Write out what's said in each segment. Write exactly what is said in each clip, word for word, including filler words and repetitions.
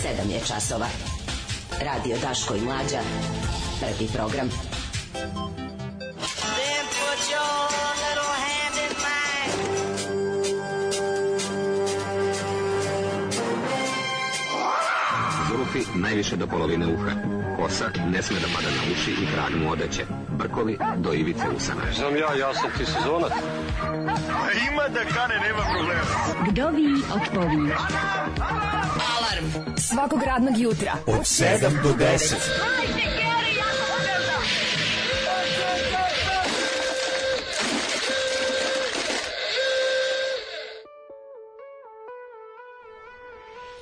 sedam je časova. Radio Daško i Mlađa. Prvi program. Then put your little hand in mine. Zulufi najviše do polovine uha. Kosa ne sme da pada na uši i trag mu odeće. Brkovi do ivice usana. Znam ja, ja sam ti sezonac. Ima da kane, nema problema. Vdovi otpovi. Alarm Svakog radnog jutra Od sedam do deset.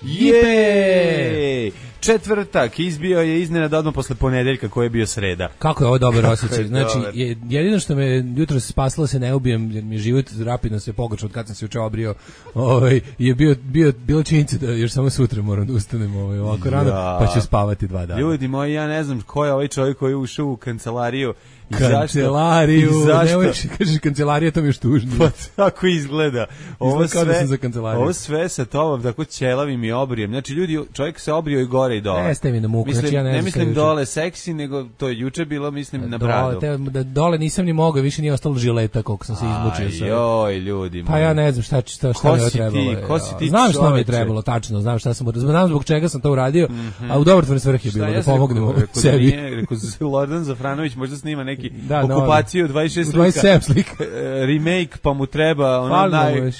Jej! Četvrtak izbio je iznenada odmah posle ponedeljka koji je bio sreda. Kako je ovo dobar osjećaj? Znači, je, jedino što me jutro se spasilo se ne ubijem, jer mi je život rapidno se pogoršao od kad sam se juče obrio, ovaj, je bio, bio, bilo činjenica da još samo sutra moram da ustanem ovaj, ovako rano, ja. Pa ću spavati dva dana. Ljudi moji, ja ne znam ko je ovaj čovjek koji je ušao u kancelariju. I kancelariju, nemoj kažeš kancelarija, to mi je još tužno. Pa tako izgleda. Ovo sve, da za ovo sve sa tobom tako ćelavim i obrijem. Znači ljudi, čovjek se obrio i gore i dole. Ne, ste mi na muku. Mislim, znači, ja ne, ne mislim dole seksi, nego to je juče bilo, mislim, na bradu. Dole, te, da, dole nisam ni mogao, više nije ostalo žileta koliko sam se izmučio. Joj, ljudi. Pa ja ne znam šta, šta, šta mi je trebalo. Ti, ko si ti znam šta mi je trebalo, tačno, znam šta sam znam zbog čega sam to uradio, mm-hmm. A u dobrotvorne svrhe je bilo, da pomognemo sebi. Rekao Lordan Zafranović možda snima neki okupaciju dvadeset šest dvadeset sedam slika. Remake, pa mu treba ono naj...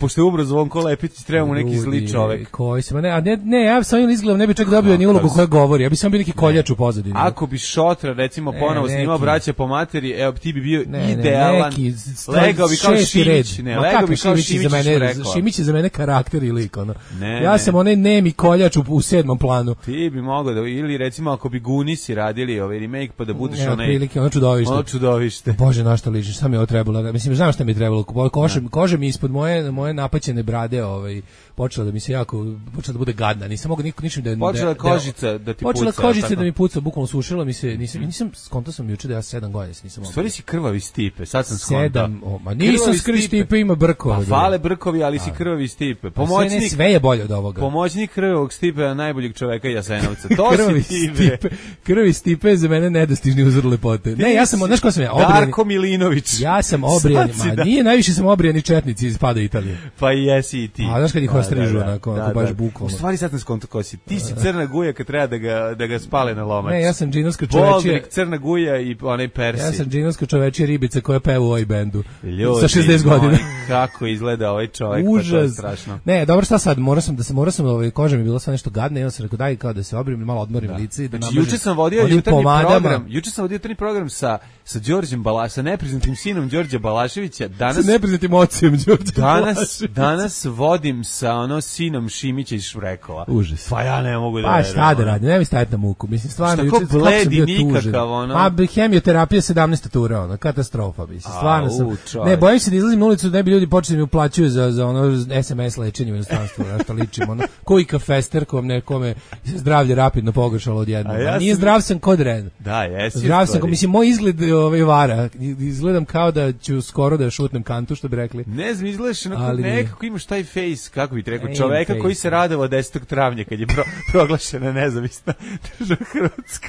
Pošto je umro Zvonko Lepić, treba mu neki zli čovek. Koji se, ne, a ne, ne, ja sam izgledam, ne bi čak dobio ni ulogu koja govori, ja bi sam bio neki koljač u pozadini. Ako bi Šotra, recimo, ponovo snimao Braća po materi, evo, ti bi bio ne, idealan. Ne, neki, legao bi kao Šimić. Ne, legao bi kao Šimić, za mene, Šimić je za mene karakter i lik, ono. Ne, ja ne. sam onaj nemi koljač u, u sedmom planu. Ti bi mogao da, ili recimo, ako bi Gunisi radili ovaj remake, pa da budeš ne, onaj... Prilike, ono čudovište. Ono čudovište. Bože, na što ličiš, šta mi je ovo trebalo? Mislim, znam šta mi je trebalo. Kože, kože mi ispod moje, moje napaćene brade ovaj, počela da mi se jako, počela da bude gadna. Nisam mogao niko ničim da... Počela kožica da ti počela puca. Počela kožica da mi puca, bukvalno sušila mi se, nisam, nisam, skonto sam juče da ja sedam godina nisam mogao. Stvari si krvavi Stipe, sad sam skonto. Sedam, o, ma nisam skri Stipe, ima brkova. Pa fale brkovi, ali si krvavi Stipe. Pomoćnik, sve, ne, sve je bolje od ovoga. Pomoćnik krvavog Stipe, najboljeg čoveka Jasenovca. To krvavi si ti, Stipe. Krvavi Stipe je za mene nedostižni uzor lepote. Ne, ja sam, znaš ko sam ja? Obrijani. Darko Milinović. Ja sam obrijani, ma da. Nije, najviše sam obrijani četnici iz pada Italije. Pa i jesi i ti. A znaš kad ih ostrižu, onako, da, baš da. bukvalno. U stvari sad sam skonto ko si. Ti si crna guja kad treba da ga, da ga spale na lomac. Ne, ja sam džinovska čovečija. Boldrik, crna guja i onaj Persi. Ja sam džinovska čovečija ribica koja peva u ovoj bendu. Ljudi, sa šezdeset godina. Kako izgleda ovaj čovjek, užas. Pa to je strašno. Ne, dobro, šta sad, morao sam da se, morao sam, ovaj, koža mi je bilo sve nešto gadno, i onda sam rekao daj kao da se obrijem, malo odmorim da. lice i da znači, juče sam vodio jutarnji program, juče sam vodio jutarnji program sa sa Đorđem Balaš, sa nepriznatim sinom Đorđa Balaševića, danas sa nepriznatim ocem Đorđa danas, Balaševića. Danas vodim sa ono sinom Šimića iz Šrekova. Užas. Pa ja ne mogu da... Pa šta da radim, ne mi staviti na muku. Mislim, stvarno, juče kako sam bio nikakav, ono... Ma, hemioterapija sedamnaesta tura, ono, katastrofa, mislim, stvarno sam... U, ne, bojim se da izlazim na ulicu da ne bi ljudi počeli mi uplaćuju za, za ono es em es lečenje u inostranstvu, na što ličim, ono, koji kafester kom nekome zdravlje rapidno pogoršalo odjednom. Ja nije sam... zdrav sam kod Ren. Da, jesi. Zdrav sam, mislim, moj izgled ovaj vara, izgledam kao da ću skoro da šutnem kantu, što bi rekli. Ne znam, izgledaš onako, nekako imaš taj face, kako bih rekao, čoveka face, koji se radovao desetog travnja kad je pro, proglašena nezavisna država Hrvatska.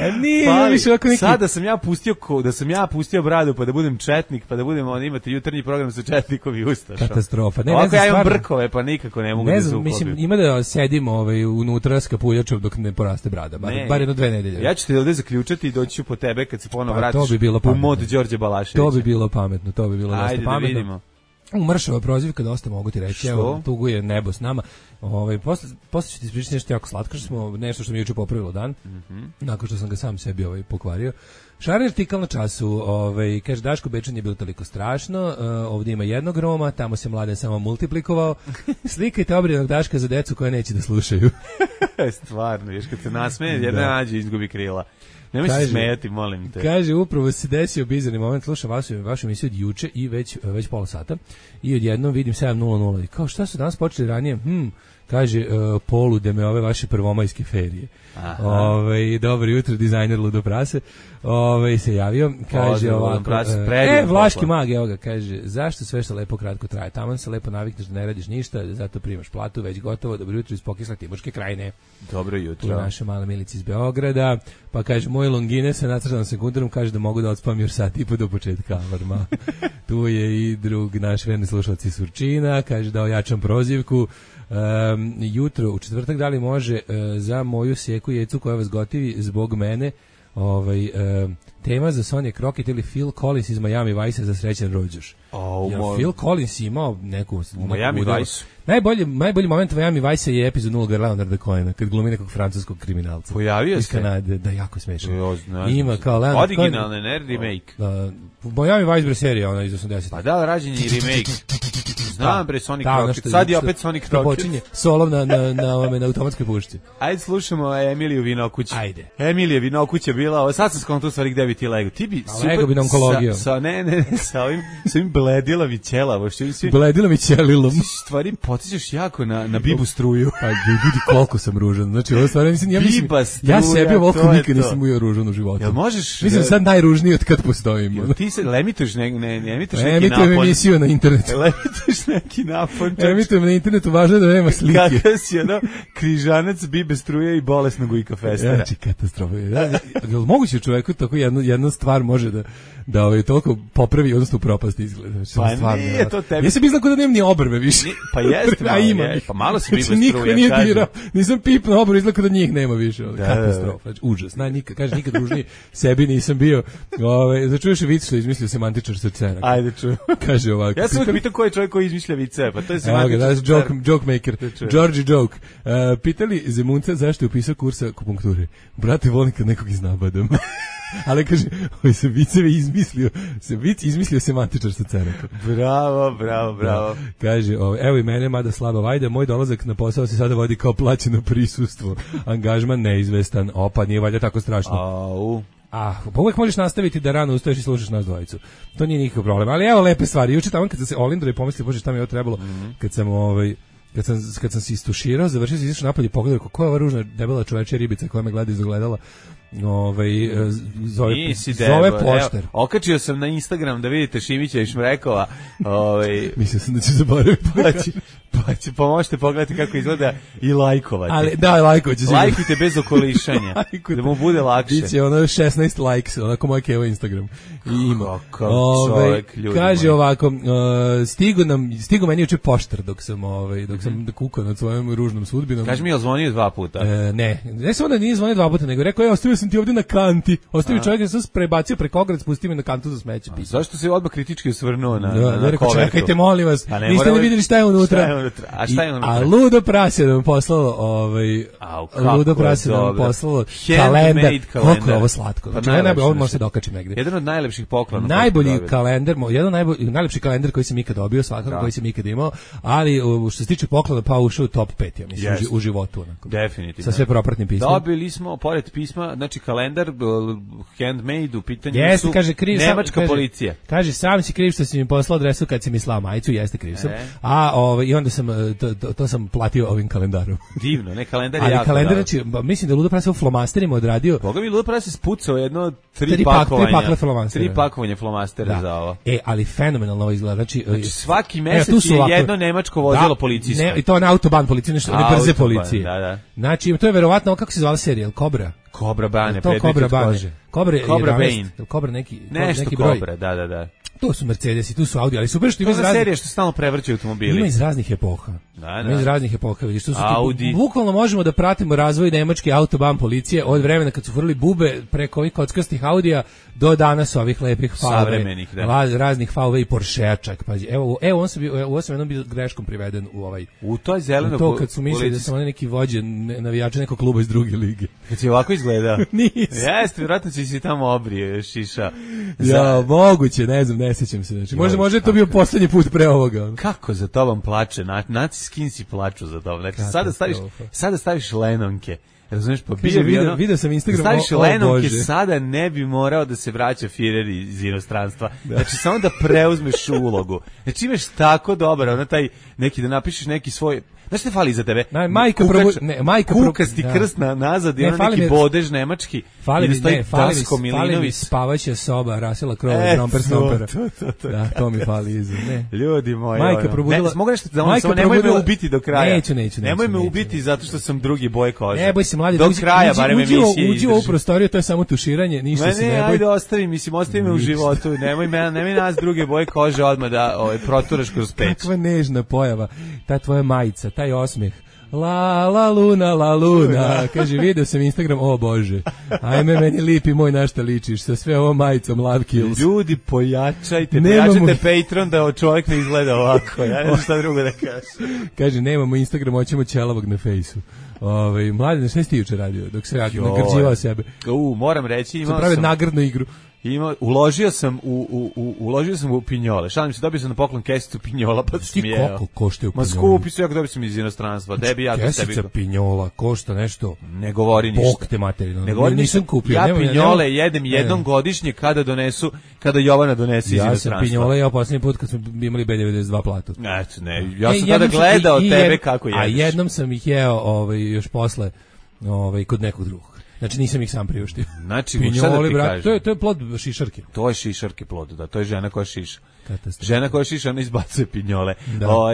A nije, pa, više ovako neki... Sada sam ja pustio, da sam ja pustio bradu pa da budem četnik, pa da budem, on imate jutarnji program sa četnikovi ustašom. Katastrofa. Ne, ovako ne znam, ja imam stvarno, brkove, pa nikako ne mogu ne da znam, se uklopim. Mislim, ima da sedim ovaj, unutra s kapuljačom dok ne poraste brada, bar, bar jedno dve nedelje. Ja ću te ovdje zaključati i doći ću po tebe kad se ponovo pa, vratiš bi u mod Đorđe Balaševića. To bi bilo pametno, to bi bilo dosta Ajde, pametno. Ajde da vidimo. Umršava prozivka, dosta mogu ti reći. Evo, tuguje nebo s nama. Ovaj posle posle ću ti ispričati nešto jako slatko, što smo nešto što mi je juče popravilo dan. Mm-hmm. Nakon što sam ga sam sebi ovaj pokvario. Šarer artikal na času, ovaj kaže Daško Bečan je bilo toliko strašno, uh, ovdje ima jednog Roma, tamo se Mladen samo multiplikovao. Slikajte obrijenog Daška za decu koje neće da slušaju. Stvarno, još kad se nasmeje, jedna nađe izgubi krila. Nemoj se smejati, molim te. Kaže, upravo se desio bizarni moment, slušam vašu, vašu emisiju od juče i već, već pola sata i odjednom vidim sedam nula nula i kao šta su danas počeli ranije, hm, Kaže, uh, polude me ove vaše prvomajske ferije. Ove, dobro jutro, dizajner Ludo Prase. Ove, se javio, kaže ovako, e, Vlaški mag, evo ga, kaže, zašto sve što lepo kratko traje? Taman se lepo navikneš da ne radiš ništa, zato primaš platu, već gotovo, dobro jutro iz pokisla Timoške krajine. Dobro jutro. Tu naša mala Milica iz Beograda, pa kaže, moj longine sa nacrtanom sekundarom, kaže da mogu da odspam još sat i po do početka alarma. Tu je i drug naš verni slušalac iz Surčina, kaže da ojačam prozivku. Um, jutro, u četvrtak, da li može uh, za moju sjeku jecu koja vas gotivi zbog mene, ovaj, uh, tema za Sonja Crockett ili Phil Collins iz Miami Vice za srećan rođuš. Oh, moj... Phil Collins imao neku... U Miami Vice. Najbolji, najbolji moment Miami Vice je epizod nula Leonarda Cohena, kad glumi nekog francuskog kriminalca. Pojavio se? Iz Kanade, da, jako smešno. Jo, ima kao Leonard Cohen. Originalne, ne remake. Uh, Miami Vice bre serija, ona iz osamdesetih. Pa da, rađen je remake. Znam bre, Sonic Crockett. Sad je opet Sonic Crockett. Počinje solom na, na, na, na, na automatskoj pušci. Ajde slušamo Emiliju Vinokuć. Ajde. Emilija Vinokuć je bila, sad sam skonto u stvari gde bi ti lego. Ti bi super... Lego bi na onkologiju. Sa, sa, ne, ne, ne, sa ovim, sa ovim bledila mi ćelavo. Bledila mi ćelilom. Stvari potičeš jako na, na Bibu struju. Pa vidi koliko sam ružan. Znači, ovo stvarno mislim, ja mislim, Biba struja, ja sebi ovoliko nikad nisam bio ružan u životu. Jel možeš... Mislim, sad najružniji od kad postojim. Jel ti se lemituješ ne, ne, ne emituješ neki napon? Emitujem emisiju na internetu. Lemituješ neki napon. Emitujem na internetu, važno je da nema slike. Kakav si, ono, križanac, Bibe struje i bolesnog Ujka Festera. Znači, katastrofa. Jel moguće čoveku tako jedna, jedna stvar može da da ovaj toliko popravi, odnosno propast izgleda. Znači, pa stvarno, nije to tebi. Ja se mislim da nemam ni obrve više. Ni, pa jeste, malo, ima. Je, pa malo se Biba znači, struje, nije kažem. dirao, nisam pipnuo obrve, izgleda da njih nema više. Da, katastrofa. Znači, užas. Naj, nikad, kaže, nikad ružniji sebi nisam bio. Ove, začuješ je vic što je izmislio semantičar srcena. Ajde, čujem. Kaže ovako. Ja sam pitao ko je čovjek koji izmišlja vice, pa to je semantičar srcena. Evo ga, joke, joke maker. Georgie Joke. Uh, pitali Zemunca zašto je upisao kursa akupunkture. Brate, volim kad nekog iznabadam. Ali kaže, ovaj se viceve izmislio, se vic izmislio semantičar sa cerekom. Bravo, bravo, bravo. Da. Kaže, ovaj, evo i mene, mada slaba vajda, moj dolazak na posao se sada vodi kao plaćeno prisustvo. Angažman neizvestan, opa, nije valjda tako strašno. Au. A, pa uvek možeš nastaviti da rano ustaješ i slušaš nas dvojicu. To nije nikakav problem. Ali evo lepe stvari. Juče tamo kad sam se olindro i pomislio, bože, šta mi je ovo trebalo, mm-hmm. kad sam ovaj Kad sam, kad sam se istuširao, završio se, izašao napolje i pogledao kako je ova ružna debela čovečja ribica koja me gleda iz ogledala. Ovaj zove zove poštar. Evo, okačio sam na Instagram da vidite Šimića i Šmrekova. Ovaj mislio sam da će zaboraviti. Pa će, pa će, pa možete pogledati kako izgleda i lajkovati. Ali da, lajkovaće se. Lajkujte bez okolišanja. Da mu bude lakše. Biće ono šesnaest likes, onako moj Kevo Instagram. I ima. Ovaj kaže moji. Ovako, uh, stigo nam stigo meni juče poštar dok sam ovaj dok sam mm-hmm. kukao nad svojom ružnom sudbinom. Kaže mi je zvonio dva puta. E, ne, ne samo da nije zvonio dva puta, nego rekao je ostavio sam ti ovdje na kanti. Ostavio čovjek da sam se prebacio preko ograde, spustio me na kantu za smeće. A, zašto se odmah kritički osvrnuo na, da, na, na rekao, kovertu? Čekajte, molim vas, ne, niste li vidjeli šta je unutra? Šta je unutra? A šta je unutra? I, a Ludo Prase da vam poslalo, ovaj, Au, Ludo Prase da vam poslalo kalendar. Koliko je ovo slatko. Znači, pa najbolje, ovo možete dokačiti negdje. Jedan od najlepših poklona. Najbolji kalendar, jedan najbolji, najlepši kalendar koji sam ikad dobio, svakako koji sam ikad imao, ali što se tiče poklona, pa ušao u top pet, ja mislim, yes. u životu. Onako. Definitivno. Sa sve propratnim pismom. Dobili smo, pored pisma, znači kalendar, handmade, u pitanju jeste, su kaže, kriv, nemačka kaže, policija. Kaže, sam si kriv što si mi poslao adresu kad si mi slao majicu, jeste kriv sam. E. A ovaj, i onda sam, to, to, to sam platio ovim kalendarom. Divno, ne, kalendar je ali jako. Kalendar, znači, mislim da Ludo Prase u flomasterima odradio. Boga mi Ludo Prase spucao jedno tri, tri pakovanja. Tri pakle flomastera. Tri pakovanja flomastera da. za ovo. E, ali fenomenalno ovo izgleda. Znači, znači svaki mesec je ovako, jedno nemačko vozilo da, policijsko. Ne, i to na autoban policije, nešto, ne brze policije. Da, da. Znači, to je verovatno, kako se zvala serija, Cobra? Cobra Bane, to Cobra Bane. Cobra, Cobra Bane. Cobra neki, nešto neki broj. Cobra, da, da, da. To su Mercedesi, tu su Audi, ali super što ima iz raznih... serija što stalno prevrćaju automobili. Ima iz raznih epoha. Da, da. Ima iz raznih epoha, vidiš, tu su Audi. Ti, bukvalno možemo da pratimo razvoj nemačke autoban policije od vremena kad su furali bube preko ovih kockastih Audija do danas ovih lepih savremenih, da. Raznih V W i Porschea čak, pazi. Evo, evo on se bi, evo sam jednom bio greškom priveden u ovaj. U toj zeleno. To kad su mislili da sam oni neki vođe navijača nekog kluba iz druge lige. Kad si ovako izgledao. Nisam. Jeste, vjerojatno si si tamo obrio šiša. Za... Ja, moguće, ne znam, ne sjećam se. Znači, možda može to bio poslednji put pre ovoga. Kako za tobom plače? Na, naci skinsi plaču za tobom. Znači, sada staviš, sada staviš lenonke. Razumiješ, pa bio bi ono... Vidio sam Instagram, staviš o, o lenonke, Bože. Sada ne bi morao da se vraća Firer iz inostranstva. Da. Znači, samo da preuzmeš ulogu. Znači, imaš tako dobro, ono taj, neki, da napišeš neki svoj... Znaš šta fali za tebe? Na, majka probu... ne, majka probu... Kukasti da. Krst na, nazad i ono neki mi... bodež nemački. Fali mi, ne, fali mi, fali mi spavaća soba, Rasela Krova, Tromper Stompera. To, to, to. Da, to mi fali iza. Ne. Ljudi moji. Majka probudila... Ne, mogu nešto da ono, samo nemoj me ubiti do kraja. Neću, neću, neću. Nemoj me neću, ubiti neću. zato što sam drugi boj kože. Ne boj se, mladi. Do kraja, barem emisije. Uđi u ovu prostoriju, to je samo tuširanje, ništa se ne boj. Ne, ajde, ostavi, mislim, ostavi me u životu. Nemoj me, nemoj nas druge boje kože odmah da ovaj, proturaš kroz peć. Kakva nežna pojava. Ta tvoja majica, taj osmeh. La la luna, la luna. Kaže, video sam Instagram, o Bože. Ajme, meni lipi moj, na šta ličiš, sa sve ovom majicom Love Kills. Ljudi, pojačajte, Nemamo... pojačajte Patreon da čovjek ne izgleda ovako. Ja ne znam šta drugo da kažem. Kaže, nemamo Instagram, hoćemo ćelavog na fejsu. Ovaj mladi, sve ste juče radio, dok se radio, nagrđivao sebe. U, moram reći, imao sam... sam... nagradnu igru. Ima, uložio sam u, u, u, uložio sam u pinjole. Šalim se, dobio sam na poklon kesicu pinjola, pa sam smijeo. Koliko koštaju pinjole? Ma skupi su, jako dobio sam iz inostranstva. Debi, ja to sebi... Kesica pinjola košta nešto... Ne govori ništa. Bog te materijalno. Ne govori nisam kupio. Ja nema, pinjole nema, jedem jednom ne. godišnje kada donesu, kada Jovana donese iz ja inostranstva. Ja sam pinjole, ja posljednji put kad smo imali B devedeset dva platu. Eto, ne, ja sam e, tada gledao i, tebe i, kako jedeš. A jednom sam ih jeo ovaj, još posle ovaj, kod nekog drugog. Znači nisam ih sam priuštio. Znači, pinjole, brat, to je to je plod šišarke. To je šišarke plod, da, to je žena koja šiša. Žena koja šiša, ona izbacuje pinjole. O,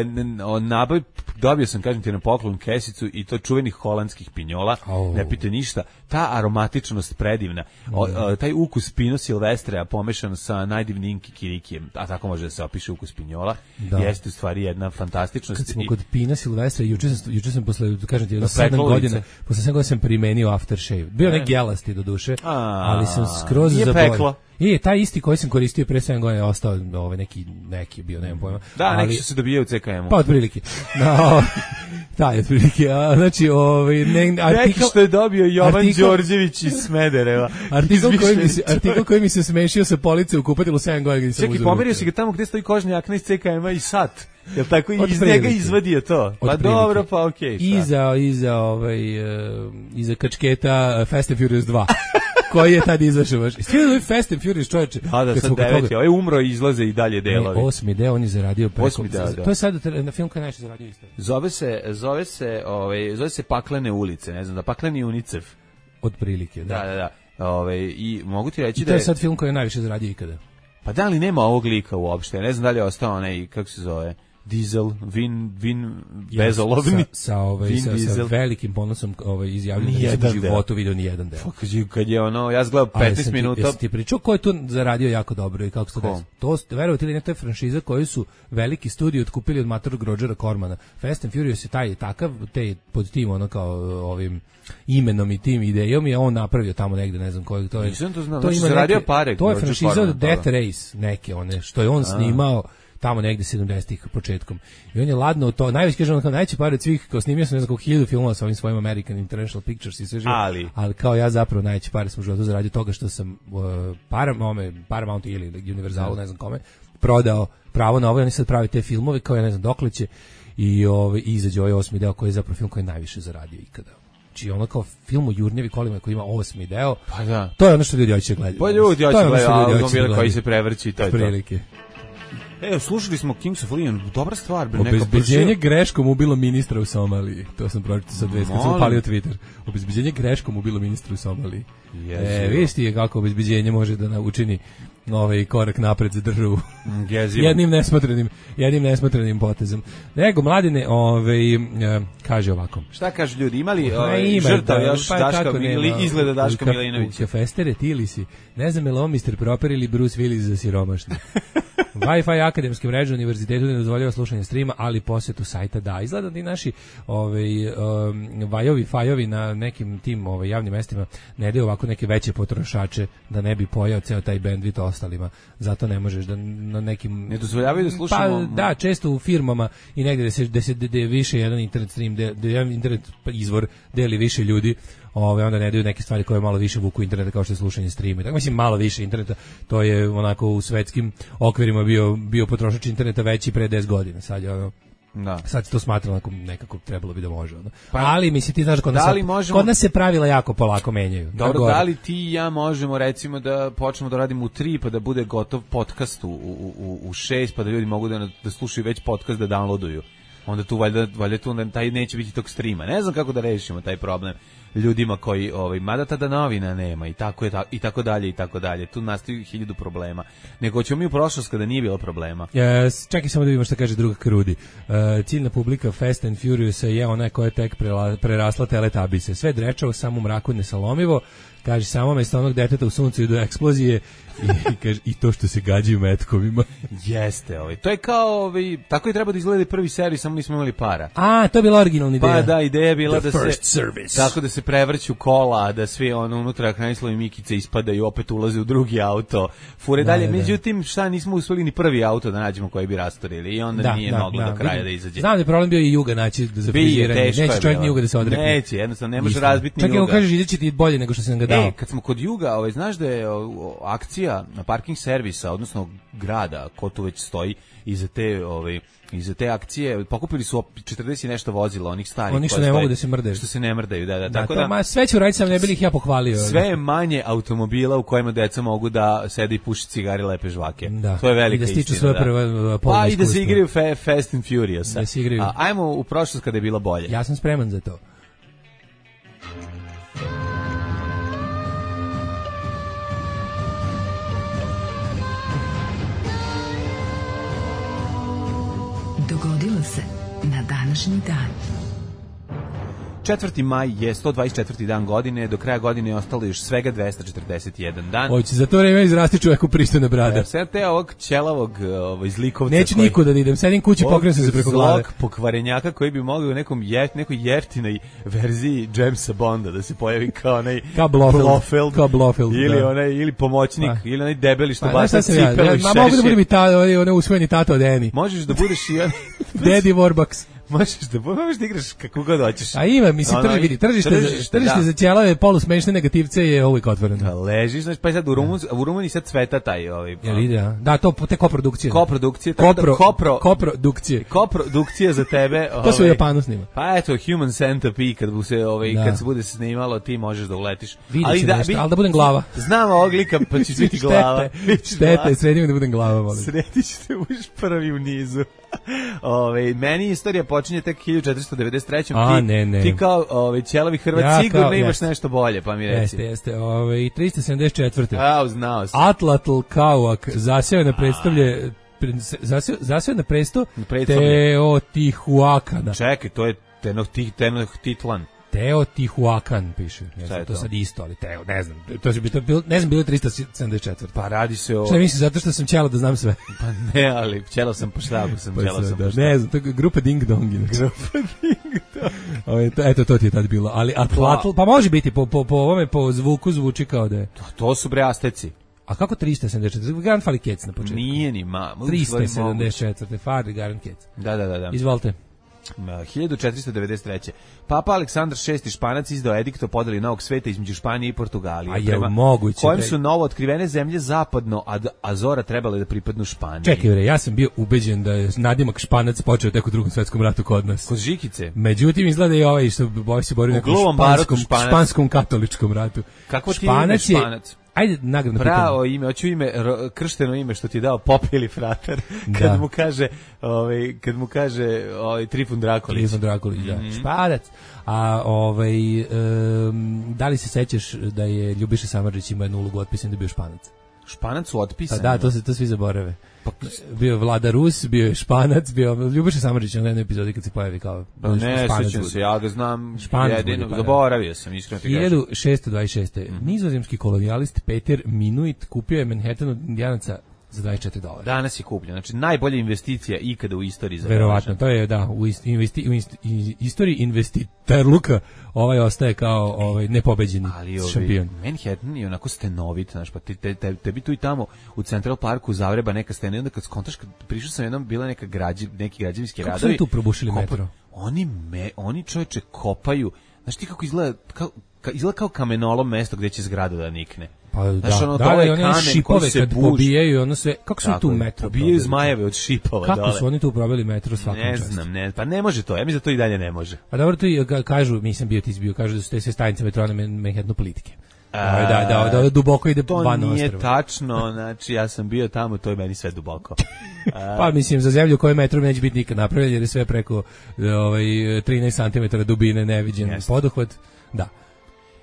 o, naboj, dobio sam, kažem ti, na poklon kesicu i to čuvenih holandskih pinjola. Oh. Ne pite ništa. Ta aromatičnost predivna. O, o, taj ukus Pino Silvestrea pomešan sa najdivnijim kikirikijem, a tako može da se opiše ukus pinjola, da. Jeste u stvari jedna fantastičnost. Kad smo i... kod Pina Silvestrea, juče sam, juče sam posle, kažem ti, jedno sedam godina, posle sedam godina sam primenio aftershave. Bio ne gelasti do duše, a, ali sam skroz zaboravio. I taj isti koji sam koristio pre sedam godina ostao ovaj neki neki bio, nemam pojma. Da, ali, neki su se dobijaju u C K M-u. Pa otprilike. No, taj otprilike. A znači ovaj ne artikl što je dobio Jovan artikl, Đorđević iz Smedereva. Artikl koji mi se artikl koji mi se smešio sa police u kupatilu sedam godina. Čekaj, pomerio si ga tamo gde stoji kožni jakna iz C K M-a i sat. Jel tako i iz njega izvadio to? Pa dobro, pa okej. Okay, iza iza ovaj uh, iza kačketa uh, Fast and Furious dva. Koji je tad izašao baš. Svi ovaj Fast and Furious čovječe. Da, da, sad deveti, ovaj umro i izlaze i dalje delovi. Ne, osmi deo on je zaradio preko. Osmi deo, da. To je sad na film koji najviše zaradio isto. Zove se, zove se, ovaj, zove se Paklene ulice, ne znam, da Pakleni UNICEF. Otprilike, da. Da, da, da. Ovaj i mogu ti reći I da to je sad film koji je najviše zaradio ikada. Pa da li nema ovog lika uopšte? Ne znam da li je ostao onaj, kako se zove, Diesel, Vin, Vin, bezolovni. Sa, sa, ovaj, sa, sa velikim ponosom ovaj, izjavljeno da nisam u životu vidio ni jedan deo. Kad je ono, ja zgledao petnaest minuta. Jesi ti pričao ko je tu zaradio jako dobro i kako se to desilo? To, verovati ili ne, to je franšiza koju su veliki studiji otkupili od matorog Rodgera Cormana. Fast and Furious je taj takav, te pod tim ono kao ovim imenom i tim idejom je on napravio tamo negde, ne znam koji to je. Nisam to znao, to znači zaradio pare. To je franšiza od Death Race, neke one, što je on snimao tamo negde sedamdesetih početkom. I on je ladno to, najveći kaže on kao najveći par od svih, kao snimio sam ne znam koliko hiljadu filmova sa ovim svojim American International Pictures i sve živo. Ali. ali kao ja zapravo najveći par sam u životu zaradio toga što sam uh, Paramount, Paramount ili Universalu, ne znam kome, prodao pravo na ovo i oni sad pravi te filmove kao ja ne znam dokle će i ovaj izađe ovaj osmi deo koji je zapravo film koji je najviše zaradio ikada. Znači ono kao film o Jurnjevi kolima koji ima osmi deo. Pa da. To je ono što ljudi hoće gledati. Pa ljudi hoće gledati automobile koji se prevrći, to je to. Prilike. E, slušali smo Kings of Leon, dobra stvar. Obezbeđenje greškom ubilo ministra u Somaliji. To sam pročitao sa dve, kad sam upalio Twitter. Obezbeđenje greškom ubilo ministra u Somaliji. Jezivo. E, vidiš ti kako obezbeđenje može da učini ovaj korak napred za državu. Jezivo. jednim nesmotrenim, jednim nesmotrenim potezom. Nego, mladine, ovaj, e, kaže ovako. Šta kaže ljudi, imali ovaj, žrtav još pa, Daška, ili izgleda Daška ka, Milinovića? Kafestere, ti li si? Ne znam je li on mister Proper ili Bruce Willis za siromašne. Wi-Fi akademske mreže univerzitetu ne dozvoljava slušanje streama, ali posjetu sajta da. Izgleda da i naši ovaj, um, vajovi, fajovi na nekim tim ovaj, javnim mestima ne daju ovako neke veće potrošače da ne bi pojao ceo taj bandwidth ostalima. Zato ne možeš da na nekim... Ne dozvoljavaju da slušamo... Pa da, često u firmama i negde da se, da se da više jedan internet stream, da, da jedan internet izvor deli više ljudi, ove, onda ne daju neke stvari koje malo više vuku interneta kao što je slušanje streama. Tako mislim malo više interneta, to je onako u svetskim okvirima bio, bio potrošač interneta veći pre deset godina. Sad je ono, da. Sad se to smatra onako nekako trebalo bi da može. Ono. Pa, ali mislim ti znaš kod nas, da možemo... kod nas se pravila jako polako menjaju. Dobro, da li ti i ja možemo recimo da počnemo da radimo u tri pa da bude gotov podcast u, u, u, u šest pa da ljudi mogu da, da slušaju već podcast da downloaduju. onda tu valjda, valjda tu onda taj neće biti tog streama. Ne znam kako da rešimo taj problem ljudima koji, ovaj, mada tada novina nema i tako, je, i tako dalje i tako dalje. Tu nastaju hiljadu problema. Nego ćemo mi u prošlost kada nije bilo problema. Yes, čekaj samo da vidimo šta kaže druga Krudi. Uh, ciljna publika Fast and Furious je ona koja je tek prela, prerasla Teletubbiese. Sve drečavo, samo u mraku nesalomivo. Kaže, samo mesto onog deteta u suncu i do eksplozije i, kaže, i to što se gađaju metkovima. Jeste, ovaj. To je kao, ovaj, tako je treba da izgleda prvi servis, samo nismo imali para. A, to je bila originalna ideja. Pa da, ideja je bila The da se service. Tako da se prevrću kola, da svi ono unutra Hranislav i Mikice ispadaju, opet ulaze u drugi auto. Fure da, dalje, da, da. Međutim, šta nismo uspeli ni prvi auto da nađemo koji bi rastorili i onda da, nije da, moglo da, do kraja vidim. Da izađe. Znam da je problem bio i Juga naći za friziranje. Neće čovjek ni Juga da se odrekne. Neće, jednostavno ne može razbiti ni Juga. Čak i ako kažeš izaći ti bolje nego što sam ga dao. E, kad smo kod Juga, ovaj, znaš da je o, akcija na parking servisa, odnosno grada, ko tu već stoji iza te, ovaj, iza te akcije, pokupili su četrdeset i nešto vozila, onih starih. Oni što ne mogu da se mrdaju. Što se ne mrdaju, da, da. da tako to, da, ma, sve ću raditi, sam ne bili ih ja pohvalio. Sve je manje automobila u kojima deca mogu da sede i puši cigare, lepe žvake. Da. To je velika istina. I da stiču svoje prve polne Pa i da se igraju fa Fast and Furious. Da se igraju. A, ajmo u prošlost kada je bilo bolje. Ja sam spreman za to. Dogodilo se na današnji dan. četvrti maj je sto dvadeset četvrti dan godine, do kraja godine je ostalo još svega dvesta četrdeset jedan dan. Hoće za to vreme izrasti čoveku pristojna brada. E, sad te ovog ćelavog ovaj, zlikovca... Neću koji, nikuda da idem, sedim kući, pokrenem se preko glave. Zlog pokvarenjaka koji bi mogao u nekom jeft, nekoj jeftinoj verziji Jamesa Bonda da se pojavi kao onaj kao Blofeld, Blofeld, kao Blofeld ili, da. onaj, ili pomoćnik, pa. Ili onaj debeli što pa, baca cipelu ja, ja, i šešir. Ma mogu da budem i ta, onaj usvojeni tato od Eni. Možeš da budeš i on... Daddy Warbucks. Možeš da, možeš da igraš kako god hoćeš. A ima, mislim, trži, vidi, tržište, tržište, tržište da. Za ćelave polusmešne negativce je uvijek otvoreno. Da, ležiš, znači, pa sad u Rumuniji, u Rumuniji sad cveta taj... Ovaj, Jel ide, a? Da, to te koprodukcije. Koprodukcije. Kopro, da, kopro, koprodukcije. Koprodukcije za tebe. To se u Japanu snima. Pa eto, Human Centipede, kad, bu se, ovaj, da. Kad se bude snimalo, ti možeš da uletiš. Vidjet ću da, nešto, ali da budem glava. Znam ovog lika, pa će biti glava. Štete, sredim da budem glava, volim. Sredi ćete, budeš prvi u nizu. Ove, meni istorija počinje tek hiljadu četiristo devedeset treće. A, ti, ne, ne. ti kao ove, ćelavi Hrvat ja, sigurno imaš jeste. Nešto bolje, pa mi reci. Jeste, jeste. Ove, tristo sedamdeset četvrte. A, znao sam. Atlatl Kauak zaseo na predstavlje zaseo, zaseo na presto Teotihuacana. Čekaj, to je Tenochtitlan. Teotihuacan piše. Ne znam, to, to sad isto, ali Teo, ne znam. To će biti bilo, ne znam, bilo tristo sedamdeset četvrte. Pa radi se o... Šta misliš, zato što sam ćelo da znam sve? Pa ne, ali ćelo sam po štabu, sam pa ćelo sam da, po štabu. Ne znam, to je grupa Ding Dong. Grupa Ding Dong. Eto, to ti je tad bilo. Ali Atlatl, pa može biti, po, po, po ovome, po zvuku zvuči kao da je. To, to su bre Asteci. A kako tristo sedamdeset četvrte? Garant fali kec na početku. Nije ni ma. tristo sedamdeset četvrte fali garant kec. Da, da, da, da. Izvolite. hiljadu četiristo devedeset treće. Papa Aleksandar šesti Španac izdao edikt o podeli novog sveta između Španije i Portugalije. A je moguće. Kojim su novo otkrivene zemlje zapadno od Azora trebale da pripadnu Španiji. Čekaj, bre, ja sam bio ubeđen da je nadimak Španac počeo tek u Drugom svetskom ratu kod nas. Kod Žikice. Međutim, izgleda i ovaj što boj se bori u nekom španskom, španskom katoličkom ratu. Kako ti ime Španac? Ajde, nagradno pitanje. Pravo ime, hoću ime, kršteno ime što ti je dao Pop ili Fratar, kad da. mu kaže, ovaj, kad mu kaže ovaj, Trifun Drakolić. Trifun Drakolić, da. Mm-hmm. Španac. A ovaj, um, da li se sećaš da je Ljubiša Samardžić imao jednu ulogu otpisan da je bio Španac? Španac su otpisani? Pa da, to se to svi zaborave. Pa, bio je Vlada Rus, bio je Španac, bio Ljubiša Samardžić na jednoj epizodi kad se pojavi kao pa ne, sećam se, ja ga znam Španac jedino, bude, pa, zaboravio sam, iskreno ti hiljadu šessto dvadeset šeste. Mm-hmm. Nizozemski kolonijalist Peter Minuit kupio je Manhattan od Indijanaca za dvadeset četiri dolara. Danas je kupljen, znači najbolja investicija ikada u istoriji za verovatno, to je da, u isti, investi, u isti, istoriji investiterluka ovaj ostaje kao ovaj nepobeđeni šampion. Manhattan je onako stenovit, znaš, pa te, te, te, tebi tu i tamo u Central Parku Zagreba neka stena i onda kad skontaš, kad prišao sam jednom, bila neka građe, neki građevinski radovi. Kako su tu probušili kopa, metro? Oni, me, oni čoveče kopaju, znaš ti kako izgleda, kao, ka, izgleda kao kamenolom mesto gde će zgrada da nikne. Pa znaš, da, ono, da, da, one šipove kad buž... pobijaju, ono sve, kako su tu metro pobijaju probili? Zmajeve od šipova kako dole. Su oni tu probili metro svakom ne častu? Znam, ne, pa ne može to, ja mislim da to i dalje ne može. A dobro, to i kažu, nisam bio ti izbio, kažu da su te sve stanice metrona Manhattanu plitke. A, da, da, da, da, duboko ide to van nije ostrva. tačno, znači ja sam bio tamo, to je meni sve duboko. Pa mislim, za zemlju koju metrom neće biti nikad napravljen, jer je sve preko ovaj, trinaest centimetara dubine, neviđen Jeste. poduhvat. Da.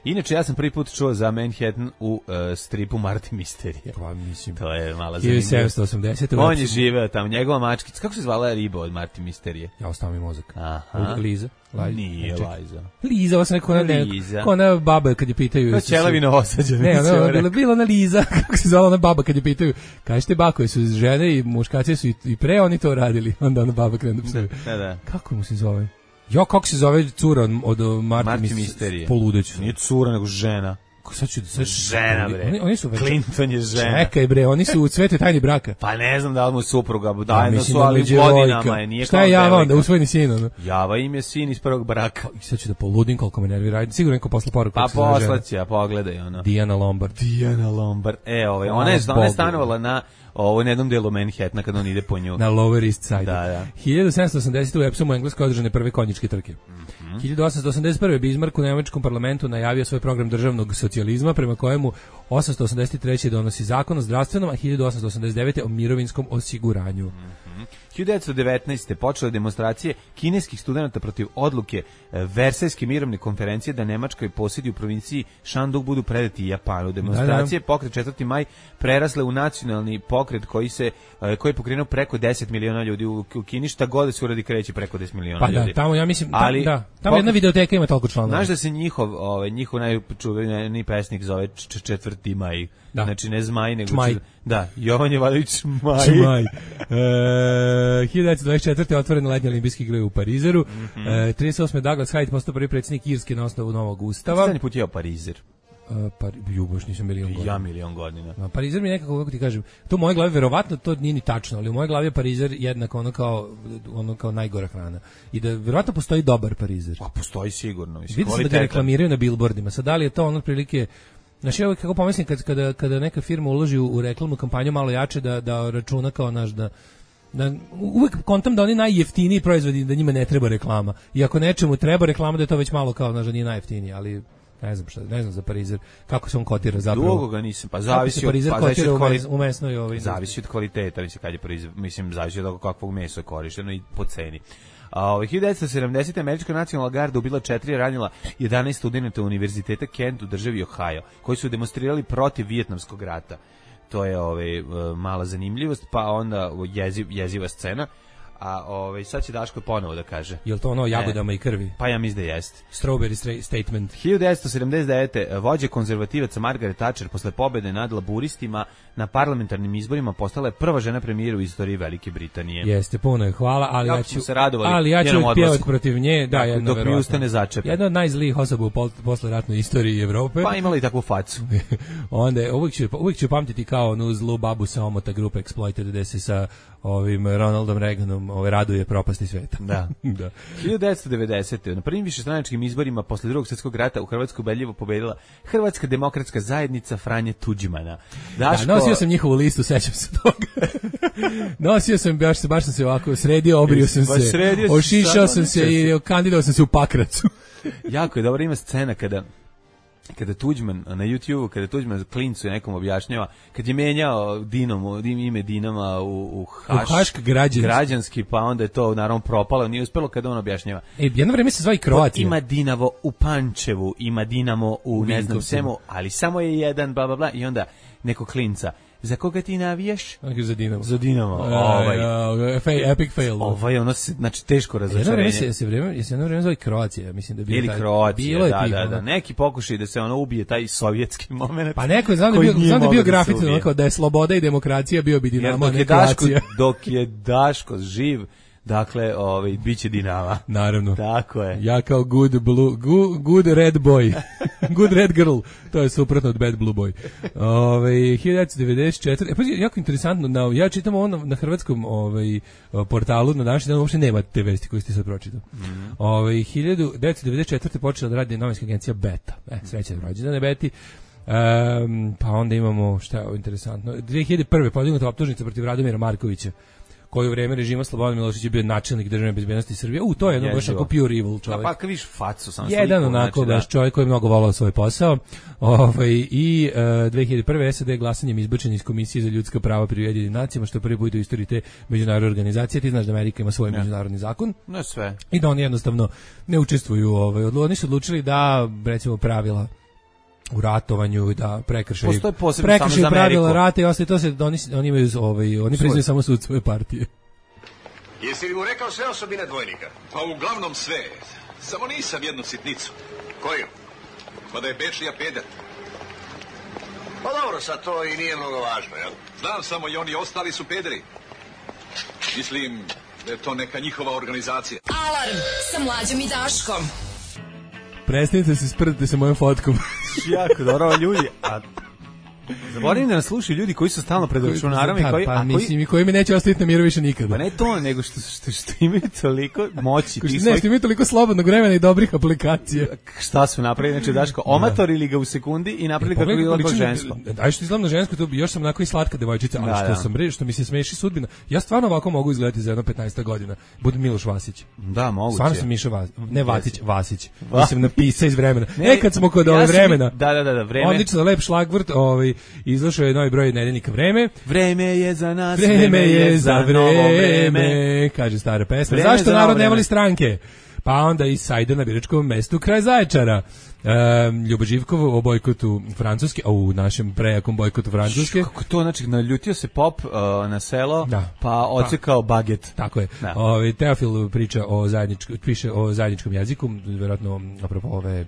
Inače, ja sam prvi put čuo za Manhattan u uh, stripu Marti Misterije. Pa mislim, to je mala hiljadu zanimljivost. sedamsto osamdesete On je živeo tamo, njegova mačkica. Kako se zvala riba od Marti Misterije? Ja ostao mi mozak. Aha. Liza. Laj, Nije ne, Liza. Liza, ovo sam rekao, ona, Liza. ko ona baba kad je pitaju... To je Ćelavina osađena. Ne, ona je bila, bila ona Liza, kako se zvala ona baba kad je pitaju, kažete bako, su žene i muškaci su i, i pre oni to radili, onda ona baba krenu da psuje. Da, da. Kako mu se zove? Jo, kako se zove cura od, od Marti, Marti mis, Misterije. Poludeću. Nije cura, nego žena. Sad ću, sad ću, Žena, bre. Oni, oni su već... Clinton je žena. Čekaj, bre, oni su u cvete tajni braka. Pa ne znam da li mu supruga, Da, dajedno mislim su, da ali među godinama devojka. je, nije Šta je kao Java onda, devojka. usvojeni sin, ono? Java im je sin iz prvog braka. I sad ću da poludim koliko me nervira. Ajde, sigurno neko posla poruku. Pa kako se zove žena. poslaći, a pogledaj ono. Dijana Lombard. Dijana Lombard. E, ovaj, Hvala ona je, ona je Bogu. stanovala na ovo na jednom delu Manhattana kad on ide po nju. Na Lower East Side. Da, da. hiljadu sedamsto osamdesete u Epsomu u Engleskoj održane prve konjičke trke. Mm-hmm. hiljadu osamsto osamdeset prve Bismarck u nemačkom parlamentu najavio svoj program državnog socijalizma prema kojemu osamsto osamdeset treće donosi zakon o zdravstvenom, a hiljadu osamsto osamdeset devete o mirovinskom osiguranju. Mm-hmm. hiljadu devetsto devetnaeste počele demonstracije kineskih studenata protiv odluke e, Versajske mirovne konferencije da Nemačka i posjedi u provinciji Shandong budu predati Japanu. Demonstracije Da, da. pokret četvrti maj prerasle u nacionalni pokret koji se e, koji je pokrenuo preko deset miliona ljudi u, u Kini, šta god da se uradi kreće preko deset miliona Pa ljudi. da, tamo ja mislim, Ali, da, tamo jedna pokret- videoteka ima toliko članova. Znaš da se njihov, ovaj, njihov najčuveniji pesnik zove č- četvrti maj. Da. Znači ne Zmaj, nego Čmaj. čet- da, Jovan Jovanović Čmaj. Čmaj. E, hiljadu devetsto dvadeset četvrte otvorene letnje olimpijske igre u Parizeru. Mhm. E, trideset osme Douglas Hyde postao prvi predsjednik Irske na osnovu novog ustava. Stani put jeo Parizer. E, par, ju, baš nisam milion godina. Ja milion godina. Ma, Parizer mi je nekako, kako ti kažem, to u mojoj glavi, verovatno to nije ni tačno, ali u mojoj glavi je Parizer jednako ono kao, ono kao najgora hrana. I da verovatno postoji dobar Parizer. Pa postoji sigurno, mislim, Vidim se da ga kvalitetan. reklamiraju na billboardima. Sad da li je to ono otprilike, znači ja uvijek kako pomislim kad, kada, kada neka firma uloži u, u reklamnu kampanju malo jače da, da računa kao naš da da uvek kontam da oni najjeftiniji proizvodi da njima ne treba reklama. I ako nečemu treba reklama da je to već malo kao naš da nije najjeftiniji, ali ne znam šta, ne znam za Parizer kako se on kotira zapravo. Dugo ga nisam, pa Kako zavisi se od Parizer pa zavisi kotira od u, kvali- mes, u mesnoj ovaj. zavisi od kvaliteta, mislim kad je proizv... mislim zavisi od toga kakvog mesa je korišteno i po ceni. A ovaj hiljadu devetsto sedamdesete američka nacionalna garda ubila četiri i ranila jedanaest studenata Univerziteta Kent u državi Ohio, koji su demonstrirali protiv Vijetnamskog rata. To je ovaj mala zanimljivost, pa onda jeziv, jeziva scena. A ovaj sad će Daško ponovo da kaže. Jel to ono o jagodama i krvi? Pa ja mislim da jeste. Strawberry stra- statement. hiljadu devetsto sedamdeset devete vođa konzervativaca Margaret Thatcher posle pobede nad laburistima na parlamentarnim izborima postala je prva žena premijer u istoriji Velike Britanije. Jeste, puno je hvala, ali Jako ja smo ću se radovali ali ja ću njenom pjevati odlasku. protiv nje, da, Tako, jedno dok mi verovatno. usta ne začepe. Jedna od najzlijih osoba u pol, posleratnoj istoriji Evrope. Pa imala i takvu facu. Onda je, uvijek ću, uvijek ću pamtiti kao onu zlu babu sa omota grupe Exploited gde se sa ovim Ronaldom Reaganom ove raduje propasti sveta. Da. Da. hiljadu devetsto devedesete na prvim višestranačkim izborima posle Drugog svjetskog rata u Hrvatskoj ubedljivo pobedila Hrvatska demokratska zajednica Franje Tuđmana. Daško... Da, nosio sam njihovu listu, sećam se toga. nosio sam, baš, baš sam se ovako sredio, obrio sam Baš se, sredio si ošišao sad, sam ne se sjećam i kandidao sam se u Pakracu. Jako je dobra, ima scena kada kada Tuđman na YouTubeu, kada Tuđman klincu nekom objašnjava, kad je menjao Dinamo, ime Dinama u, u, haš, U Hašk građanski. građanski, pa onda je to naravno propalo, nije uspelo kada on objašnjava. E, jedno vreme se zva i Kroatija. Ima Dinamo u Pančevu, ima Dinamo u ne znam Vinkovcima. svemu, ali samo je jedan, bla, bla, bla, i onda neko klinca. Za koga ti navijaš? Onako za Dinamo. Za Dinamo. Ovaj. Ovaj, Fail, epic fail. ovaj ono se, znači teško Jedno vreme razočarenje. se, se vreme, se jedno vreme zove Kroacija, mislim da je bio Ili taj- Kroacija, bilo je da, tih, da, ono. da. Neki pokušaj da se ono ubije taj sovjetski moment. Pa neko je, znam da je koji bio, nije znam da je bio mogao da se grafit, ubije. onako da je sloboda i demokracija bio bi Jer Dinamo, a dok ne je Daško, Kroacija. dok je Daško živ, dakle, ovaj, bit će Dinama. Naravno. Tako je. Ja kao good blue, good, good red boy, good red girl, to je suprotno od bad blue boy. Ove, hiljadu devetsto devedeset četvrte. E, pa jako interesantno, na, ja čitam ovo na, na hrvatskom ovaj, portalu, na današnji dan uopšte nema te vesti koje ste sad pročitao. Mm. Ove, hiljadu devetsto devedeset četvrte počela da radi novinska agencija Beta. E, srećan rođendan Beti. Um, pa onda imamo, šta je ovo interesantno, dve hiljade prve podignuta optužnica protiv Radomira Markovića, koji u vreme režima Slobodana Miloševića bio načelnik državne bezbednosti Srbije. U to je jedno baš ako pure evil čovjek. Pa kad vidiš facu sam jedan sliku, onako znači, baš čovjek koji je mnogo volao svoj posao. Ovaj i uh, dve hiljade prve. S A D glasanjem izbačen iz Komisije za ljudska prava pri Ujedinjenim nacijama, što je prvi put u istoriji te međunarodne organizacije. Ti znaš da Amerika ima svoj ne. međunarodni zakon. Ne sve. I da oni jednostavno ne učestvuju, ovaj oni su odlučili da recimo pravila u ratovanju da prekršaju postoje posebno samo za pravila rata i ostalo to se oni oni imaju ovaj oni priznaju samo sud svoje partije. Jesi li mu rekao sve osobine dvojnika? Pa uglavnom sve. Samo nisam jednu sitnicu. Koju? Pa da je Bečija peder. Pa dobro, sad to i nije mnogo važno, jel? Znam samo i oni ostali su pederi. Mislim da je to neka njihova organizacija. Alarm sa Mlađom i Daškom. Prestanite se sprdite sa mojom fotkom. Jako dobro, ljudi. A zaboravim da nas slušaju ljudi koji su stalno pred računarom i koji, pa, a koji, mislim, i koji mi neće ostaviti na miru više nikada. Pa ne to, nego što, što, što imaju toliko moći. Ko što, ne, svojih... što imaju toliko slobodnog vremena i dobrih aplikacija. Šta su napravili? Znači, Daško, omatorili ga u sekundi i napravili kako je bilo žensko. Aj što izgledam na žensko, to još sam onako i slatka devojčica, ali da, što, da. sam, što mi se smeši sudbina. Ja stvarno ovako mogu izgledati za jedno petnaest godina. Budem Miloš Vasić. Da, moguće. Stvarno sam Miša Vasić. Ne Vatić, Vasić. Va. Mislim, napisa iz vremena. Ne, e, kad smo kod ja ove vremena. Da, da, da, da, vreme. Odlično, lep šlagvrt, ovaj, izašao je novi broj nedeljnika Vreme. Vreme je za nas, vreme, vreme je za novo vreme, kaže stara pesma. Vreme Zašto narod vreme. ne voli stranke? Pa onda i sajde na biračkom mestu kraj Zaječara. Um, Ljubo Živkov o bojkotu Francuske, a u našem prejakom bojkotu Francuske. Kako to, znači, naljutio se pop uh, na selo, da. pa ocekao pa, baget. Tako je. Da. Ove, Teofil priča o zajedničkom, piše o zajedničkom jeziku, vjerojatno apropo ove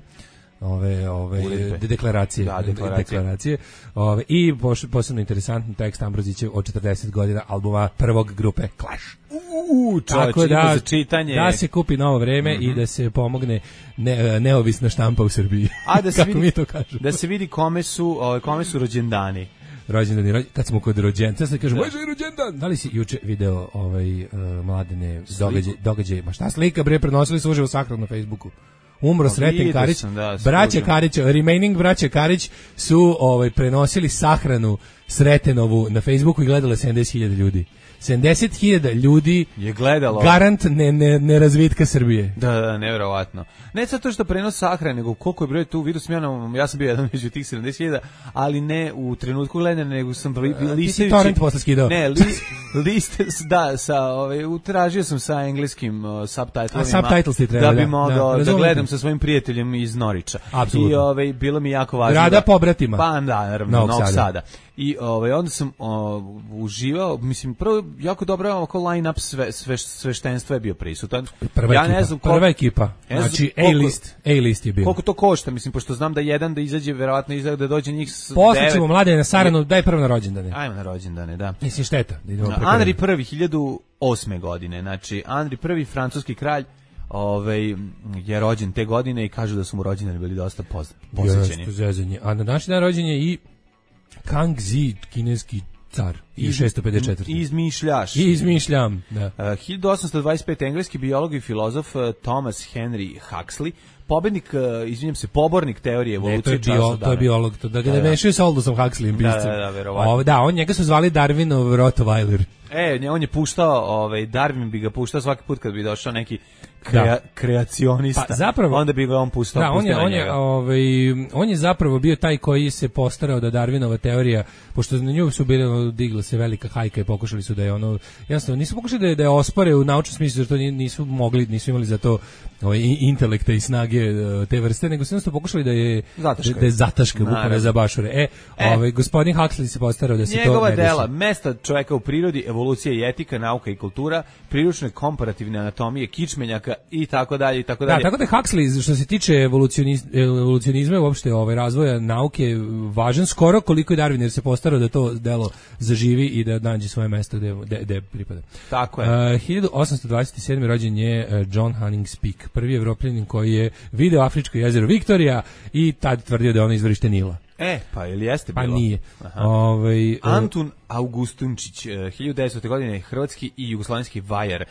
ove ove de deklaracije da, deklaracije, deklaracije. Ove, i posebno interesantan tekst Ambrozića od četrdeset godina albuma prvog grupe Clash. Uuu, čovječe, da, za čitanje. Da se kupi novo vreme mm-hmm. i da se pomogne ne, neovisna štampa u Srbiji. A da se kako vidi, mi to kažemo. Da se vidi kome su, ove, kome su rođendani. Rođendani, rođendani, kad smo kod rođenca, sad kažemo, može i rođendan. Da li si juče video ovaj, uh, mladene događaje, događaj, ma šta slika, bre, prenosili su uživo sahranu na Facebooku. Umro Sreten Karić, da, braća Karić, remaining braća Karić su ovaj, prenosili sahranu Sretenovu na Facebooku i gledale sedamdeset hiljada ljudi. sedamdeset hiljada ljudi je gledalo. Garant ne, ne, ne razvitka Srbije. Da, da, nevjerovatno. Ne sad to što prenos sahrane, nego koliko je broj tu, vidio sam ja, na, ja sam bio jedan među tih sedamdeset hiljada, ali ne u trenutku gledanja, nego sam listajući... Ti si torrent posle skidao. Ne, li, liste, da, sa, ovaj, utražio sam sa engleskim uh, subtitlovima. A subtitles ti treba, da bi da, mogao da, da gledam sa svojim prijateljem iz Norića. Apsolutno. I ovaj, bilo mi jako važno. Rada da, pobratima. Pa da, naravno, Novog Sada. Sada. I ovaj onda sam o, uživao, mislim prvo jako dobro oko line-up sve, sve sveštenstva je bio prisutan. Prva ja ekipa, ne znam koliko, prva ekipa. Znači A-list, A-list je bio. Koliko to košta, mislim pošto znam da jedan da izađe verovatno izgleda da dođe njih Poslaćemo mlade na Saranu, daj prvo na rođendane. Ajmo na rođendane, da. Mislim šteta, da idemo preko. Andri prvi hiljadu osme godine, znači Andri prvi francuski kralj. Ovaj je rođen te godine i kažu da su mu rođendani bili dosta posvećeni. A na današnji dan rođen je i Kangxi, kineski car, i šesto pedeset četiri. Izmišljaš. I izmišljam, da. Uh, hiljadu osamsto dvadeset pete engleski biolog i filozof uh, Thomas Henry Huxley, pobednik, uh, izvinjam se, pobornik teorije evolucije. Ne, to je, bio, to je biolog, to, da ga ne mešaju sa Aldosom Huxleyem, piscem. Da, da, da, verovatno. O, da, on njega su zvali Darwinov Rottweiler. E, on je puštao, ovaj, Darwin bi ga puštao svaki put kad bi došao neki krea, kreacionista. Pa zapravo, onda bi ga on pustao. Da, on je, on, je, ovaj, on je zapravo bio taj koji se postarao da Darwinova teorija, pošto na nju su bili, digla se velika hajka i pokušali su da je ono, jednostavno, nisu pokušali da je, da je ospore u naučnom smislu, jer to nisu mogli, nisu imali za to ovaj, intelekta i snage te vrste, nego su jednostavno pokušali da je zataška, da, da je zataška, bukvalno za bašure. E, e ovaj, gospodin Huxley se postarao da se to ne desi. Njegova dela, mesta čoveka u prirodi, evolucija i etika, nauka i kultura, priručne komparativne anatomije, kičmenjaka i tako dalje i tako dalje. Da, tako da Huxley što se tiče evolucionizma uopšte ovaj razvoja nauke važan skoro koliko je Darwin, jer se postarao da to delo zaživi i da nađe svoje mesto gde gde, gde pripada. Tako je. Uh, hiljadu osamsto dvadeset sedme rođen je John Hanning Speke, prvi Evropljanin koji je video afričko jezero Viktorija i tad tvrdio da je ono izvorište Nila. E, pa ili jeste bilo? Pa nije. Ovaj Antun Augustunčić, hiljadu devetsto. godine, hrvatski i jugoslovenski vajar.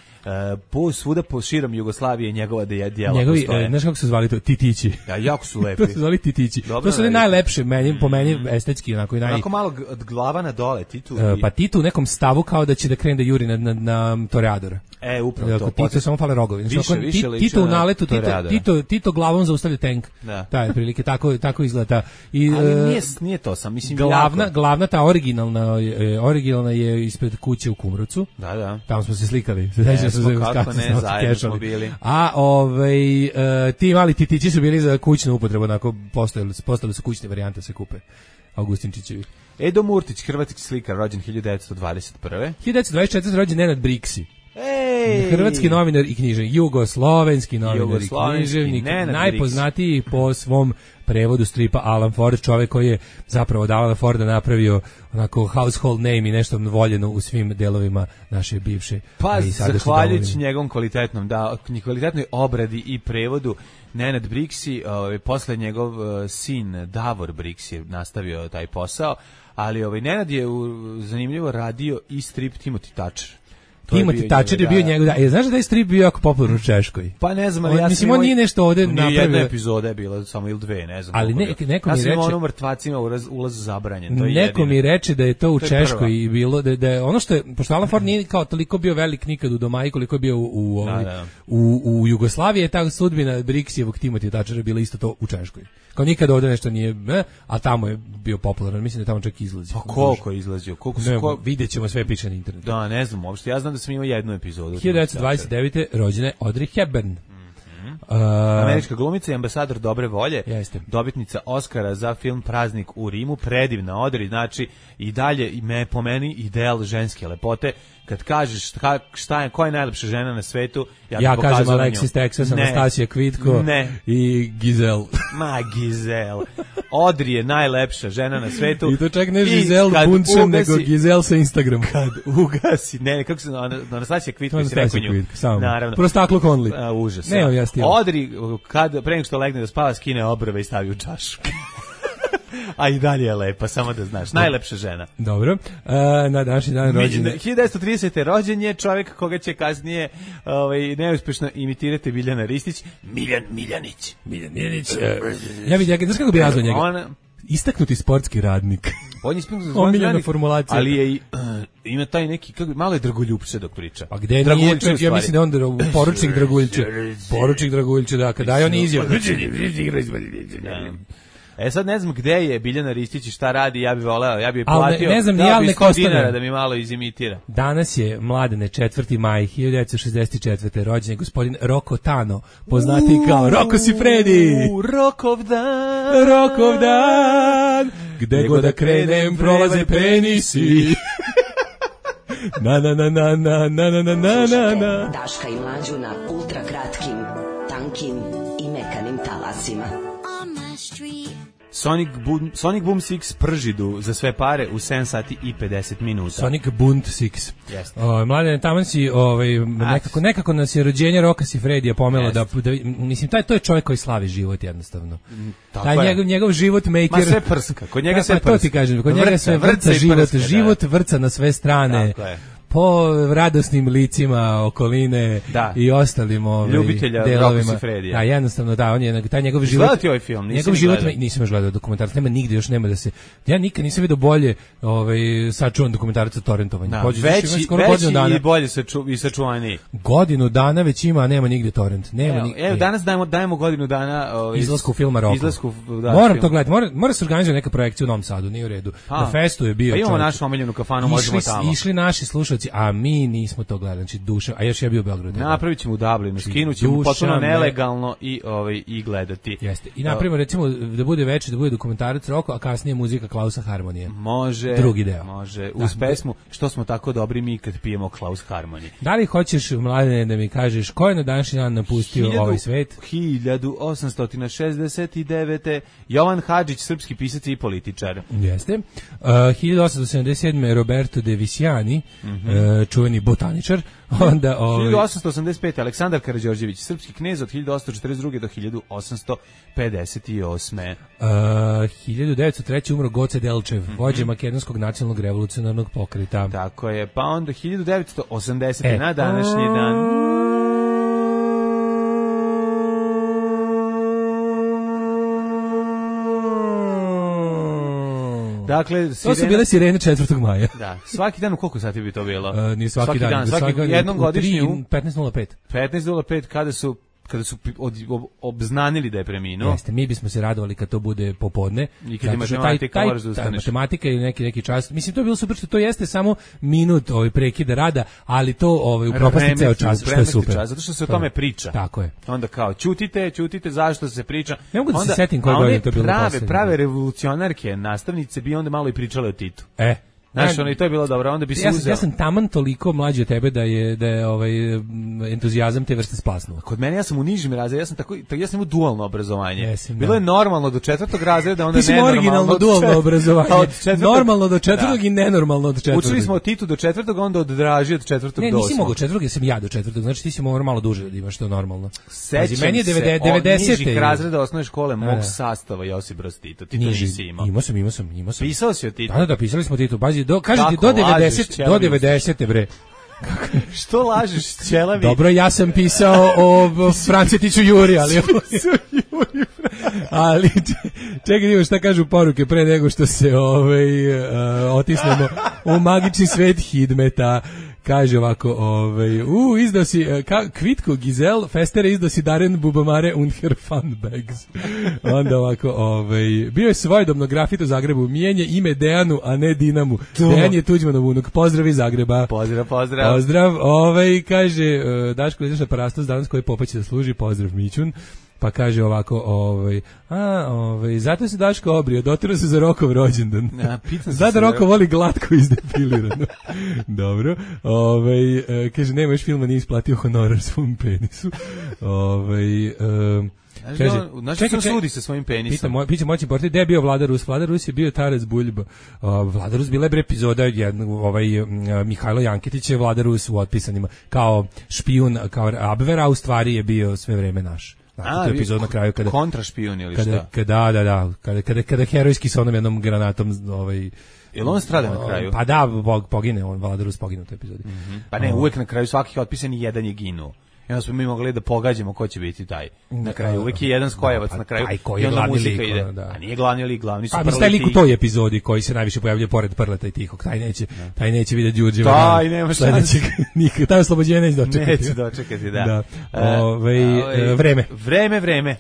Po svuda po širom Jugoslavije njegova djela Njegovi, postoje. Znaš kako se zvali to? Titići. Ja, jako su lepi. To se zvali Titići. Dobro, to su najlepše, meni, po meni estetski. Onako, i naj... onako malo od glava na dole, Titu. I... Pa Titu u nekom stavu kao da će da krene da juri na, na, na Toreadora. E, upravo to. Tito samo fale rogovi. Više, znači, više liči Tito u naletu, Tito, Tito, Tito glavom zaustavlja tank. Da. Taj, prilike, tako, tako izgleda. I, ali nije, nije to sam, mislim, glavna, jako. Glavna ta originalna, originalna je ispred kuće u Kumrovcu. Da, da. Tamo smo se slikali. Ne, smo kako ne, zajedno smo bili. A ovaj, uh, ti mali titići su bili za kućnu upotrebu, onako postali, postali su kućne varijante se kupe. Augustinčićevi. Edo Murtić, hrvatski slikar, rođen hiljadu devetsto dvadeset prve. hiljadu devetsto dvadeset četvrte. rođen Nenad Briksi. Ej! Hrvatski novinar i književnik, jugoslovenski novinar i književnik, najpoznatiji po svom prevodu stripa Alan Ford, čovjek koji je zapravo od Alana Forda napravio onako household name i nešto voljeno u svim delovima naše bivše. Pa, zahvaljujući njegovom kvalitetnom, da, kvalitetnoj obradi i prevodu, Nenad Briksi, ovaj, posle njegov uh, sin Davor Briksi nastavio taj posao, ali ovaj, Nenad je u, zanimljivo radio i strip Timothy Thatcher. Timothy Thatcher je bio njegov, da. E, znaš da je strip bio jako popularan u Češkoj? Pa ne znam, ali ja sam mislim, on nije nešto ovde napravio. Nije jedna epizoda je bila, samo ili dve, ne znam. Ali ne, neko mi reče... Ja sam ono mrtvacima ulaz, ulaz zabranjen, to je neko jedino. mi reče da je to u to Češkoj i bilo, da, da je ono što je, pošto Alan Ford nije kao toliko bio velik nikad u domaji koliko je bio u, u, ovaj, da, da. u, u Jugoslaviji, je ta sudbina Briksijevog Timothy Thatchera bila isto to u Češkoj. Kao nikad ovde nešto nije, ne, a tamo je bio popularan, mislim da je tamo čak izlazio. Pa koliko je izlazio? Koliko su, ne, ko... vidjet ćemo, sve piše na internetu. Da, ne znam uopšte, ja znam da sam imao jednu epizodu. hiljadu devetsto dvadeset devete. rođena Audrey Hepburn. Mm-hmm. uh, Američka glumica i ambasador dobre volje. Jeste. Dobitnica Oscara za film Praznik u Rimu. Predivna Audrey, znači i dalje me, po meni ideal ženske lepote. Kad kažeš šta, šta je, koja je najlepša žena na svetu, ja, ja kažem Alexis Texas, Anastasija Kvitko ne. i Gizel. Ma Gizel. Audrey je najlepša žena na svetu. I to čak ne Gizel Bunčen, nego Gizel sa Instagram. Kad ugasi, ne, kako se, Anastasija Kvitko, si rekao nju. Naravno. Prostaklo Conley. A, užas. Ne, ja stil. Audrey, kad, pre nego što legne da spava, skine obrve i stavi u čašu. A i dalje je lepa, samo da znaš. Najlepša žena. Dobro. Uh, na današnji dan rođenja. hiljadu devetsto tridesete. rođen je čovjek koga će kasnije ovaj, neuspješno imitirati Biljana Ristić. Miljan Miljanić. Miljan Miljanić. Uh, ja bih, znaš kako bi nazvao njega? On, istaknuti sportski radnik. On je istaknuti sportski radnik, formulacija. Ali je i, uh, ima taj neki, kako, malo je Dragoljupče dok priča. Pa gde nije, čovjek, ja mislim da on da, poručnik Dragoljče. Poručnik Dragoljče, da, kada je on izjavio. Da. E sad ne znam gde je Biljana Ristić i šta radi, ja bih voleo, ja bih platio, ne, ne znam, ja bih sto dinara da mi malo izimitira. Danas je, Mladene, četvrti maj hiljadu devetsto šezdeset četvrte. rođen je gospodin Roko Tano, poznati kao Roko Sifredi. Rokov dan, Rokov dan, gde god da krenem prolaze penisi. Na na na na na na na na na na. Daška i Mlađu na ultra kratkim, tankim i mekanim talasima. Sonic Boom, Sonic Boom šest pržidu za sve pare u sedam sati i pedeset minuta. Sonic Boom šest. O, Mladen, tamo si ovaj, nekako, nekako nas je rođenje Roka Sifredija pomelo da, da, mislim, taj, to je čovjek koji slavi život jednostavno. Tako taj njegov, njegov život maker. Ma sve prska, kod njega sve pa, prska. To ti kažem, kod vrca, njega sve vrca, vrca život, prska, život da. Vrca na sve strane. Tako je. Po radosnim licima okoline da. I ostalim ovaj ljubitelja Roka Sifredija. Da, jednostavno da, on je taj njegov život. Gledati ovaj film, njegov život nisam još gledao dokumentarac, nema nigde još nema da se. Ja nikad nisam video bolje ovaj sačuvan dokumentarac o torrentovanju. Da, Pođe, veći, skoro veći dana. I bolje saču, i sačuvaniji. Godinu dana već ima, a nema nigde torrent. Nema evo, evo danas dajemo dajemo godinu dana ovaj izlasku filma Roko. Izlasku, da. Moram film. To gledati, mora mora se organizovati neka projekcija u Novom Sadu, nije u redu. A, na festu je bio. Pa imamo našu omiljenu kafanu, možemo tamo. Išli naši slušaoci, a mi nismo to gledali, znači duša, a još ja bio u Beogradu. Napravit ćemo u Dublinu, skinut ćemo potpuno nelegalno i, ovaj, i gledati. Jeste. I napravimo recimo da bude veći, da bude dokumentarac Roko, a kasnije muzika Klausa Harmonije. Može. Drugi deo. Može. Uz da, pesmu Što smo tako dobri mi kad pijemo Klaus Harmonije. Da li hoćeš, Mladene, da mi kažeš ko je na današnji dan napustio hiljadu, ovaj svet? hiljadu osamsto šezdeset devete. Jovan Hadžić, srpski pisac i političar. Jeste. Uh, hiljadu osamsto sedamdeset sedme. Roberto De Visiani, mm -hmm. -hmm. e, čuveni botaničar. Onda, ovaj... hiljadu osamsto osamdeset pete. Aleksandar Karađorđević, srpski knez od hiljadu osamsto četrdeset druge do hiljadu osamsto pedeset osme. Uh, hiljadu devetsto treće. umro Goce Delčev, mm -hmm. vođa makedonskog nacionalnog revolucionarnog pokreta. Tako je, pa onda hiljadu devetsto osamdesete. E. na današnji dan. Dakle, sirena... to su bile sirene četvrtog maja. Da, svaki dan u koliko sati bi to bilo? Uh, nije svaki, svaki dan, dan svaki, svaki jednom godišnju petnaest nula pet. petnaest nula pet kada su kada su od, ob, obznanili da je preminuo. Jeste, mi bismo se radovali kad to bude popodne. I kad je matematika, moraš da ustaneš. Matematika ili neki, neki čas. Mislim, to je bilo super što to jeste samo minut ovaj, prekida rada, ali to ovaj, upropasti ceo čas, što je super. Čas, zato što se o tome priča. Tako je. Onda kao, ćutite, ćutite, zašto se priča. Ne mogu da onda, se setim koje godine to bilo prave, poslednje. prave revolucionarke, nastavnice bi onda malo i pričale o Titu. E. Znaš, ono, i to je bilo dobro, onda bi se ja, uzeo. Ja sam taman toliko mlađi od tebe da je, da je ovaj, entuzijazam te vrste splasnuo. Kod mene, ja sam u nižim razredima, ja sam tako, ja sam imao dualno obrazovanje. Jesim, bilo da. je normalno do četvrtog razreda, onda ti nenormalno. Ti si originalno dualno obrazovanje. Četvrtog, normalno do četvrtog da. I nenormalno od četvrtog. Učili smo o Titu do četvrtog, onda od Draži od četvrtog ne, do osmog. Ne, nisi mogao četvrtog, jer sam ja do četvrtog, znači ti si morao malo duže da imaš to normalno. Sećam meni je se devedesete. od nižih razreda osnovne škole mog sastava Josip Broz Tito. Ti to nisi imao. Imao sam, imao sam, imao sam. Pisao si o Titu? Da, da, pisali smo Titu. Bazi, do, kažete, do devedesete, do devedesete, bre. Što lažeš, ćelavi? Dobro, ja sam pisao o Francetiću Juri, ali... ali čekaj, imamo šta kažu poruke pre nego što se ovaj, uh, otisnemo u magični svet Hidmeta. Kaže ovako, ovaj, u, izdao si, ka, Kvitko Gizel, Festere izdao si Daren Bubamare und her fun bags. Onda ovako, ovaj, bio je svojedobno grafit u Zagrebu, mijenje ime Dejanu, a ne Dinamu. To. Dejan je Tuđmanov unuk, pozdrav iz Zagreba. Pozdrav, pozdrav. Pozdrav, ovaj, kaže, Daško, ideš na parastos danas koji popaće da služi, pozdrav Mićun. Pa kaže ovako, ovaj, a, ovaj, zato se Daško obrio, dotirao se za Rokov rođendan. Ja, Zna da Roko voli glatko izdepilirano. Dobro. Ovaj, e, kaže, nema još filma, nije isplatio honorar svom penisu. Ovaj, e, kaže, znači čekaj, čekaj, sudi sa svojim penisom. Pita, moj, pita moći portir, gde je bio Vlada Rus? Vlada Rus je bio Tarac Buljba. Uh, Vlada Rus bila je bre epizoda jednog, ovaj, uh, Mihajlo Janketić je Vlada Rus u Otpisanima. Kao špijun, kao Abvera, a u stvari je bio sve vreme naš. Znači, a, to je epizod na kraju kada kontrašpijun ili kada, šta? Kada, da, da, kada, kada, kada herojski sa onom jednom granatom, ovaj, jel on strada na kraju? Pa da, pogine, on Vlada Rus pogine u toj epizodi. Mm-hmm. Pa ne, uvek na kraju svakih otpisani jedan je ginuo. I onda smo mi mogli da pogađamo ko će biti taj. Na kraju uvek je jedan skojevac pa, na kraju. Taj koji je glavni lik. Ide. Da. A nije glavni lik, glavni su pa, prleti. Pa lik u toj epizodi koji se najviše pojavljuje pored Prleta i Tihog. Taj neće, da. taj neće vidjeti Đurđeva. Taj nema šanse. Nikad, taj oslobođenje neće dočekati. Neće dočekati, da. da. Ove, Ove, vreme. Vreme, vreme.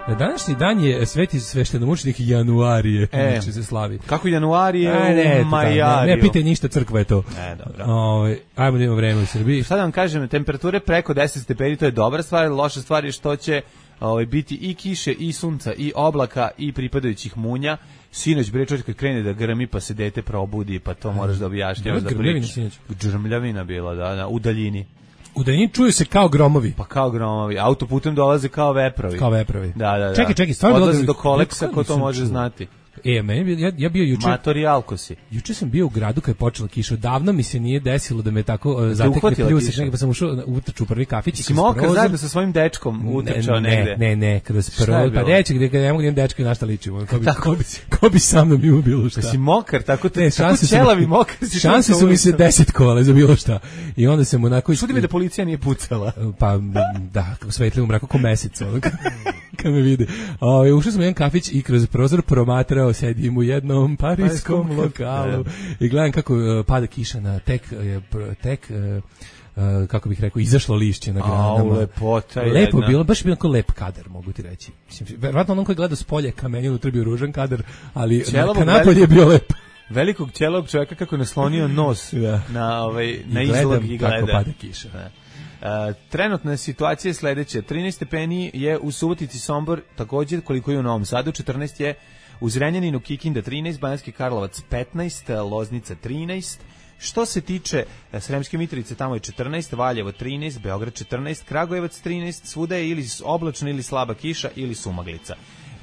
Na današnji dan je sveti sveštenomučenik Januarije, e, se slavi. Kako Januarije A, ne, u Majariju? Ne, ne pitaj ništa, crkva je to. E, dobro. Ove, ajmo da imamo vreme u Srbiji. Šta da vam kažem, temperature preko deset stepeni, to je dobra stvar, loša stvar je što će ovaj, biti i kiše, i sunca, i oblaka, i pripadajućih munja. Sinoć bre čovjek kad krene da grmi pa se dete probudi, pa to moraš da objašnjavaš da pričaš. Grmljavina bila, da, da, u daljini. U daljini čuju se kao gromovi. Pa kao gromovi. Autoputem dolaze kao veprovi. Kao veprovi. Da, da, da. Čekaj, čekaj, stvarno odlaze do Koleksa, ko to može znati. E, meni, ja, ja bio juče... Matori Alkosi. Juče sam bio u gradu kad je počela kiša. Davno mi se nije desilo da me tako uh, zatekne pljusak, negdje pa sam ušao u utrču u prvi kafić. Si mokar zajedno sa svojim dečkom utrčao ne, negde? Ne, ne, kroz prvo. Pa reći gde ne mogu da imam dečko i na šta ličimo. Ko bi, ko bi, ko bi sa mnom imao bilo šta. Da si mokar, tako, te, ne, tako ćelavi mokar si. Šanse su mi se deset kola za bilo šta. I onda sam onako... Čudi me da policija nije pucala. Pa, da, svetli u mraku ko mesec. Kad me vide. O, ušao sam u jedan kafić i kroz prozor promatrao, sedim u jednom parijskom lokalu i gledam kako uh, pada kiša na tek, uh, tek uh, uh, kako bih rekao, izašlo lišće na granama. Au, lepota Lepo jedna. bilo, baš bilo lep kadar, mogu ti reći. Mislim, verovatno onom koji gleda s polje kamenju, unutra bio ružan kadar, ali kanapolje je bio lep. Velikog ćelog čovjeka kako je naslonio nos ja. na, ovaj, na izlog i gleda. Kako pada kiša. Da. Uh, trenutna situacija je sledeća. trinaest stepeni je u Subotici, Sombor, također koliko je u Novom Sadu, četrnaest je u Zrenjaninu, Kikinda trinaest, Banatski Karlovac petnaest, Loznica trinaest, Što se tiče Sremske Mitrovice, tamo je četrnaest, Valjevo trinaest, Beograd četrnaest, Kragujevac trinaest, svuda je ili oblačno ili slaba kiša ili sumaglica.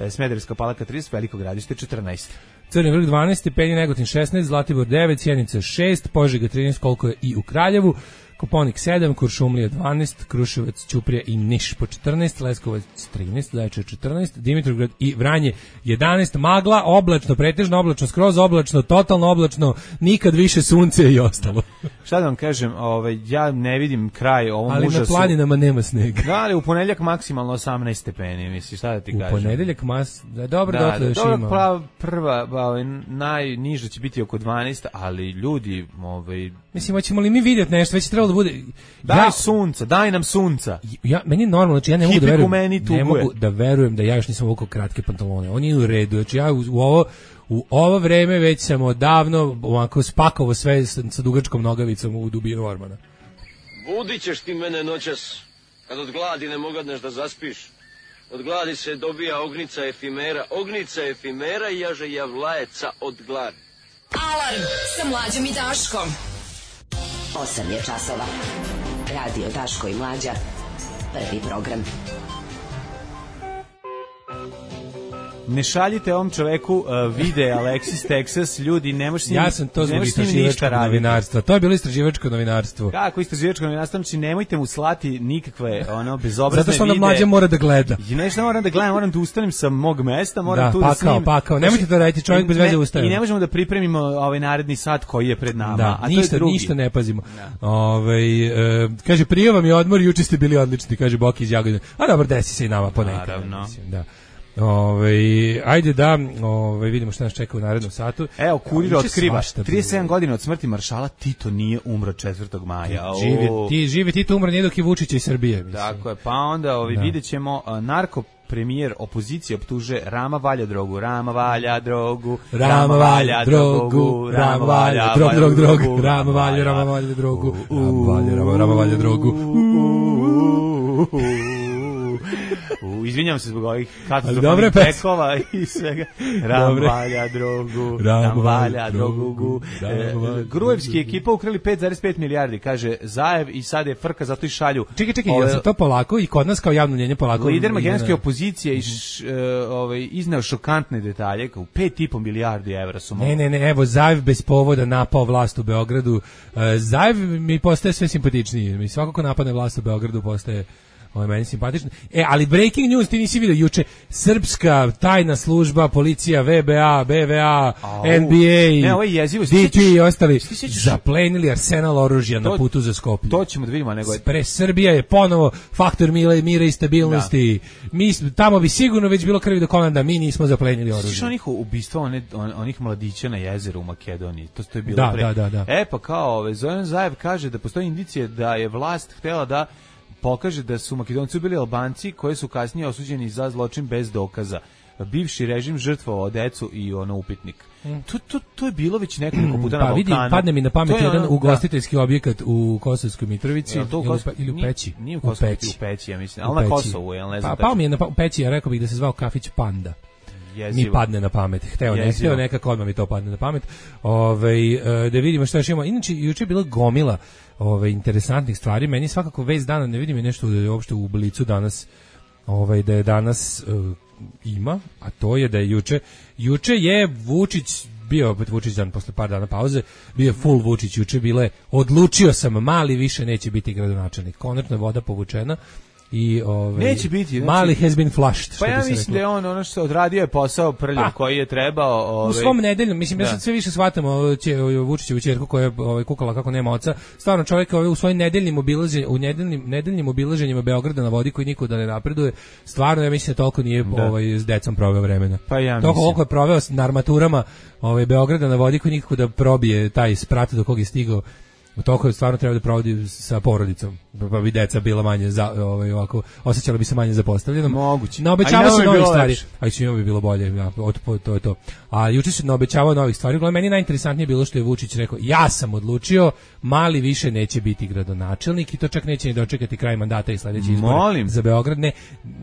Smederevska Palanka trideset, Veliko Gradište četrnaest. Crni vrh dvanaest, Stepeni, Negotin šesnaest, Zlatibor devet, Sjenica šest, Požega trinaest, koliko je i u Kraljevu, Koponik sedam, Kuršumlija dvanaest, Kruševac, Ćuprija i Niš po četrnaest, Leskovac trinaest, Zaječar četrnaest, Dimitrovgrad i Vranje jedanaest, magla, oblačno, pretežno oblačno, skroz oblačno, totalno oblačno, nikad više sunce i ostalo. Šta da vam kažem, ovaj, ja ne vidim kraj ovom ali užasu. Ali na planinama nema snega. Da, ali u ponedeljak maksimalno osamnaest stepeni, misli, šta da ti u kažem. U ponedeljak mas, da, dobro, da, dotle da, još dobro, ima. Prva, prva ovaj, najniža će biti oko dvanaest, ali ljudi, ovaj... Mislim, hoćemo li mi vidjeti nešto, već je trebalo da bude... Daj ja, sunca, daj nam sunca. Ja, meni je normalno, znači ja ne mogu, da verujem, meni ne mogu da verujem da ja još nisam uvukao kratke pantalone. On je u redu, znači ja u, u ovo... U ovo vreme već sam odavno ovako spakovo sve sa, sa dugačkom nogavicom u dubinu ormana. Budit ćeš ti mene noćas, kad od gladi ne mogadneš da zaspiš. Od gladi se dobija ognica efimera, ognica efimera i jaže javlajeca od gladi. Alarm sa Mlađom i Daškom. osam je časova. Radio Daško i Mlađa. Prvi program. Ne šaljite ovom čoveku uh, vide Alexis Texas, ljudi, ne možeš s njim, ja sam to zbog istraživačkog novinarstva. To je bilo istraživačko novinarstvo. Kako istraživačko novinarstvo? Znači, nemojte mu slati nikakve ono, bezobrazne zato što vide. onda Mlađa mora da gleda. I nešto moram da gledam, moram da ustanem sa mog mesta, moram da, tu pakao, da snimim. Pa kao, nemojte to raditi, čovjek bez veze ustaje. I ne možemo da pripremimo ovaj naredni sat koji je pred nama. Da, a ništa, to je drugi. ništa ne pazimo. Da. Ove, e, kaže, prije vam je odmor, juče ste bili odlični, kaže Boki iz Jagodine. A dobro, desi se i nama ponekad. Naravno. Mislim, da. Ove, ajde da ove, vidimo šta nas čeka u narednom satu. Evo, Kurir otkriva, trideset sedam godina od smrti maršala Tito nije umro četvrtog maja. Živi, ti, živi Tito umro nije dok je Vučić iz Srbije. Mislim. Tako je, pa onda ovi, da. vidjet ćemo uh, narko premijer opozicije optuže Rama valja drogu, Rama valja drogu, Rama valja drogu, Rama valja drog, drog, drog, Rama valja, Rama valja drogu, Rama valja, Rama, Rama valja drogu. U, izvinjam se zbog ovih katastrofalnih pekova i svega. Ram valja drogu, ram valja drogu. E, Grujevski ekipa ukrali pet zarez pet milijardi, kaže Zaev, i sad je frka, zato i šalju. Čekaj, čekaj, ove, ja sam to polako i kod nas kao javno mnjenje polako. Lider makedonske opozicije iš, uh, ovaj, izneo šokantne detalje, kao pet i po milijardi evra su mogli. Ne, ne, ne, evo, Zaev bez povoda napao vlast u Beogradu. Uh, Zaev mi postaje sve simpatičniji. Mi svako ko napadne vlast u Beogradu postaje ovo je meni simpatično. E, ali breaking news, ti nisi vidio juče, srpska tajna služba, policija, V B A, B V A, Au. N B A, ne, ovo je jezivo. D P i ostali zaplenili arsenal oružja to, na putu za Skoplje. To ćemo da vidimo. Nego je... Pre Srbija je ponovo faktor mira, mira i stabilnosti. Da. Mi, tamo bi sigurno već bilo krvi do kolanda, mi nismo zaplenili oružje. Sviš onih ubistva, one, on, onih mladića na jezeru u Makedoniji, to, to je bilo da, pre. Da, da, da. E, pa kao, ove, Zoran Zaev kaže da postoji indicije da je vlast htela da pokaže da su Makedonci bili Albanci koji su kasnije osuđeni za zločin bez dokaza. Bivši režim žrtvovao decu i ono upitnik. Mm. To, to, to je bilo već nekoliko puta pa, na Balkanu. Vidi, padne mi na pamet jedan ono, ugostiteljski da. objekat u Kosovskoj Mitrovici to ili, Kos... ili u Peći. Nije, nije u Kosovskoj, u Peći. U Peći, ja mislim. Ali na Kosovu, ja ne znam. Pa, pao mi je na pa, u Peći, ja rekao bih da se zvao kafić Panda. Jezivo. Mi padne na pamet. Hteo, ne, hteo nekako odmah mi to padne na pamet. Ove, da vidimo šta još imamo. Inače, juče je bila gomila ove, interesantnih stvari. Meni svakako vez dana, ne vidim je nešto da je uopšte u Blicu danas, ovaj, da je danas uh, ima, a to je da je juče, juče je Vučić, bio opet Vučić dan posle par dana pauze, bio je full Vučić juče, bile, odlučio sam, Mali više neće biti gradonačelnik. Konačno je voda povučena. I ovaj neće biti, Mali has been flushed. Pa ja mislim da je on ono što odradio je posao prljav pa, koji je trebao, ovaj u svom nedeljnom, mislim da ja sad sve više shvatamo će Vučićevu ćerku koja je ovaj kukala kako nema oca. Stvarno čovjek ovaj u svojim nedeljnim obilaženjima, u nedeljnim nedeljnim obilaženjima Beograda na vodi koji nikuda ne napreduje. Stvarno ja mislim da toliko nije da. ovaj s decom proveo vremena. Pa ja toliko koliko je proveo na armaturama ovaj Beograda na vodi koji nikako da probije taj sprat do kog je stigao. Toliko stvarno treba da provodi sa porodicom. pa bi deca bila manje za, ovaj, ovako, osjećala bi se manje zapostavljenom. Moguće. Naobećava se novih stvari. A i svima bi bilo bolje, ja, od, to je to. A juče se naobećavao novih stvari. Uglavnom, meni najinteresantnije bilo što je Vučić rekao, ja sam odlučio, Mali više neće biti gradonačelnik i to čak neće ni dočekati kraj mandata i sledeći izbor za Beograd. Ne,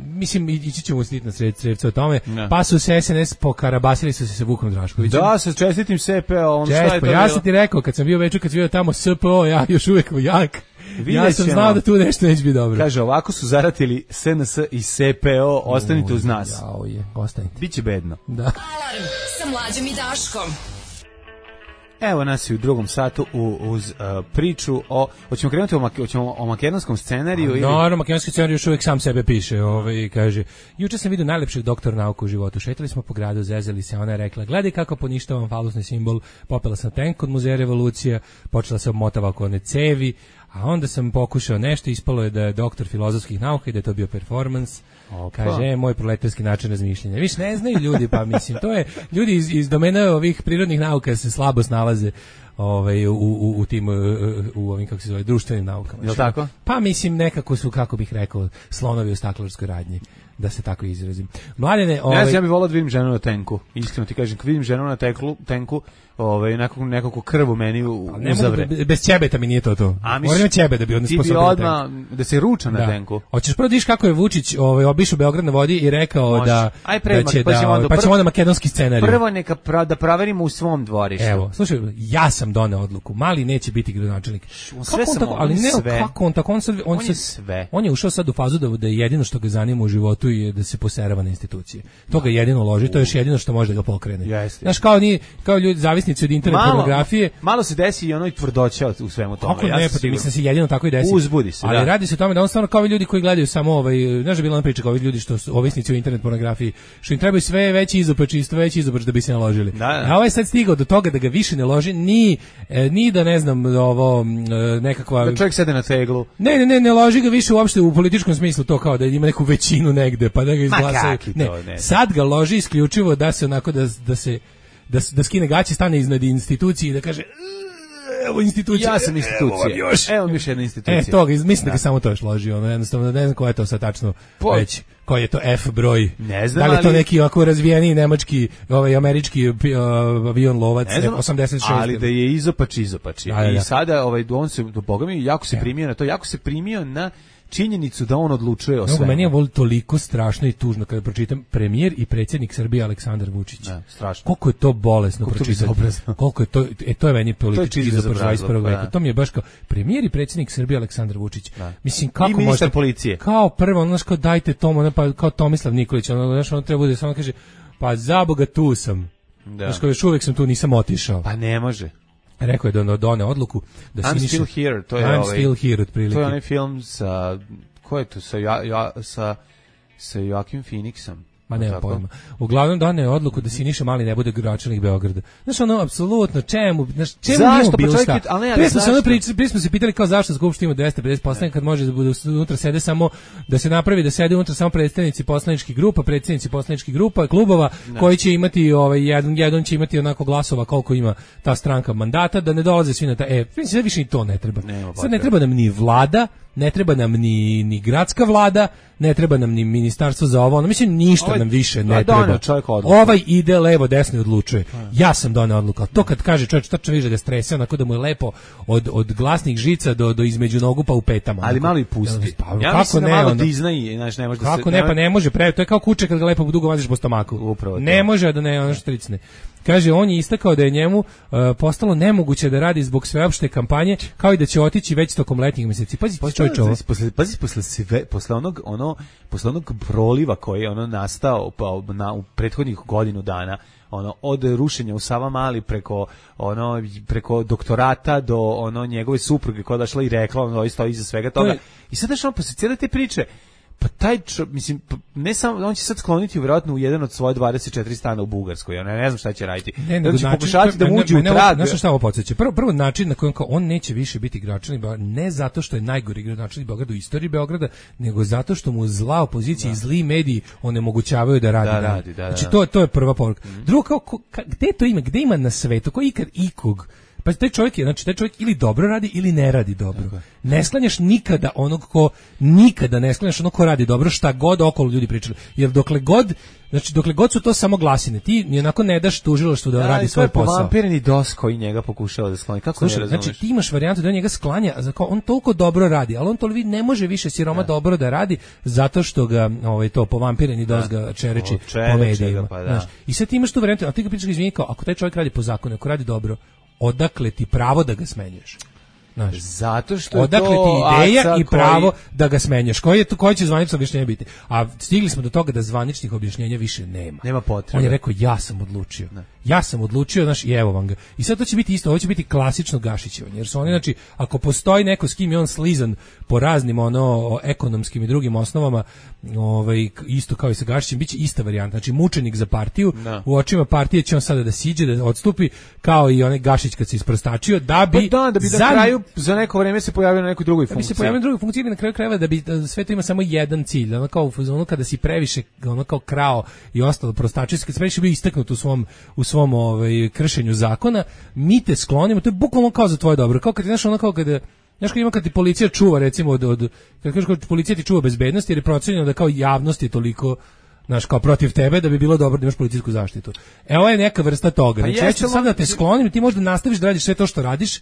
mislim, ići ćemo usniti na sred, sredstvo o tome. Ne. Pa su se S N S pokarabasili su se sa Vukom Draškovićem. Da, sa čestitim S P O-om. Čest, ja sam ti rekao, kad sam bio večer, kad sam bio tamo S P O, ja još uvijek jak. Ja sam znao da tu nešto neće biti dobro. Kaže, ovako su zaratili S N S i S P O, ostanite uz nas. Jao je, ostanite. Biće bedno. Da. Alarm sa Mlađom i Daškom. Evo nas i u drugom satu u, uz uh, priču o... Hoćemo krenuti o, mak, hoćemo o makedonskom scenariju? Ili... Naravno, makedonski scenarij još uvijek sam sebe piše. Ovaj, kaže, juče sam vidio najlepšeg doktora nauka u životu. Šetali smo po gradu, zezali se. Ona je rekla, gledaj kako poništavam falusni simbol. Popela sam tank od Muzeja Revolucija. Počela se obmotava oko one cevi. A onda sam pokušao nešto, ispalo je da je doktor filozofskih nauka i da je to bio performans. Opa. Kaže, e, moj proletarski način razmišljanja. Viš, ne znaju ljudi, pa mislim, to je, ljudi iz, iz domena ovih prirodnih nauka se slabo snalaze ovaj, u, u, u tim, u, u ovim, kako se zove, društvenim naukama. Je tako? Pa mislim, nekako su, kako bih rekao, slonovi u staklarskoj radnji, da se tako izrazim. Mladene, ovaj... Ja, ja bih volao da vidim ženu na tenku. Iskreno ti kažem, kad vidim ženu na teklu, tenku, ovaj, nekako, nekako krv u meni u, uzavre. Mogu, bez ćebeta mi nije to to. A mi Moram ćebe da bi odnes sposobno da odmah, da se ruča na da. tenku. Hoćeš prvo da vidiš kako je Vučić ovaj, obišao Beograd na vodi i rekao Može. da, Aj, pre, da će pa da, ćemo onda, pa ćemo onda makedonski scenarij. Prvo neka pra, da proverimo u svom dvorištu. Evo, slušaj, ja sam doneo odluku. Mali neće biti gradonačelnik. Sve on tako, ali ne, sve. kako on tako, on, sad, on, on je sve. On je ušao sad u fazu da, da je jedino što ga zanima u životu je da se poserava na institucije. To ga jedino loži, to je još jedino što može da ga pokrene. Jeste. Znaš, kao, ni, kao ljudi zavisnici od internet malo, pornografije. Malo se desi i ono i tvrdoća u svemu tome. Kako ja ne, pa ti mislim se jedino tako i desi. Uzbudi se, ali da. radi se o tome da on stvarno kao ljudi koji gledaju samo ovaj, znaš da bila ona priča kao ljudi što su ovisnici o internet pornografiji, što im trebaju sve veći izopač i sve veći izopač da bi se naložili. Da, da. A ovaj sad stigao do toga da ga više ne loži ni e, ni da ne znam ovo nekakva da čovjek sede na teglu. Ne, ne, ne, ne loži ga više uopšte u političkom smislu to kao da ima neku većinu negde pa da ga izglasaju. Ne, ne, sad ga loži isključivo da se onako da da se da, da skine gaće, stane iznad institucije i da kaže evo institucija. Ja sam institucija. Evo, još. Evo mi još jedna institucija. E, toga, mislim da ga samo to još loži, ono, jednostavno, ne znam ko je to sad tačno po... već, koji je to F broj. Ne znam, da li je to ali... neki ovako razvijeni nemački, ovaj, američki uh, avion lovac, ne znam, osamdeset šest. Ali da je izopač, izopač. Da, da, da. I sada, ovaj, on se, do Boga mi, jako se primio na to, jako se primio na činjenicu da on odlučuje o svemu. Meni je vol toliko strašno i tužno kada pročitam premijer i predsjednik Srbije Aleksandar Vučić. Ne, strašno. Koliko je to bolesno pročitati. Koliko je to, e, to je meni politički izopar dvadeset prvog veka. To mi je baš kao premijer i predsjednik Srbije Aleksandar Vučić. Da. Mislim, kako I ministar policije. Kao prvo, ono, znaš, kao dajte tomu, pa kao Tomislav Nikolić, ono, znaš, ono treba bude, samo kaže, pa za Boga tu sam. Da. Znaš, kao još uvijek sam tu, nisam otišao. Pa ne može. Rekao je da done odluku da I'm Siniša, still here, to je I'm ovaj, still here otprilike. To je onaj film sa ko je to sa ja, ja, sa sa Joaquin Phoenixom. Ma nema pojma. Uglavnom doneo odluku da Siniša Mali ne bude gradonačelnik Beograda. Znaš, ono, apsolutno, čemu, znaš, čemu zašto? bilo Pa šta? Prije smo se ono pričali, prije smo se pitali kao zašto Skupština ima dvesta pedeset poslanika kad može da bude unutra sede samo, da se napravi da sede unutra samo predstavnici poslaničkih grupa, predsjednici poslaničkih grupa, klubova, ne. koji će imati, ovaj, jedan, jedan će imati onako glasova koliko ima ta stranka mandata, da ne dolaze svi na ta, e, mislim, više i to ne treba. Nema, sad ne treba nam ni vlada, ne treba nam ni, ni gradska vlada, ne treba nam ni ministarstvo za ovo, ono, mislim, ništa ovaj, nam više ne treba. Ovaj ide levo, desno i odlučuje. Ja sam doneo odluku, ali to kad kaže čovječ, tačno više da strese, onako da mu je lepo od, od glasnih žica do, do između nogu pa u petama. Ali malo i pusti. Pa, ja kako mislim ne, da malo onda, Disney, znaš, ne može da se... Kako ne, pa ne može, pre, to je kao kuće kad ga lepo dugo vaziš po stomaku. Upravo ne to. Može da ne, ono štricne. Kaže, on je istakao da je njemu uh, postalo nemoguće da radi zbog sveopšte kampanje, kao i da će otići već tokom letnjih mjeseci. Pazi, čovječ ovo. Posle, pazi, posle, sve, posle, onog, ono, posle onog proliva koji je ono nastao pa, na, u prethodnih godinu dana, ono, od rušenja u Savamali preko, ono, preko doktorata do ono, njegove supruge koja je došla i rekla, ono, stoji iza svega toga. To je... I sad daš ono, posle cijele te priče, pa taj čo, mislim, ne samo, on će sad skloniti vjerojatno u jedan od svoje dvadeset četiri stana u Bugarskoj, ja ne, ne znam šta će raditi. Ne, ne, će pokušati da mu uđe u trag. Znaš šta ovo podsjeća? Prvo, prvo način na kojem on neće više biti gradonačelnik, ne zato što je najgori gradonačelnik Beograda u istoriji Beograda, nego zato što mu zla opozicija i zli mediji onemogućavaju da radi. Da, radi, da, znači, to, to je prva poruka. Mm. Drugo, kao, ka, gde to ima? Gde ima na svetu? Ko ikad ikog Pa taj čovjek je, znači taj čovjek ili dobro radi ili ne radi dobro. Tako. Ne sklanjaš nikada onog ko nikada ne sklanjaš onog ko radi dobro, šta god okolo ljudi pričali. Jer dokle god, znači dokle god su to samo glasine, ti ni onako ne daš tužilaštvu da, da radi svoj posao. To je povampireni dos koji njega pokušava da skloni. Kako Slušaj, ne razumeš? Znači ti imaš varijantu da on njega sklanja, on toliko dobro radi, ali on to ne može više siroma da. dobro da radi zato što ga ovaj to povampireni dos ga čereči po medijima. Pa, da. I sad ti imaš tu varijantu, a ti ga pričaš izvini kao ako taj čovjek radi po zakonu, ako radi dobro, odakle ti pravo da ga smenjuješ? Znaš, zato što je odakle to ti ideja i pravo koji... da ga smenješ. Koji je to, koji će zvanično objašnjenje biti? A stigli smo do toga da zvaničnih objašnjenja više nema. Nema potrebe. On je rekao ja sam odlučio. Ne. Ja sam odlučio, znaš, i evo vam ga. I sad to će biti isto, ovo će biti klasično Gašićevanje, jer su oni, znači, ako postoji neko s kim je on slizan po raznim ono ekonomskim i drugim osnovama, ovaj isto kao i sa Gašićem, biće ista varijanta. Znači mučenik za partiju, no. U očima partije će on sada da siđe, da odstupi, kao i onaj Gašić kad se isprostačio, da bi pa da, da bi za... na kraju za neko vreme se pojavio na nekoj drugoj funkciji. Da bi se pojavio na drugoj funkciji, na kraju krajeva da bi da sve to ima samo jedan cilj, ono kao ono kada si previše ono kao krao i ostalo prostačijski, kad si previše bio istaknut u svom u svom ovaj kršenju zakona, mi te sklonimo, to je bukvalno kao za tvoje dobro, kao kad znaš ono kao kada znaš kad ima kad ti policija čuva recimo od, od kad kažeš kad policija ti čuva bezbednost jer je procenjeno da kao javnost je toliko znaš kao protiv tebe da bi bilo dobro da imaš policijsku zaštitu. E ovo je neka vrsta toga. Pa znači ja ću sad da te sklonim, ti možda nastaviš da radiš sve to što radiš,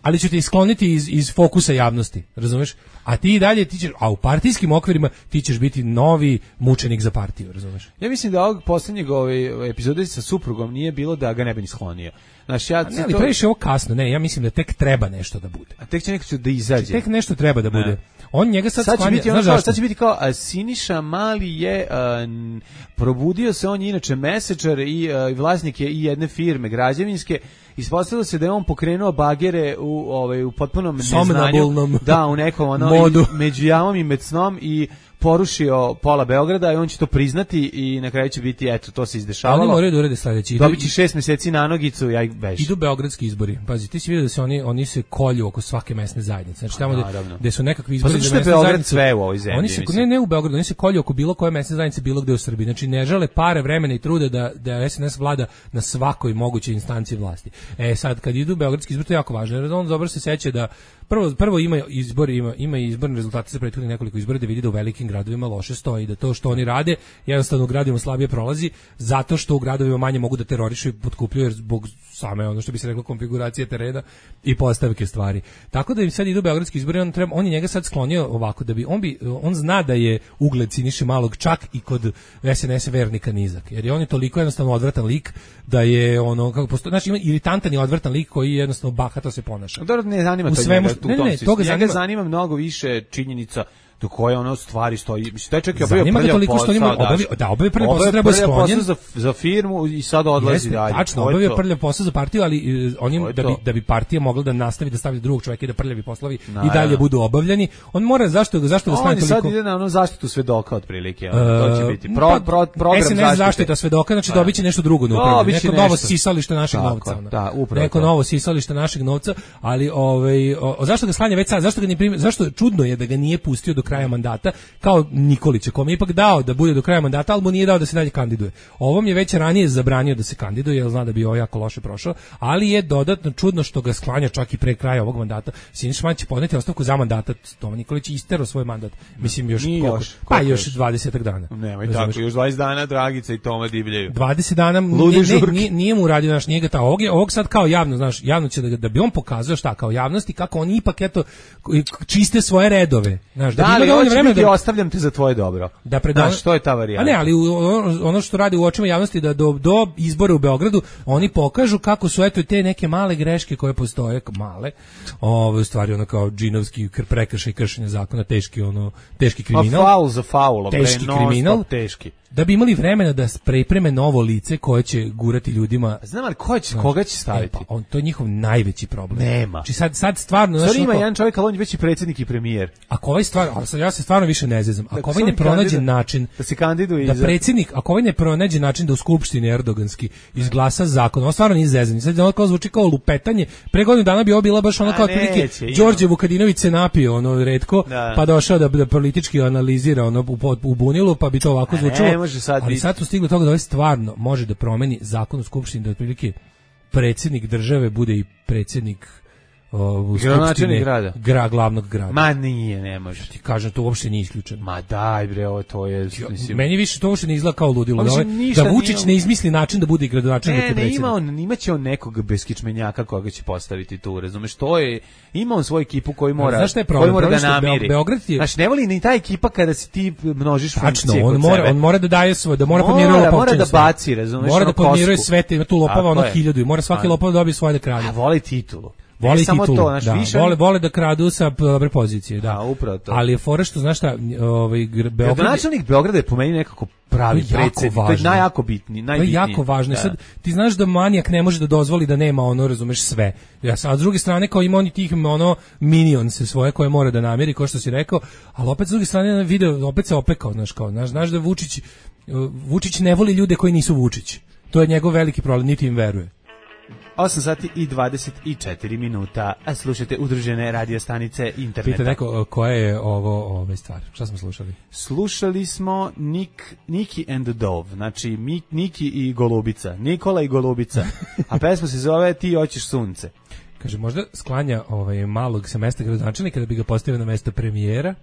ali ću te iskloniti iz, iz fokusa javnosti, razumeš? A ti i dalje, ti ćeš, a u partijskim okvirima ti ćeš biti novi mučenik za partiju, razumeš? Ja mislim da ovog posljednjeg ove epizode sa suprugom nije bilo da ga ne bi ni sklonio. Znaš, ja ne, ali to... previše ovo kasno, ne, ja mislim da tek treba nešto da bude. A tek će neko da izađe. Tek nešto treba da bude. Ne. On njega sad, sad sklanja, će biti ono kao, sad će biti kao a, Siniša Mali je a, n, probudio se, on je inače mesečar i a, vlasnik je i jedne firme građevinske. Ispostavilo se da je on pokrenuo bagere u ovaj u potpunom neznanju, da u nekom ono modu. Među javom i med snom i porušio pola Beograda i on će to priznati i na kraju će biti eto to se izdešavalo. Oni moraju da urede sledeći. Dobiće šest mjeseci na nogicu, ja ih beži. Idu beogradski izbori. Pazi, ti si vidio da se oni oni se kolju oko svake mesne zajednice. Znači tamo gde, gde su nekakvi izbori pa za mesne Beograd zajednice. Sve u ovoj zemlji. Oni se ne ne u Beogradu, oni se kolju oko bilo koje mesne zajednice bilo gde u Srbiji. Znači ne žele pare, vremena i truda da da S N S vlada na svakoj mogućoj instanciji vlasti. E sad kad idu beogradski izbori to je jako važno. Jer on dobro se seća da prvo prvo ima izbori, ima ima izborni rezultati za prethodnih nekoliko izbora da vidi da u velikim gradovima loše stoji, da to što oni rade jednostavno u gradovima slabije prolazi zato što u gradovima manje mogu da terorišu i potkupljuju jer zbog same ono što bi se reklo konfiguracije terena i postavke stvari. Tako da im sad idu beogradski izbori, on treba on je njega sad sklonio ovako da bi on bi on zna da je ugled Siniše Malog čak i kod S N S vernika nizak. Jer je on je toliko jednostavno odvratan lik da je ono kako postoji, znači ima iritantan i odvratan lik koji jednostavno bahato se ponaša. Dobro, ne zanima to svemu, njega, ne, ne, ne, toga njega zanima, zanima mnogo više činjenica do koje ono stvari stoji. Mislim, taj čovjek je obavio prljav posao. Obavi, da, obavio prljav posao, treba sklonjen. Za, za firmu i sad odlazi Jeste, dalje. Tačno, obavio prljav posao za partiju, ali uh, on im, da, bi, da bi partija mogla da nastavi da stavlja drugog čovjeka i da prljavi poslovi no, i dalje ja. budu obavljeni. On mora, zašto, zašto ga sklanja toliko? On sad ide na ono zaštitu svedoka otprilike. Uh, to će biti pro, pro, program S N S zaštita svedoka, znači dobit će nešto drugo. No, neko novo sisalište našeg novca. Da, upravo. Neko novo sisalište našeg novca, ali ovaj, zašto ga sklanja već sad? Zašto ga ne primi, zašto čudno je da ga nije pustio do kraja mandata? Kao Nikolića, kome je ipak dao da bude do kraja mandata, ali mu nije dao da se dalje kandiduje. Ovom je već ranije zabranio da se kandiduje, jer zna da bi ovo jako loše prošao, ali je dodatno čudno što ga sklanja čak i pre kraja ovog mandata. Siniša Mali će podneti ostavku za mandat, Toma Nikolić je isterao svoj mandat. Mislim još, koliko, još pa još dvadesetak dana. Nemoj tako, još dvadeset dana Dragica i Toma divljaju. dvadeset dana, nije, ne, nije, nije mu uradio naš njega, ta, ovog, je, ovog sad kao javno, znaš, javno će da, da bi on pokazao šta kao javnosti, kako oni ipak eto čiste svoje redove. Znaš, da, da bi ali vremena da ostavljam te za tvoje dobro. Da predon... Znaš, što je ta varijanta? A ne, ali ono što radi u očima javnosti da do, do izbora u Beogradu oni pokažu kako su eto te neke male greške koje postoje, male, ove stvari ono kao džinovski prekršaj, kršenje zakona, teški ono, teški kriminal. A faul za faulom, teški kriminal, teški. Da bi imali vremena da pripreme novo lice koje će gurati ljudima. Znam ali ko će, koga će staviti? E, pa on, to je njihov najveći problem. Nema. Znači sad, sad stvarno... Sad ima jedan čovjek, ali on je već i predsjednik i premijer. Ako ovaj stvar, ja se stvarno više ne zezam, ako ovaj ne pronađe kandida, način da se kandiduje da predsjednik, ako ovaj ne pronađe način da u skupštini erdoganski izglasa zakon, on stvarno nije zezan. Sad ono kao zvuči kao lupetanje. Pre godinu dana bi ovo bila baš ono kao otprilike Đorđe Vukadinović se napio ono retko, da. Pa došao da, da politički analizira ono u, u bunilu, pa bi to ovako zvučalo. Ali sad su stigli do toga da ovaj stvarno može da promeni zakon u skupštini da otprilike predsjednik države bude i predsjednik u Skupštine grada. Gra, glavnog grada. Ma nije, ne može. Ti kažem, to uopšte nije isključeno. Ma daj bre, ovo to je... Mislim, meni više to uopšte ne izgleda kao ludilo. Da, da Vučić nije... ne izmisli način da bude gradonačelnik i predsjednik. Ne, ima on, imaće on nekog beskičmenjaka koga će postaviti tu, razumeš, to je, ima on svoju ekipu koji mora, znaš šta je problem? koji mora problem da namiri. Beograd je... Znači, ne voli ni ta ekipa kada se ti množiš funkcije Tačno, on kod mora, sebe. On mora da daje svoje, da mora podmiruje lopovčine. Mora da baci, razumeš, mora da podmiruje kosku. sve te, ima tu lopava ono hiljadu i mora svaki lopov da dobije svoje da krade. A voli titulu. Voli samo titulu, to, znaš, da, više... vole, vole da kradu sa dobre pozicije, da. A, upravo to. Ali je fora što, znaš šta, ovaj, Beograd... Gradonačelnik Beograda je po meni nekako pravi predsjednik, to je najjako bitni, najbitniji. To je jako važno. Da. Sad, ti znaš da manijak ne može da dozvoli da nema ono, razumeš, sve. Ja, a s druge strane, kao ima on i tih ono minionse svoje koje mora da namiri, kao što si rekao, ali opet s druge strane video, opet se opekao, znaš, kao, znaš, znaš da Vučić, Vučić ne voli ljude koji nisu Vučić. To je njegov veliki problem, niti im veruje. osam sati i dvadeset četiri minuta, a slušate udružene radio stanice interneta. Pita neko koja je ovo ove stvar. Šta smo slušali? Slušali smo Nick, Niki and the Dove, znači Mik, Niki i Golubica, Nikola i Golubica, a pesma se zove Ti hoćeš sunce. Kaže, možda sklanja ovaj malog sa mesta gradonačelnika da bi ga postavio na mesto premijera.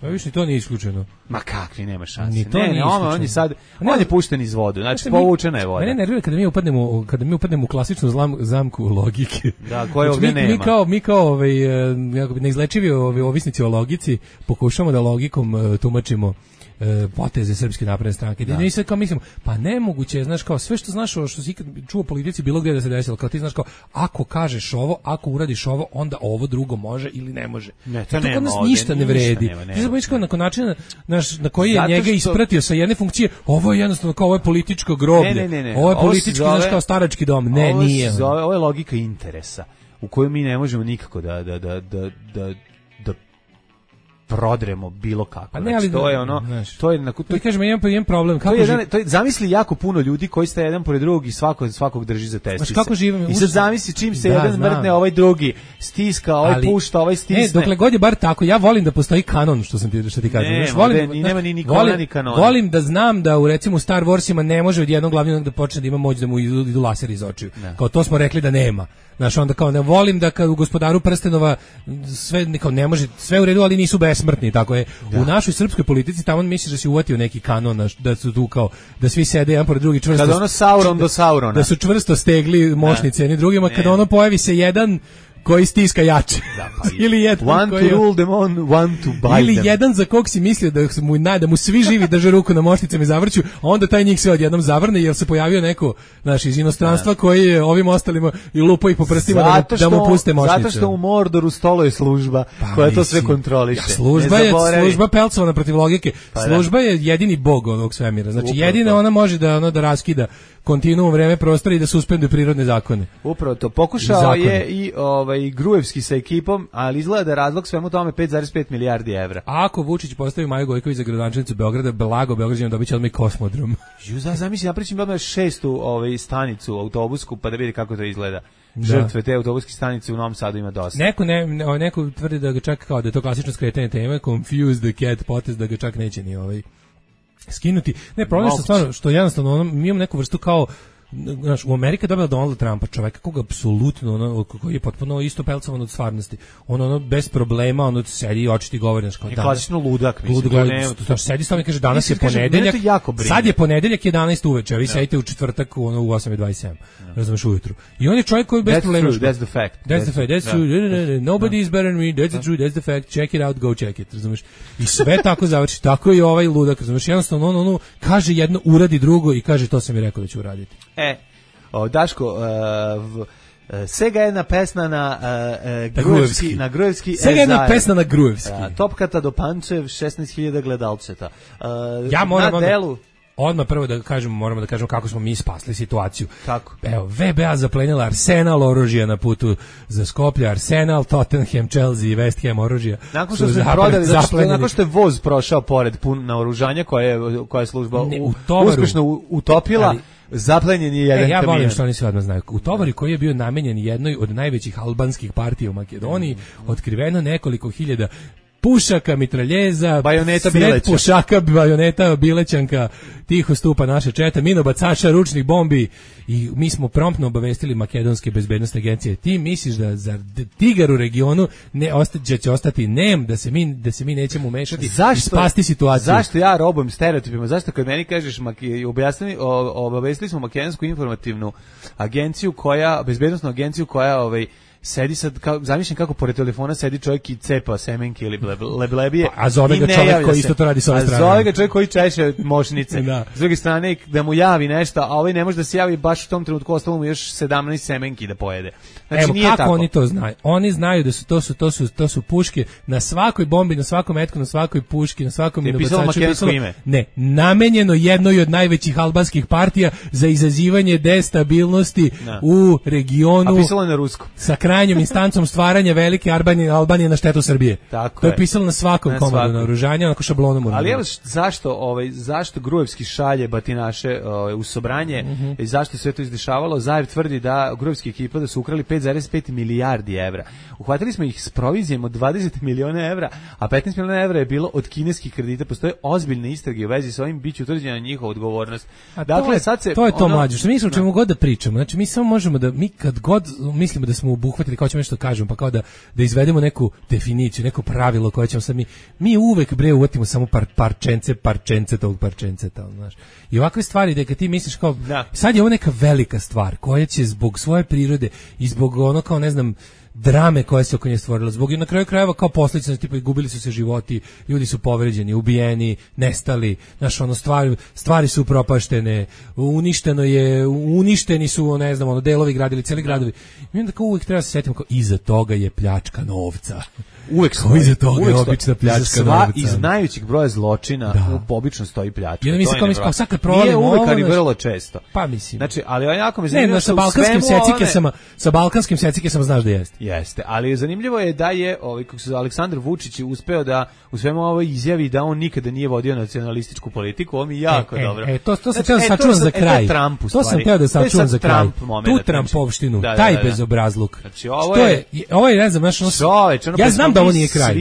Pa više ni to nije isključeno. Ma kakvi, nema šanse. Ni to ne, nije ne, on, on je sad, on je pušten iz vodu, znači povučena je voda. Mene nervira kada mi upadnemo, kada mi upadnemo u klasičnu zlam, zamku logike. Da, koje ovdje mi, nema. Mi kao, mi kao ovaj, neizlečivi ovaj, ovisnici o logici, pokušamo da logikom uh, tumačimo e, poteze Srpske napredne stranke. Da. I sve kao mislimo, pa nemoguće je, znaš, kao sve što znaš, što si ikad čuo o politici bilo gdje da se desilo, kao ti znaš kao, ako kažeš ovo, ako uradiš ovo, onda ovo drugo može ili ne može. Ne, to, to nema kod nas ovdje, ništa ne vredi. Nema, nema, ti znaš kao nakon načina naš, na koji je zato njega što... ispratio sa jedne funkcije, ovo je jednostavno kao ovo je političko groblje. Ne, ne, ne, ne. Ovo je ovo politički, zove, znaš, kao starački dom. Ne, ovo nije. Zove, ovo je logika interesa u kojoj mi ne možemo nikako da, da, da, da, da, da prodremo bilo kako. Pa ne, ali znači, to je ono, znaš, to je na to kažem, imam pa imam problem kako to je, jedan, živ... to je zamisli jako puno ljudi koji ste jedan pored drugog i svako svakog drži za testice. Kako živimo? I sad zamisli čim se da, jedan znam. mrdne, ovaj drugi stiska, ovaj ali, pušta, ovaj stisne. Ne, dokle god je bar tako, ja volim da postoji kanon, što sam ti što ti kažem. Ne, znaš, volim, ni nema ni Nikola volim, ni kanona. Volim da znam da u recimo Star Warsima ne može od jednog glavnog da počne da ima moć da mu idu, idu laseri iz očiju. Ne. Kao to smo rekli da nema. Znaš, onda kao ne volim da kad u Gospodaru prstenova sve kao ne može, sve u redu, ali nisu besmrtni, tako je. Da. U našoj srpskoj politici tamo misliš da si uvatio neki kanon, da su tu kao da svi sede jedan pored drugi čvrsto. Kada ono Sauron do Saurona. Da su čvrsto stegli moćnice jedni drugima, kada ono pojavi se jedan koji stiska jače. Da, pa ili jedan one koji to rule them on, one to buy ili them. jedan za kog si mislio da mu da mu svi živi drže ruku na mošnicama i zavrću, a onda taj njih sve odjednom zavrne jer se pojavio neko naš iz inostranstva da. Koji je ovim ostalima i lupa ih po prstima da mu, da mu puste mošnice. Zato što u Mordoru stoluje služba pa, koja to sve kontroliše. Ja, služba je služba pelcovana protiv logike. Pa, služba da. Je jedini bog ovog svemira. Znači upravo jedina to. Ona može da ono da raskida kontinuum vreme prostora i da suspenduje prirodne zakone. Upravo to. Pokušao je i ovaj Gruevski sa ekipom, ali izgleda da razlog svemu tome pet zarez pet milijardi evra. A ako Vučić postavi Maju Gojković za gradonačelnicu Beograda, blago Beograđanima dobiće odmah i kosmodrom. Ju, za zamisli, napričam odmah šestu ovaj stanicu autobusku pa da vidi kako to izgleda. Da. Žrtve te autobuske stanice u Novom Sadu ima dosta. Neko ne, neko tvrdi da ga čak kao da je to klasično skretanje teme, confuse the cat potez, da ga čak neće ni ovaj skinuti. Ne, problem je stvarno što jednostavno ono, mi imamo neku vrstu kao znaš, u Amerika je dobila Donalda Trumpa, čoveka koga apsolutno, ono, koji je potpuno isto pelcovan od stvarnosti. On ono, bez problema, ono, sedi i očiti govori, znaš, kao je danas. Klasično ludak, mislim. Ludak, to ne, to, sedi stavno i kaže, danas je kaže, ponedeljak, sad je ponedeljak jedanaest uveče, a vi no. sedite u četvrtak ono, u osam i dvadeset sedam, no. razumeš, ujutru. I on je čovjek koji bez that's problema. True, that's the fact. That's, that's the fact, that's true, yeah. Nobody is better than me, that's the truth, that's the fact, check it out, go check it, razumeš. I sve tako završi, tako i ovaj ludak, razumeš, jednostavno, on, ono, kaže jedno, uradi drugo i kaže, to sam mi rekao da ću uraditi. E, O, Daško, uh, v, uh, Sega jedna pesna na uh, uh, Gruevski, na Gruevski. Sega jedna pesna na Gruevski. Uh, Topkata do Pančev, šesnaest hiljada gledalceta. Uh, ja moram na delu... Odmah prvo da kažemo, moramo da kažemo kako smo mi spasli situaciju. Kako? Evo, V B A zaplenila Arsenal oružja na putu za Skoplje, Arsenal, Tottenham, Chelsea i West Ham oružja. Nakon što su prodali, znači, nakon što je voz prošao pored pun naoružanja koje je koja je služba ne, u tovaru, uspešno utopila, ali, zaplenjen je jedan kamion. E, ja kamion. Volim što oni sve odmah znaju. U tovari koji je bio namenjen jednoj od najvećih albanskih partija u Makedoniji, mm. otkriveno nekoliko hiljada pušaka, mitraljeza, bajoneta sred bileća. pušaka, bajoneta, bilećanka, tiho stupa naša četa, minobacača, ručnih bombi i mi smo promptno obavestili makedonske bezbednosne agencije. Ti misliš da za tigar u regionu ne osta, će ostati nem, da se mi da se mi nećemo umešati i spasti situaciju. Zašto ja robujem stereotipima? Zašto kad meni kažeš objasni obavestili smo makedonsku informativnu agenciju koja bezbednosnu agenciju koja ovaj sedi sad, kao, zamišljam kako pored telefona sedi čovjek i cepa semenke ili leblebije. A zove ga čovjek koji isto to radi s ove strane. A zove ga čovjek koji češe mošnice. Da. S druge strane, da mu javi nešto, a ovaj ne može da se javi baš u tom trenutku, ostalo mu još sedamnaest semenki da pojede. Znači, evo, nije kako tako. Oni to znaju? Oni znaju da su to su to su to su puške na svakoj bombi, na svakom metku, na svakoj puški, na svakom minobacaču pisalo ime. Ne, namenjeno jednoj od najvećih albanskih partija za izazivanje destabilnosti da. U regionu. A pisalo je na ruskom. Sa krajnjom instancom stvaranja velike Albanije, Albanije na štetu Srbije. Tako to je, je pisalo na svakom na komadu naoružanja, onako šablonom. Ali evo zašto, ovaj, zašto Gruevski šalje batinaše ovaj, u Sobranje mm -hmm. i zašto sve to izdešavalo? Zajev tvrdi da Gruevski ekipa da su ukrali pet zarez pet milijardi evra. Uhvatili smo ih s provizijom od dvadeset miliona evra, a petnaest miliona evra je bilo od kineskih kredita. Postoje ozbiljne istrage u vezi sa ovim, biće utvrđena njihova odgovornost. A dakle, to je, sad se, to, je to ono, mlađe, što mi smo čemu god da pričamo. Znači, mi samo možemo da, mi kad god mislimo da smo obuhvatili, kao ćemo nešto kažemo, pa kao da, da izvedemo neku definiciju, neko pravilo koje ćemo sad mi, mi uvek bre uvatimo samo par, parčence, parčence tog parčenceta, znaš. I ovakve stvari da kad ti misliš kao, da. Sad je ovo neka velika stvar koja će zbog svoje prirode i zbog ono kao ne znam drame koja se oko nje stvorila, zbog i na kraju krajeva kao posljedica, tipa gubili su se životi, ljudi su povređeni, ubijeni, nestali, znaš, ono stvari, stvari su upropaštene, uništeno je, uništeni su, ne znam, ono delovi gradili, cijeli gradovi. I onda kao uvijek treba se setimo kao iza toga je pljačka novca. Uvek stoji, iza toga uvek je obična pljačka sva, novca. Iz najvećih broja zločina da. Obično stoji pljačka. Ja mislim kao mislim, sad kad provalimo ovo, uvek, ali naš... vrlo često. Pa mislim. Znači, ali jako me zanimljivo ne, no, sa balkanskim secikesama, one... sa balkanskim secikesama znaš da jeste. Jeste, ali zanimljivo je da je ovaj kako se Aleksandar Vučić uspeo da u svemu ovoj izjavi da on nikada nije vodio nacionalističku politiku, ovo mi jako e, dobro. E, e to to sam teo da sačuvam za kraj. To sam teo da sačuvam za kraj. Tu Trumpovštinu, taj bezobrazluk. Znači ovo je ovo je ne znam, znači ja znam da ovo nije kraj.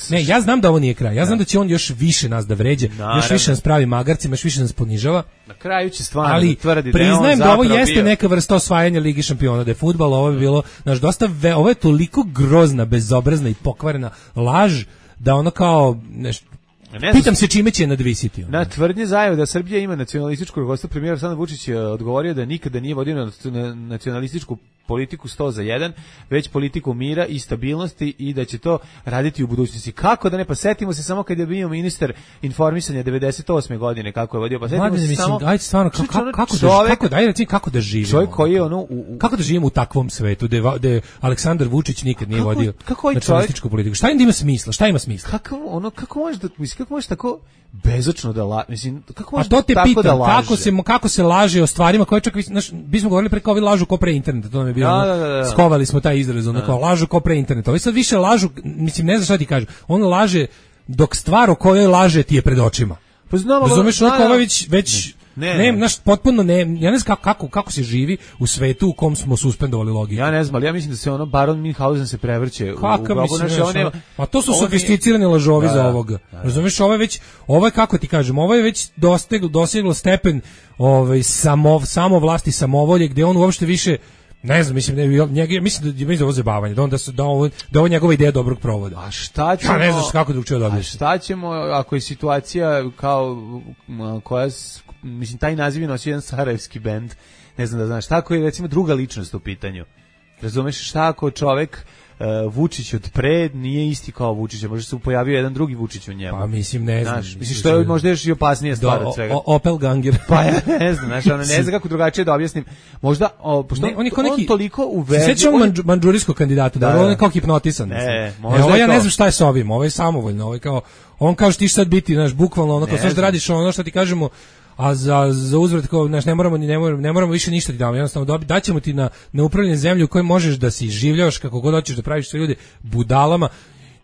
Ne, ja znam da ovo nije kraj. Ja znam da će on još više nas da vređe, još više nas pravi magarcima, još više nas ponižava. Na kraju će stvarno ali tvrdi da je on priznajem da ovo jeste bio. Neka vrsta osvajanja Lige šampiona, da je fudbal, ovo je bilo, znaš, dosta ve, ovo je toliko grozna, bezobrazna i pokvarena laž da ono kao nešto. Ne pitam se čime će nadvisiti. Na tvrdnje Zajev da Srbija ima nacionalističku rukovodstvo, premijer Aleksandar Vučić je odgovorio da nikada nije vodio nacionalističku politiku sto za jedan, već politiku mira i stabilnosti i da će to raditi u budućnosti. Kako da ne, pa setimo se samo kad je bio ministar informisanja devedeset osme godine kako je vodio, pa setimo Mladen, se mislim, samo... Ajde stvarno, kako, kako, kako, čovjek, da, kako, daj, recimo, kako da živimo? Čovjek koji je ono... U, u, kako da živimo u takvom svetu, da Aleksandar Vučić nikad nije kako, vodio kako nacionalističku politiku? Šta im ima smisla? Šta ima smisla? Kako, ono, kako možeš da, mislim, kako možeš tako bezočno da la, mislim, kako možeš to te tako pitam, da laže? Kako se, kako se laže o stvarima koje čak, znaš, bismo govorili pre kao ovi lažu ko pre interneta, to nam je bilo, da, da, da, da. Skovali smo taj izraz, ono kao lažu ko pre interneta. Ovi sad više lažu, mislim, ne znam šta ti kažu, on laže dok stvar o kojoj laže ti je pred očima. Pa znamo, razumeš, ono kao već, već ne, ne, naš potpuno ne, ja ne znam kako, kako, kako se živi u svetu u kom smo suspendovali logiku. Ja ne znam, ali ja mislim da se ono Baron Münchhausen se prevrće Kakav u grobu naše, on je... A to su sofisticirani lažovi da, za ovoga. Da, da. Razumeš, ovo je već, ovo je, kako ti kažem, ovo je već dosteglo, doseglo stepen ovaj, samo, samo vlasti, samovolje, gde on uopšte više, ne znam, mislim, ne, njega, mislim da je ovo zabavanje, da on da, se, da, ovo, da ovo njegova ideja dobrog provoda. A šta ćemo... Ja ne znaš kako da učeo dobiti. A šta ćemo ako je situacija kao koja, mislim, taj naziv je nosio jedan sarajevski bend, ne znam da znaš, tako je recimo druga ličnost u pitanju. Razumeš, šta ako čovek Uh, Vučić od pre nije isti kao Vučić, možda se pojavio jedan drugi Vučić u njemu. Pa mislim, ne znam. Znaš, mislim, što je možda još i opasnija stvar od svega. O, Opel Ganger. Pa ja ne znam, znaš, ono, ne znam kako drugačije da objasnim. Možda, o, pošto ne, on, on, neki, on toliko uvedio... Se sjećam on, manđurijskog kandidata, da, da, on je kao hipnotisan. Ne, možda e, ovo ja ne znam šta je s ovim, ovo je samovoljno, ovo je kao, on kao što ti sad biti, znaš, bukvalno ono, kao sve što radiš ono što ti kažemo, a za za uzvrat kao znaš, ne moramo ni ne moramo, ne moramo više ništa ti damo, jednostavno dobi daćemo ti na na upravljanje zemlju u kojoj možeš da se življavaš kako god hoćeš, da praviš sve ljude budalama.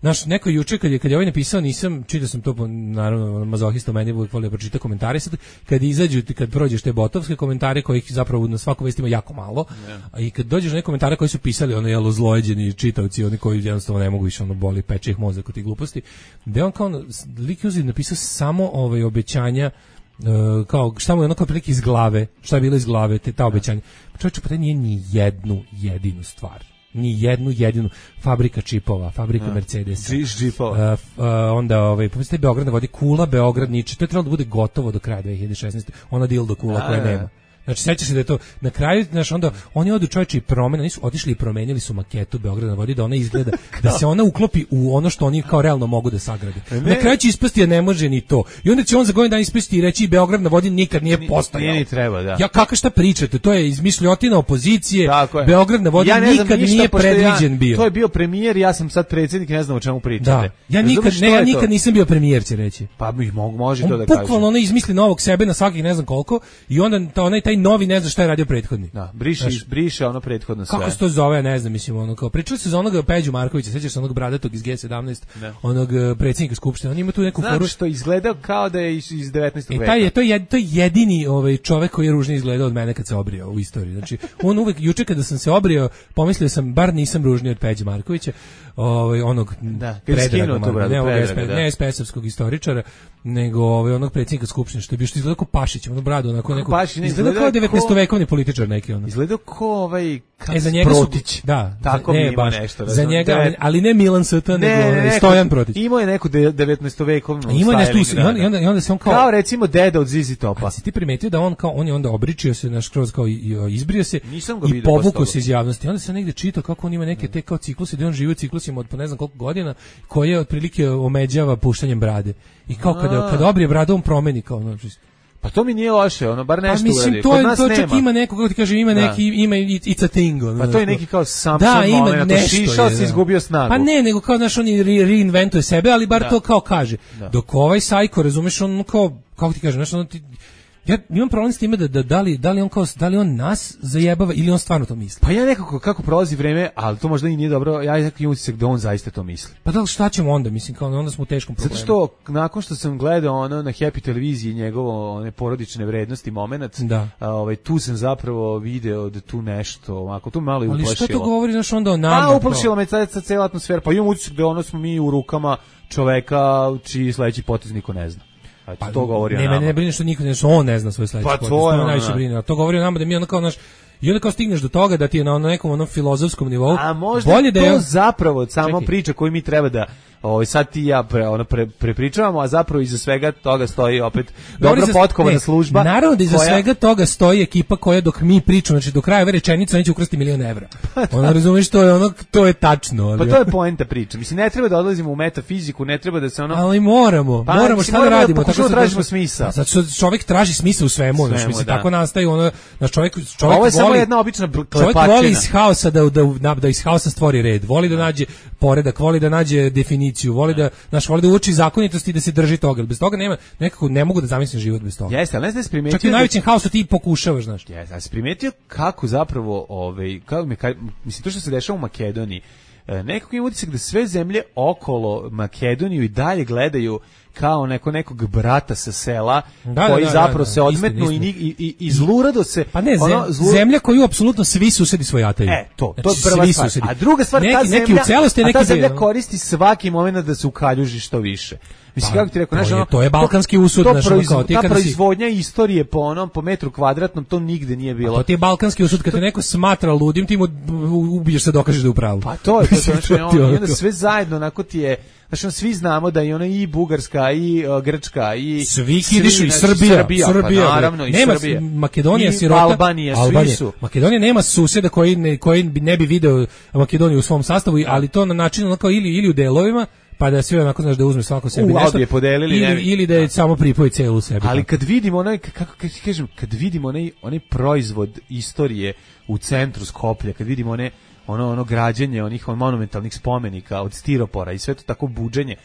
Naš neko juče kad je kad je ovaj napisao, nisam čitao sam to, naravno mazohista meni uvijek volio pročitati komentare, sad kad izađu, kad prođeš te botovske komentare kojih zapravo na svaku vest ima jako malo, yeah. a i kad dođeš na neke komentare koji su pisali ono jelo zlojeđeni čitaoci, oni koji jednostavno ne mogu više, ono boli peče ih mozak od tih gluposti, da on kao lik je napisao samo ovaj obećanja. Uh, kao šta mu je ono kao prilike iz glave, šta je bilo iz glave, te ta obećanja. Čovječe, pa taj nije ni jednu jedinu stvar. Ni jednu jedinu. Fabrika čipova, fabrika ja. Mercedesa. Čipova. Uh, uh, onda, ovaj, pomisli, Beograd na vodi, Kula, Beograd, Niče. To je trebalo da bude gotovo do kraja dve hiljade šesnaeste. Ona dildo Kula ja, koja ja. nema. Znači, sećaš se da je to na kraju, znaš, onda oni odu čovječe i promene, nisu otišli i promenili su maketu Beograda na vodi da ona izgleda, da se ona uklopi u ono što oni kao realno mogu da sagrade. Na kraju će ispasti da ne može ni to. I onda će on za godinu dana ispasti i reći Beograd na vodi nikad nije postojao. Nije ni treba, da. Ja, kako šta pričate? To je izmišljotina opozicije. Beograd na vodi ja nikad ništa, nije predviđen ja, bio. To je bio premijer, ja sam sad predsjednik, ne znam o čemu pričate. Da. Ja nikad, ne, ja nikad nisam bio premijer, će reći. Pa mi mogu, može on to da kaže. Bukvalno ono izmisli novog sebe na svakih ne znam koliko i onda ta, onaj taj novi ne zna šta je radio prethodni. Da, briše, znaš, briše ono prethodno sve. Kako se to zove, ne znam, mislim, ono kao pričali su za onog Peđu Markovića, sećaš se onog bradatog iz G sedamnaest, ne. onog predsjednika skupštine. On ima tu neku foru. Znaš što izgleda kao da je iz, iz devetnaestog veka. E taj je to je to je jedini ovaj čovjek koji je ružnije izgledao od mene kad se obrijao u istoriji. Znači, on uvek juče kada sam se obrijao, pomislio sam bar nisam ružniji od Peđe Markovića, ovaj onog da, Predraga, ne ovog ne S P S-ovskog istoričara, nego ovaj onog predsjednika skupštine što je bio što izgledao kao Pašić, ono bradu, onako neko. Izgledao kao devetnaestovekovni političar neki ono. Izgledao kao ovaj e, za njega Protić. Su, da, tako ne, mi ima baš, nešto. Za njega, ali, ali ne Milan Sata, nego ne, Stojan Protić. Imao je neku devetnaestovekovnu styling. Imao je nešto, da, i onda, i onda se on kao... Kao recimo deda od Zizi Topa. A si ti primetio da on kao, on je onda obričio se, naš kroz kao izbrio se i povukao se iz javnosti. Onda se negde čitao kako on ima neke te kao cikluse, da on živi u ciklusima od po ne znam koliko godina, koje otprilike omeđava puštanjem brade. I kao kada, kada obrije bradu, on promeni kao, znači, pa to mi nije loše, ono bar nešto uradi. uradi. To, je, to čak ima neko, kako ti kaže, ima da. neki, ima it's a thing. Ono, pa to je neki kao Samson da, ima moment, nešto, šišao se, izgubio snagu. Pa ne, nego kao, znaš, on reinventuje sebe, ali bar da. to kao kaže. Da. Dok ovaj sajko, razumeš, on kao, kako ti kaže, znaš, ono ti... Ja imam problem s time da, da, da, li, da, li on kao, da li on nas zajebava ili on stvarno to misli. Pa ja nekako, kako prolazi vreme, ali to možda i nije dobro, ja nekako imam utisak da on zaista to misli. Pa da li šta ćemo onda, mislim, kao onda smo u teškom problemu. Zato što, nakon što sam gledao ono na Happy televiziji njegovo one porodične vrednosti momenat, da. A, ovaj, tu sam zapravo video da tu nešto, ako tu malo i uplašilo. Ali šta to govori, znaš, onda o nama? A, uplašilo me sad cela atmosfera, pa imam utisak da ono smo mi u rukama čoveka čiji sledeći potez niko ne zna. A pa, to govori o nama. Ne, ne brine što niko ne zna, on ne zna svoj sledeći pa potez. To je najviše brine. To govori o nama da mi onda kao naš i onda kao stigneš do toga da ti je na nekom onom filozofskom nivou. A možda bolje to da je... zapravo samo Čekaj. priča koju mi treba da ovaj sad ti ja pre, ono pre, prepričavamo, a zapravo iza svega toga stoji opet dobro potkovana služba. Naravno da iza koja... svega toga stoji ekipa koja dok mi pričamo, znači do kraja ove rečenice neće ukrasti milion evra. Ona razumeš to je ono to je tačno, ali... Pa to je poenta priče. Mislim ne treba da odlazimo u metafiziku, ne treba da se ono ali moramo, pa, moramo šta da radimo, tako što tražimo smisao. Zato što čovjek traži smisao u svemu, znači mislim tako nastaje ono na čovjek čovjek ovo je voli, samo jedna obična klepačina. Čovjek voli iz haosa da da da iz haosa stvori red, voli da nađe poredak, voli da nađe definiciju, voli da naš voli da uči zakonitosti i da se drži toga. Bez toga nema, nekako ne mogu da zamislim život bez toga. Jeste, ali ne znam da primetio. Čak i u najvećem haosu ti pokušavaš, znaš. Jeste, ali si primetio kako zapravo, ovaj, kako mi, kaj, mislim, to što se dešava u Makedoniji, nekako ima utisak da sve zemlje okolo Makedoniju i dalje gledaju kao neko nekog brata sa sela da, koji da, da, zapravo da, da, se odmetnu i, i, i, i zlurado se... Pa ne, ono, zlu... zemlja koju apsolutno svi susedi svojataju. E, to, to znači, je prva stvar. Susedi. A druga stvar, neki, ta neki zemlja, u celosti, a neki ta zemlja bio, koristi svaki moment da se ukaljuži što više. Mislim, pa, kako ti rekao, to, znaš, je, ono, to je balkanski usud. To, naš, proiz, kao, ti ta kada proizvodnja si... istorije po onom, po metru kvadratnom, to nigde nije bilo. A to ti je balkanski usud, kad te neko smatra ludim, ti mu ubiješ se, dokažeš da je u pravu. Pa to je, to, znači, on, i onda sve zajedno, onako ti je, znači, on, svi znamo da je ono i Bugarska, i uh, Grčka, i svi kidišu, i Srbija, Srbija, Srbija, pa naravno, i nema, Srbija. Makedonija, i sirota, Albanija, Albanija, svi su. Makedonija nema susjeda koji ne, koji ne bi video Makedoniju u svom sastavu, ali to na način onako ili, ili u delovima, pa da sve onako znaš da uzme svako sebi u, nešto je podelili, ili, ili da je samo pripoji celu sebi. Ali kad vidimo onaj, kako kažem, kad vidimo onaj, onaj proizvod istorije u centru Skoplja, kad vidimo one, ono, ono građenje onih monumentalnih spomenika od stiropora i sve to tako buđenje,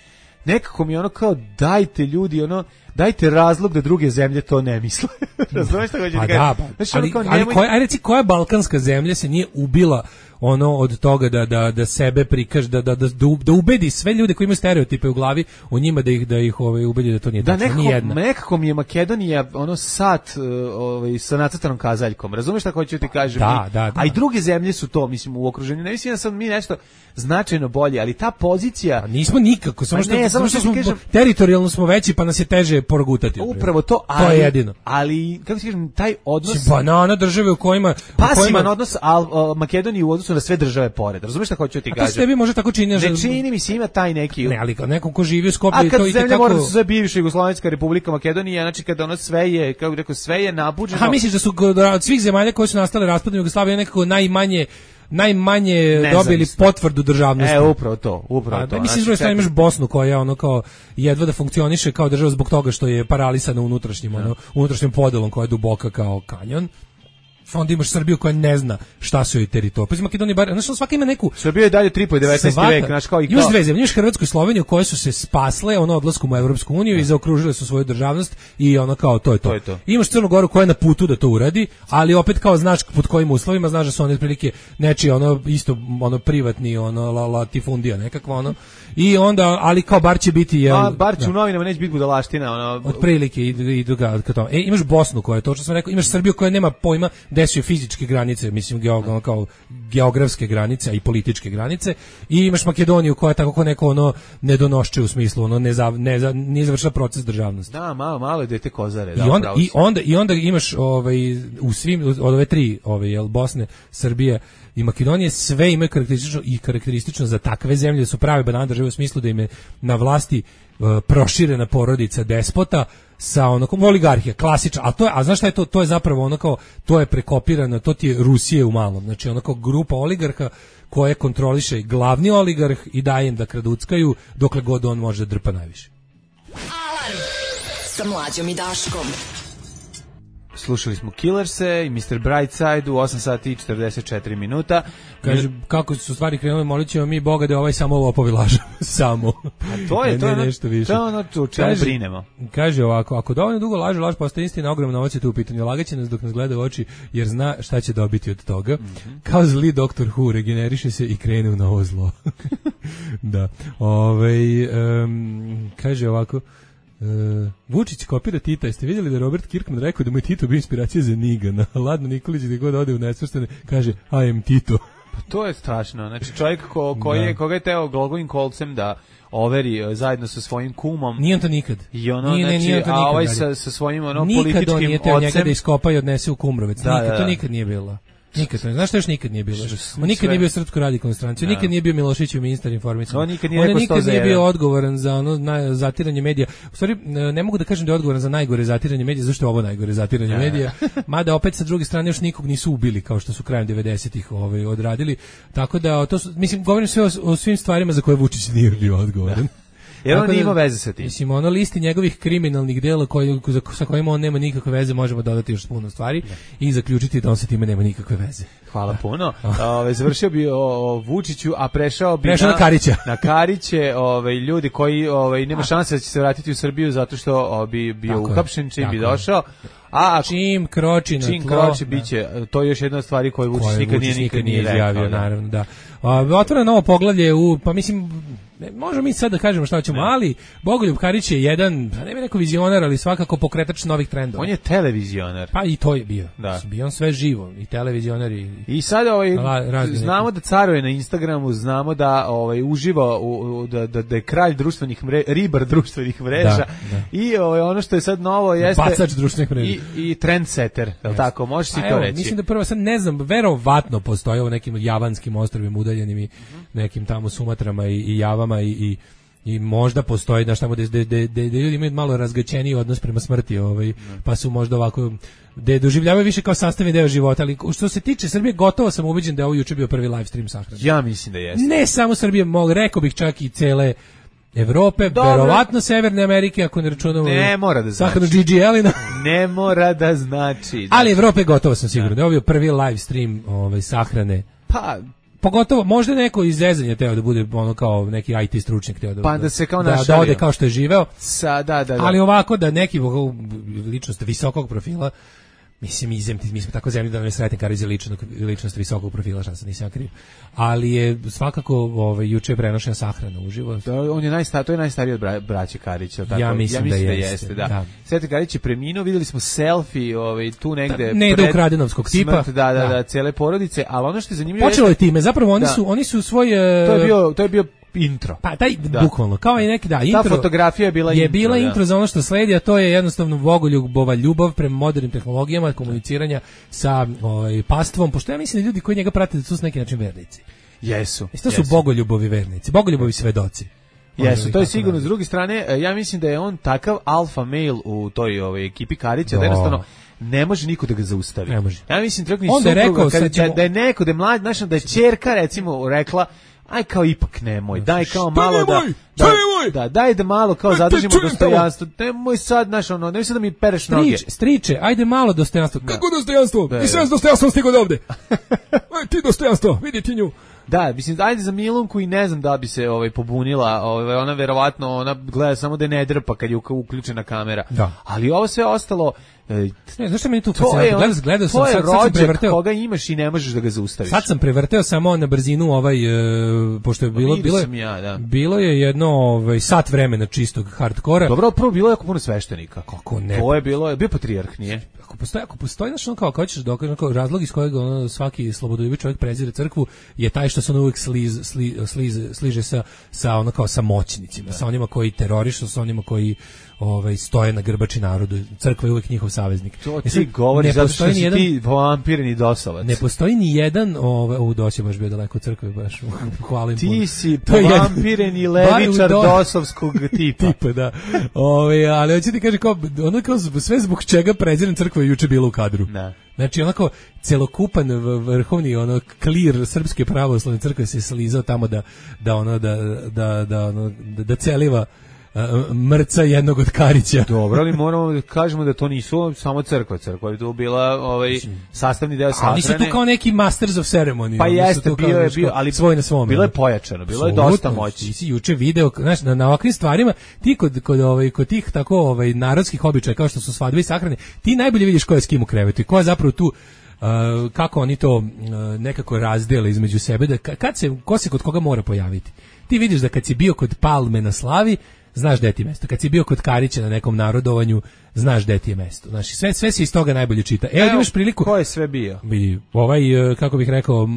nekako mi ono kao dajte ljudi ono dajte razlog da druge zemlje to ne misle. Razumeš šta hoću ti kažem? Da, pa, znači, ali, ali koja, aj reci, koja balkanska zemlja se nije ubila ono od toga da da da sebe prikaže, da da da da ubedi sve ljude koji imaju stereotipe u glavi o njima, da ih da ih ovaj ubedi da to nije da tačno, nekako, ni jedna. nekako mi je Makedonija ono sat ovaj sa nacrtanom kazaljkom. Razumeš šta hoću ti kažem? Da, da, da. A i druge zemlje su to, mislim, u okruženju. Ne mislim da sam mi nešto značajno bolje, ali ta pozicija, a nismo nikako, samo što, ne, samo što, što smo kažem, teritorijalno smo veći, pa nas je teže progutati. Upravo to, ali, to je jedino. Ali kako ti kažem, taj odnos banana države u kojima pasivan kojima... odnos al, al, Makedoniji u odnosu na sve države pored. Razumeš šta hoću ti kažem? A to se tebi može tako čini, ne čini mi se, ima taj neki. Ne, ali kao neko ko živi u Skoplju i to i tako. Mora da se zove bivša Jugoslovenska Republika Makedonija, znači kada ono sve je, kako bih rekao, sve je nabuđeno. A misliš da su od svih zemalja koje su nastale raspadom Jugoslavije nekako najmanje najmanje nezavisno dobili potvrdu državnosti. E, upravo to, upravo to. A, mislim, znači, da imaš Bosnu koja ono kao jedva da funkcioniše kao država zbog toga što je paralisana unutrašnjim, ono, unutrašnjim podelom koja je duboka kao kanjon. Onda imaš Srbiju koja ne zna šta su joj teritorije. Pa iz Makedonije bar, znači svaka ima neku. Srbija je dalje tri po devetnaesti vek, znači kao i kao. Imaš dve zemlje, imaš Hrvatsku i Sloveniju koje su se spasle ono odlaskom u Evropsku uniju i zaokružile su svoju državnost i ono kao to je to. to, je to. Imaš Crnu Goru koja je na putu da to uradi, ali opet kao znaš pod kojim uslovima, znaš da su one otprilike nečiji ono isto ono privatni ono la, latifundija nekakva ono. I onda ali kao bar će biti je. A bar će da. U novinama neće biti budalaština, ono otprilike i i druga kao. E imaš Bosnu koja je to što sam rekao, imaš Srbiju koja nema pojma gde su fizičke granice, mislim geo, kao geografske granice i političke granice, i imaš Makedoniju koja tako kao neko ono nedonošče u smislu ono ne za, ne za, nije završila proces državnosti. Da, malo malo dete kozare, da. I onda i onda i onda imaš ovaj u svim od ove tri ove jel Bosne, Srbije i Makedonije sve imaju karakteristično i karakteristično za takve zemlje su prave banane države u smislu da im je na vlasti uh, proširena porodica despota sa onokom oligarhija, klasična, a to je, a znaš šta je to, to je zapravo ono kao, to je prekopirano, to ti je Rusije u malom, znači ono kao grupa oligarha koje kontroliše glavni oligarh i daje im da kraduckaju dokle god on može da drpa najviše. Alarm sa Mlađom i Daškom. Slušali smo Killerse i mister Brightside u osam sati i četrdeset četiri minuta. Kaže, kako su stvari krenule, molit ćemo mi Boga da ovaj samo lopovi lažu. Samo. A to je, ne, to je ne, nešto više. To je ono o čemu brinemo. Kaže ovako, ako dovoljno dugo laže, laž postaje istina, ogromna novac je tu u pitanju. Lagaće nas dok nas gleda u oči, jer zna šta će dobiti od toga. Mm-hmm. Kao zli doktor Who, regeneriše se i krene u novo zlo. Da. Ove, um, kaže ovako, Uh, Vučić kopira Tita. Jeste vidjeli da je Robert Kirkman rekao da mu je Tito bio inspiracija za Nigana? Ladno Nikolić gdje god ode u nesvrstane kaže I am Tito. Pa to je strašno. Znači čovjek ko, koji je, koga je teo Glogovim kolcem da overi uh, zajedno sa svojim kumom. Nije on to nikad. I ono, nije, znači, nije on to a nikad, ovaj sa, sa svojim ono, nikad političkim on nije teo ocem. njega da iskopa i odnese u Kumrovec. Da, nikad, da, da. To nikad nije bilo. Nikad, znaš što još nikad nije bilo? On nikad sve. nije bio Srpsko radikalnu stranci, Da. nikad nije bio Miloševićev ministar informisanja. On nikad nije, on rekao nikad sto nije za bio jedan. odgovoran za ono na, zatiranje medija. U stvari, ne mogu da kažem da je odgovoran za najgore zatiranje medija, zašto je ovo najgore zatiranje Da. medija. Mada opet sa druge strane još nikog nisu ubili kao što su krajem devedesetih ovaj, odradili. Tako da, to su, mislim, govorim sve o, o svim stvarima za koje Vučić nije bio odgovoran. Jer on Tako nije da, imao veze sa tim. Mislim, ono listi njegovih kriminalnih dela koji, sa kojima on nema nikakve veze, možemo dodati još puno stvari da. I zaključiti da on sa time nema nikakve veze. Hvala puno. Ove, završio bi o, o Vučiću, a prešao bi prešao na, na Karića. Na Kariće, ove, ljudi koji ove, nema šanse da će se vratiti u Srbiju zato što o, bi bio uhapšen čim bi došao. A čim kroči na čim tlo, kroči biće, to je još jedna od stvari koju Vučić nikad nije nikad nije izjavio, rekao, naravno, da. A, otvara novo poglavlje u, pa mislim, ne, možemo mi sad da kažemo šta ćemo, ali Bogoljub Karić je jedan, ne bih rekao vizionar, ali svakako pokretač novih trendova. On je televizionar. Pa i to je bio. Da. Bio on sve živo, i televizionar i... I sad ovaj, La, znamo neki. da caruje na Instagramu, znamo da ovaj, uživa, u, u, da, da, da je kralj društvenih mreža, ribar društvenih mreža, da, da. I ovaj, ono što je sad novo jeste... Bacač društvenih mreža. I, i trendsetter, je li tako? Možeš si A to evo, reći? Mislim da prvo, sad ne znam, verovatno postoji ovo nekim javanskim ostrvima udaljenim i mm-hmm. nekim tamo Sumatrama i, i Javama i, i i možda postoji da tamo da da ljudi imaju malo razgaćeniji odnos prema smrti, ovaj mm. pa su možda ovako da doživljavaju više kao sastavni deo života, ali što se tiče Srbije, gotovo sam ubeđen da je ovo juče bio prvi live stream sahrane. Ja mislim da jeste. Ne samo Srbije, mogu rekao bih čak i cele Evrope, Dobre. Verovatno Severne Amerike, ako ne računamo ne mora da znači. Sahranu Gigi Elina. Ne mora da znači. znači. Ali Evrope gotovo sam siguran da je ovo bio prvi live stream ovaj sahrane. Pa pogotovo možda neko iz zezanja teo da bude ono kao neki I T stručnjak teo da pa da se kao da, našalio. da ode kao što je živeo. Sa, da, da, da. Ali ovako da neki ličnost visokog profila, mislim, izem, mi smo tako zemlji da nam je Sreten Karić ličnost, ličnost visokog profila, šta sam nisam kriv. Ali je svakako ovaj, juče je prenošena sahrana uživo. To, on je najstar, to je najstariji od bra, braće Karića. Tako? Ja mislim, ja mislim da, da jeste. jeste da. Da. Sreten Karić je preminuo, videli smo selfie ovaj, tu negde. Da, ne, da ukradenovskog tipa. Smrt, da, da, da, da, cele porodice, ali ono što je zanimljivo počelo je jeste, time, zapravo oni da. su, oni su svoj... To je bio, to je bio intro. Pa taj da. bukvalno kao i neki da intro. Ta fotografija je bila je intro. bila da. intro za ono što sledi, a to je jednostavno bogoljubova ljubav prema modernim tehnologijama, komuniciranja sa ovaj pastvom, pošto ja mislim da ljudi koji njega prate da su s neki način vernici. Jesu. I to su bogoljubovi vernici, bogoljubovi svedoci. Jesu, to je sigurno. S druge strane, ja mislim da je on takav alfa male u toj ovaj ekipi Karića, da jednostavno ne može niko da ga zaustavi. Ne može. Ja mislim čak ni supruga, rekao, kada, ćemo... da je neko da je mlad, znači da je ćerka recimo rekla aj kao ipak nemoj, daj kao malo da, da, da, daj da malo kao zadržimo dostojanstvo, nemoj sad, znaš, ono, nemoj sad da mi pereš noge. Striče, striče, ajde malo dostojanstvo. Kako dostojanstvo? I sve s dostojanstvom stigo ovde. Aj ti dostojanstvo, vidi ti nju. Da, mislim, ajde za Milunku i ne znam da bi se ovaj pobunila, ovaj, ona verovatno, ona gleda samo da ne drpa kad je uključena kamera. Da. Ali ovo sve ostalo... Ne, zašto meni tu fascinantno? Gledao, gledao sam, sad, sad sam prevrteo. Koga imaš i ne možeš da ga zaustaviš. Sad sam prevrteo samo na brzinu ovaj, e, pošto je bilo, bilo, je, ja, da. bilo je jedno ovaj, sat vremena čistog hardkora. Dobro, prvo bilo je jako puno sveštenika. Kako ne? To je bilo, je bio patrijarh, nije? Ako postoji, ako postoji znači, kao, kao ćeš dokaži, kao razlog iz kojeg ono, svaki slobodoljubiv čovjek prezire crkvu je taj što se on uvijek sliz, sliz, sliz, sliže sa, sa, ono, kao, sa moćnicima, da. Sa onima koji terorišu, sa onima koji ovaj, stoje na grbači narodu. Crkva je uvijek njihov saveznik. To ti govori zato što si jedan, ti vampirni dosovac. Ne postoji ni jedan, ovaj, u dosi baš bio daleko od crkve, baš hvalim ti puno. Si vampireni levičar do... dosovskog tipa. tipa, da. Ovaj, ali hoću ti kaži, kao, ono kao sve zbog čega preziram crkva je juče bilo u kadru. Da. Znači onako celokupan vrhovni ono klir srpske pravoslavne crkve se slizao tamo da da ono da da da ono, da, da celiva uh, mrca jednog od Karića. Dobro, ali moramo da kažemo da to nisu samo crkva, crkva je tu bila ovaj sastavni deo sahrane. Oni su tu kao neki masters of ceremony. Pa jeste, bio je bio, ali svoj na svom. Bilo je pojačano, bilo je dosta moći. Ti si juče video, znaš, na, na ovakvim stvarima, ti kod kod ovaj kod tih tako ovaj narodskih običaja kao što su svadbe i sahrane, ti najbolje vidiš ko je s kim u krevetu i ko je zapravo tu. Uh, kako oni to uh, nekako razdele između sebe, da kad se, ko se kod koga mora pojaviti. Ti vidiš da kad si bio kod Palme na slavi, znaš gde ti je mesto. Kad si bio kod Karića na nekom narodovanju, znaš gde ti je mesto. Znači, sve, sve se iz toga najbolje čita. Evo, Evo imaš priliku... Ko je sve bio? Bi, ovaj, kako bih rekao,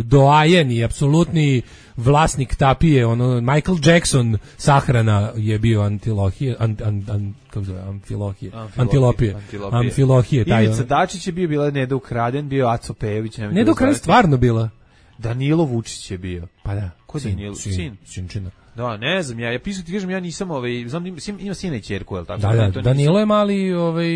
doajen i apsolutni vlasnik tapije, ono, Michael Jackson sahrana je bio Antilohije, an, an, an, kako zove, Amfilohije, Antilopije, Antilopije, Amfilohije. Taj, Ivica Dačić je bio, bila Neda Ukraden, bio Aco Pejević. Neda Ukraden stvarno bila. Danilo Vučić je bio. Pa da. Ko je Danilo? Sin. Sinčina. Da, ne znam, ja, ja pisao ti kažem, ja nisam, ovaj, znam, ima, ima sina i ćerku, je li tako? Da, da, Danilo je mali ovaj,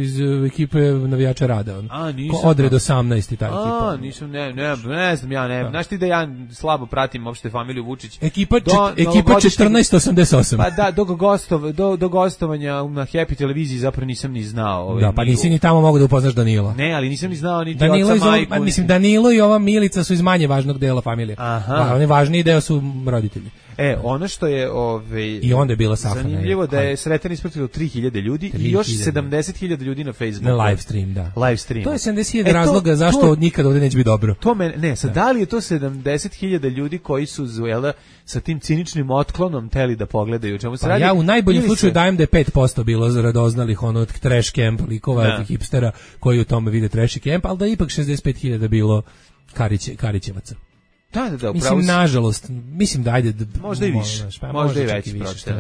iz ekipe navijača Rada, on. A, nisam. Odred osamnaest i ta ekipa. A, nisam, ne, ne, ne znam, ja ne, da. Znaš ti da ja slabo pratim uopšte familiju Vučić. Ekipa, do, čet, ekipa četrnaest osamdeset osam. Pa da, do, gostov, do, do gostovanja na Happy televiziji zapravo nisam ni znao. Ovaj, da, pa nisi ni tamo mogu da upoznaš Danila. Ne, ali nisam ni znao ni Danilo oca majku. Ova, mislim, Danilo i ova Milica su iz manje važnog dela familije. Aha. A oni važniji deo su roditelji. E, ono što je ovaj i onda je bila sahrana. Zanimljivo da je Sreten ispratilo tri hiljade ljudi i još sedamdeset hiljada ljudi na Facebooku. Na live stream, da. Live stream. To je sedamdeset hiljada e, razloga to, zašto to, nikad ovdje neće biti dobro. To me ne, sad da. da li je to sedamdeset hiljada ljudi koji su zujela sa tim ciničnim otklonom teli da pogledaju čemu se pa radi. Ja u najboljem slučaju se... dajem da je pet posto bilo za radoznalih ono od trash camp likova, da. hipstera koji u tome vide trash camp, al da je ipak šezdeset pet hiljada bilo Kariće, Karićevaca. Da, da, da, mislim, si... nažalost, mislim da ajde... Da, možda i više, pa, možda, možda i veći pročet.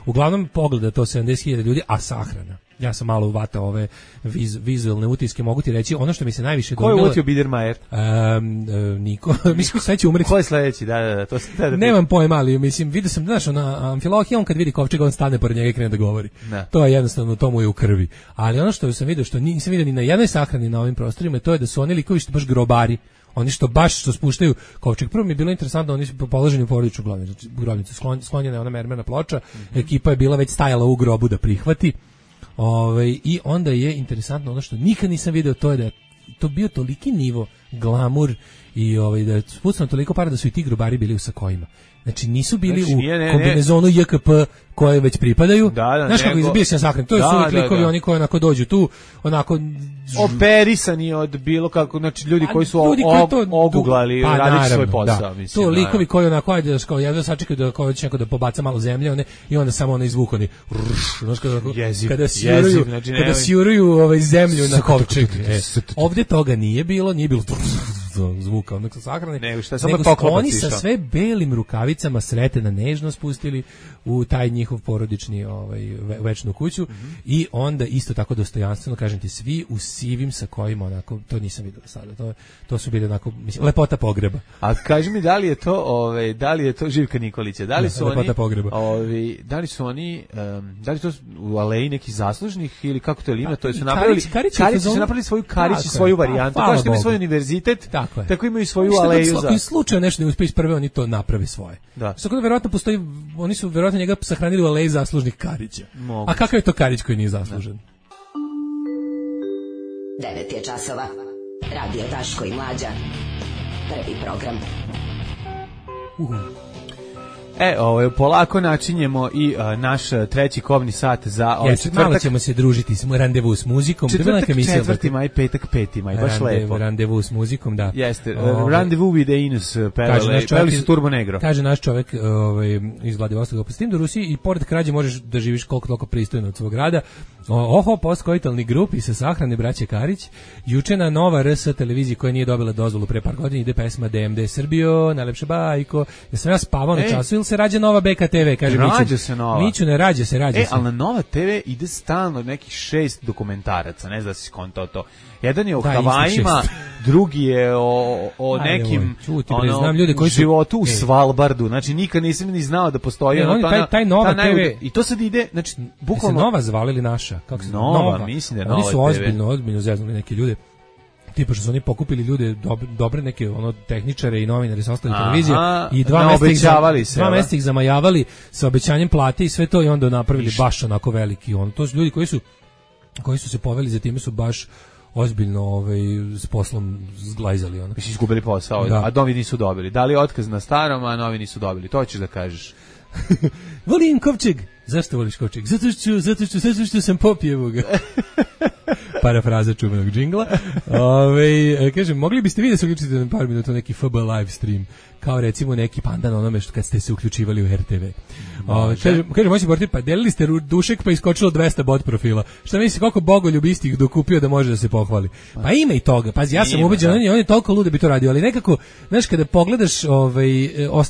Uglavnom pogleda to sedamdeset hiljada ljudi, a sahrana. Ja sam malo uvatao ove viz, vizualne utiske, mogu ti reći, ono što mi se najviše dojmilo... Ko je uvotio Biedermajer? Um, uh, niko, mislim, sve će umreti. Ko je sledeći, da, da, da. To da, da nemam pojma, ali mislim, vidio sam, znaš, na Amfilohije, on kad vidi kovčeg, on stane pored njega i krene da govori. Ne. To je jednostavno, to mu je u krvi. Ali ono što sam vidio, što nisam vidio ni na jednoj sahrani na ovim prostorima, to je da su oni likovi što baš grobari. Oni što baš što spuštaju kovčeg. Prvo mi je bilo interesantno, oni su položeni u porodičnu grobnicu, grobnicu sklon, sklonjena je ona mermerna ploča, mm-hmm. Ekipa je bila već stajala u grobu da prihvati. Ove, i onda je interesantno ono što nikad nisam video, to je da je to bio toliki nivo glamur i ovaj da spucano toliko para da su i ti grobari bili u sakojima. Znači nisu bili znači, u nije, ne, kombinezonu J K P koje već pripadaju. Da, da, znaš kako izbio se sakren. To da, su uvijek da, likovi da. Oni koji onako dođu tu, onako operisani od bilo kako, znači ljudi koji su ljudi koji to, oguglali, pa, radići svoj posao. Da. Mislim, to likovi koji onako, ajde, da kao, jedno sačekaju da kao će neko da pobaca malo zemlje one, i onda samo ono izvuku oni, znaš kada, jeziv, kada sjuruju, jeziv, znači, kada sjuruju ovaj zemlju na kovčeg. E, ovdje toga nije bilo, nije bilo zvuka onog sa sahrane, nego šta samo oni sa sve belim rukavicama sretena nežno spustili u taj njihov porodični ovaj večnu kuću mm-hmm. i onda isto tako dostojanstveno, kažem ti, svi u sivim sa kojima onako, to nisam vidio sada, to to su bili onako, mislim, lepota pogreba. A kaži mi, da li je to ovaj da li je to Živka Nikolića, da li su lepota oni pogreba. Ovaj da li su oni um, da li to u aleji neki zaslužnih ili kako to ima, to su napravili Karić, Karić su napravili svoju Karić i svoju varijantu, kao što ima svoj univerzitet. Tako, tako imaju svoju što aleju za. Ako slučajno nešto ne uspije iz prve, oni to naprave svoje. Da. Tako da verovatno postoji, oni su verovatno njega sahranili u aleji zaslužnih Karića. Moguće. A kakav je to Karić koji nije zaslužen? devet je časova. Radio Daško i Mlađa. Prvi program. Uh. E, ovaj, polako načinjemo i uh, naš treći kobni sat za ovaj yes, četvrtak. Malo ćemo se družiti s randevu s muzikom. Četvrtak, četvrti maj, petak, peti maj, baš Randev, lepo. Randevu s muzikom, da. Jeste, uh, randevu with the Inus, pevali, pevali su Turbo Negro. Kaže naš čovek ovaj, iz Vladivostoka, s tim da u Rusiji i pored krađe možeš da živiš koliko toliko pristojno od svog grada. Oho, postkoitalni grupi sa sahrane braće Karić. Juče na Nova R S televiziji koja nije dobila dozvolu pre par godina ide pesma D M D Srbijo, najlepša bajko. Ja sam ja spavao na času ili se rađa Nova B K T V, kaže Miću. Rađa se Nova. Miću ne rađa se, rađa e, se. E, ali na Nova T V ide stalno nekih šest dokumentaraca, ne znam da si skontao to. Jedan je o da, Havajima, drugi je o, o Aj, nekim čuti, ono, znam ljude koji su, životu u ej. Svalbardu. Znači nikad nisam ni znao da postoji e, ono, taj, taj Nova T V. I to sad ide, znači bukvalno se Nova zvali ili naša, kako se Nova, Nova. Mislim da je Nova. Oni su ozbiljno, ozbiljno zeznuli neki ljude. Tipa što su oni pokupili ljude, dobre, dobre neke ono tehničare i novinare sa ostalih televizija i dva mjeseca ih, dva mjeseca ih zamajavali sa obećanjem plate i sve to i onda napravili baš onako veliki on. To su ljudi koji su koji su se poveli za time su baš ozbiljno ovaj s poslom zglajzali ono. Mislim izgubili posao, da. A novi nisu dobili. Dali otkaz na starom, a novi nisu dobili. To ćeš da kažeš. Volim kovčeg. Zašto voliš kovčeg? Zato što, zato što, zato što sam popjevo ga. Parafraza čuvenog džingla. Ove, kažem, mogli biste vi da se uključite na par minuta neki F B live stream, kao recimo neki pandan onome što kad ste se uključivali u R T V. Ove, kažem, kažem, moći boriti, pa delili ste dušek pa iskočilo dvesta bot profila. Šta misli, koliko bogoljub istih dokupio da može da se pohvali? Pa ima i toga. Pazi, ja sam ubeđen, on je, on je toliko lud da bi to radio, ali nekako, znaš, kada pogledaš, ovaj,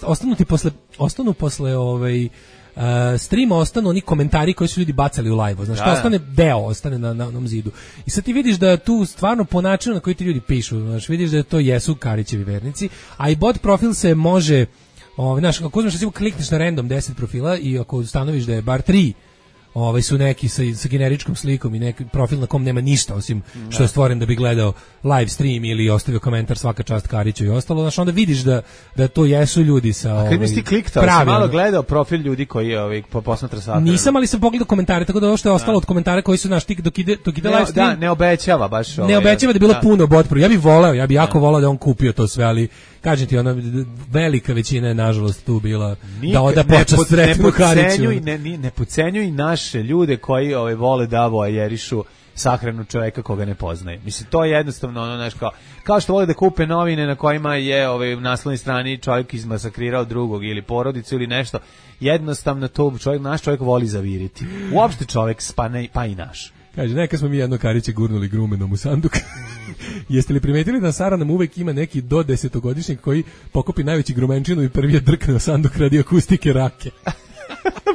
ostanu ti posle, ostanu posle, ovaj, Uh, streama ostanu oni komentari koji su ljudi bacali u live-u, znaš, to ostane deo, ostane na, na onom zidu. I sad ti vidiš da tu stvarno po načinu na koji ti ljudi pišu, znaš, vidiš da to jesu Karićevi vernici, a i bot profil se može, ovaj, znaš, ako uzmeš recimo klikneš na random deset profila i ako ustanoviš da je bar tri ovaj su neki sa, sa generičkom slikom i neki profil na kom nema ništa osim da. Što je stvoren da bi gledao live stream ili ostavio komentar svaka čast Kariću i ostalo, znači onda vidiš da da to jesu ljudi sa ovaj. A kad mi si kliktao, si malo gledao profil ljudi koji je ovaj po posmatra sata. Nisam, ali sam pogledao komentare, tako da ovo što je ostalo da. Od komentara koji su naš tik dok ide dok ide ne, live stream. Da, ne obećava baš ovaj. Ne obećava da je bilo da. Puno bot pro. Ja bih voleo, ja bih jako voleo da on kupio to sve, ali kažem ti, ona velika većina je nažalost tu bila Nik, da oda počast sretnu Kariću. Ne, ne, ne podcenjuj naše ljude koji ovaj vole da voajerišu sahranu čoveka koga ne poznaje. Mislim, to je jednostavno ono, znaš, kao, kao što vole da kupe novine na kojima je ovaj, u naslovnoj strani čovjek izmasakrirao drugog ili porodicu ili nešto. Jednostavno to čovjek, naš čovjek voli zaviriti. Uopšte čovjek pa, ne, pa i naš. Kaže, neka smo mi jedno Kariće gurnuli grumenom u sanduk. Jeste li primetili da Sara nam uvek ima neki do desetogodišnjeg koji pokupi najveći grumenčinu i prvi je drkne u sanduk radi akustike rake?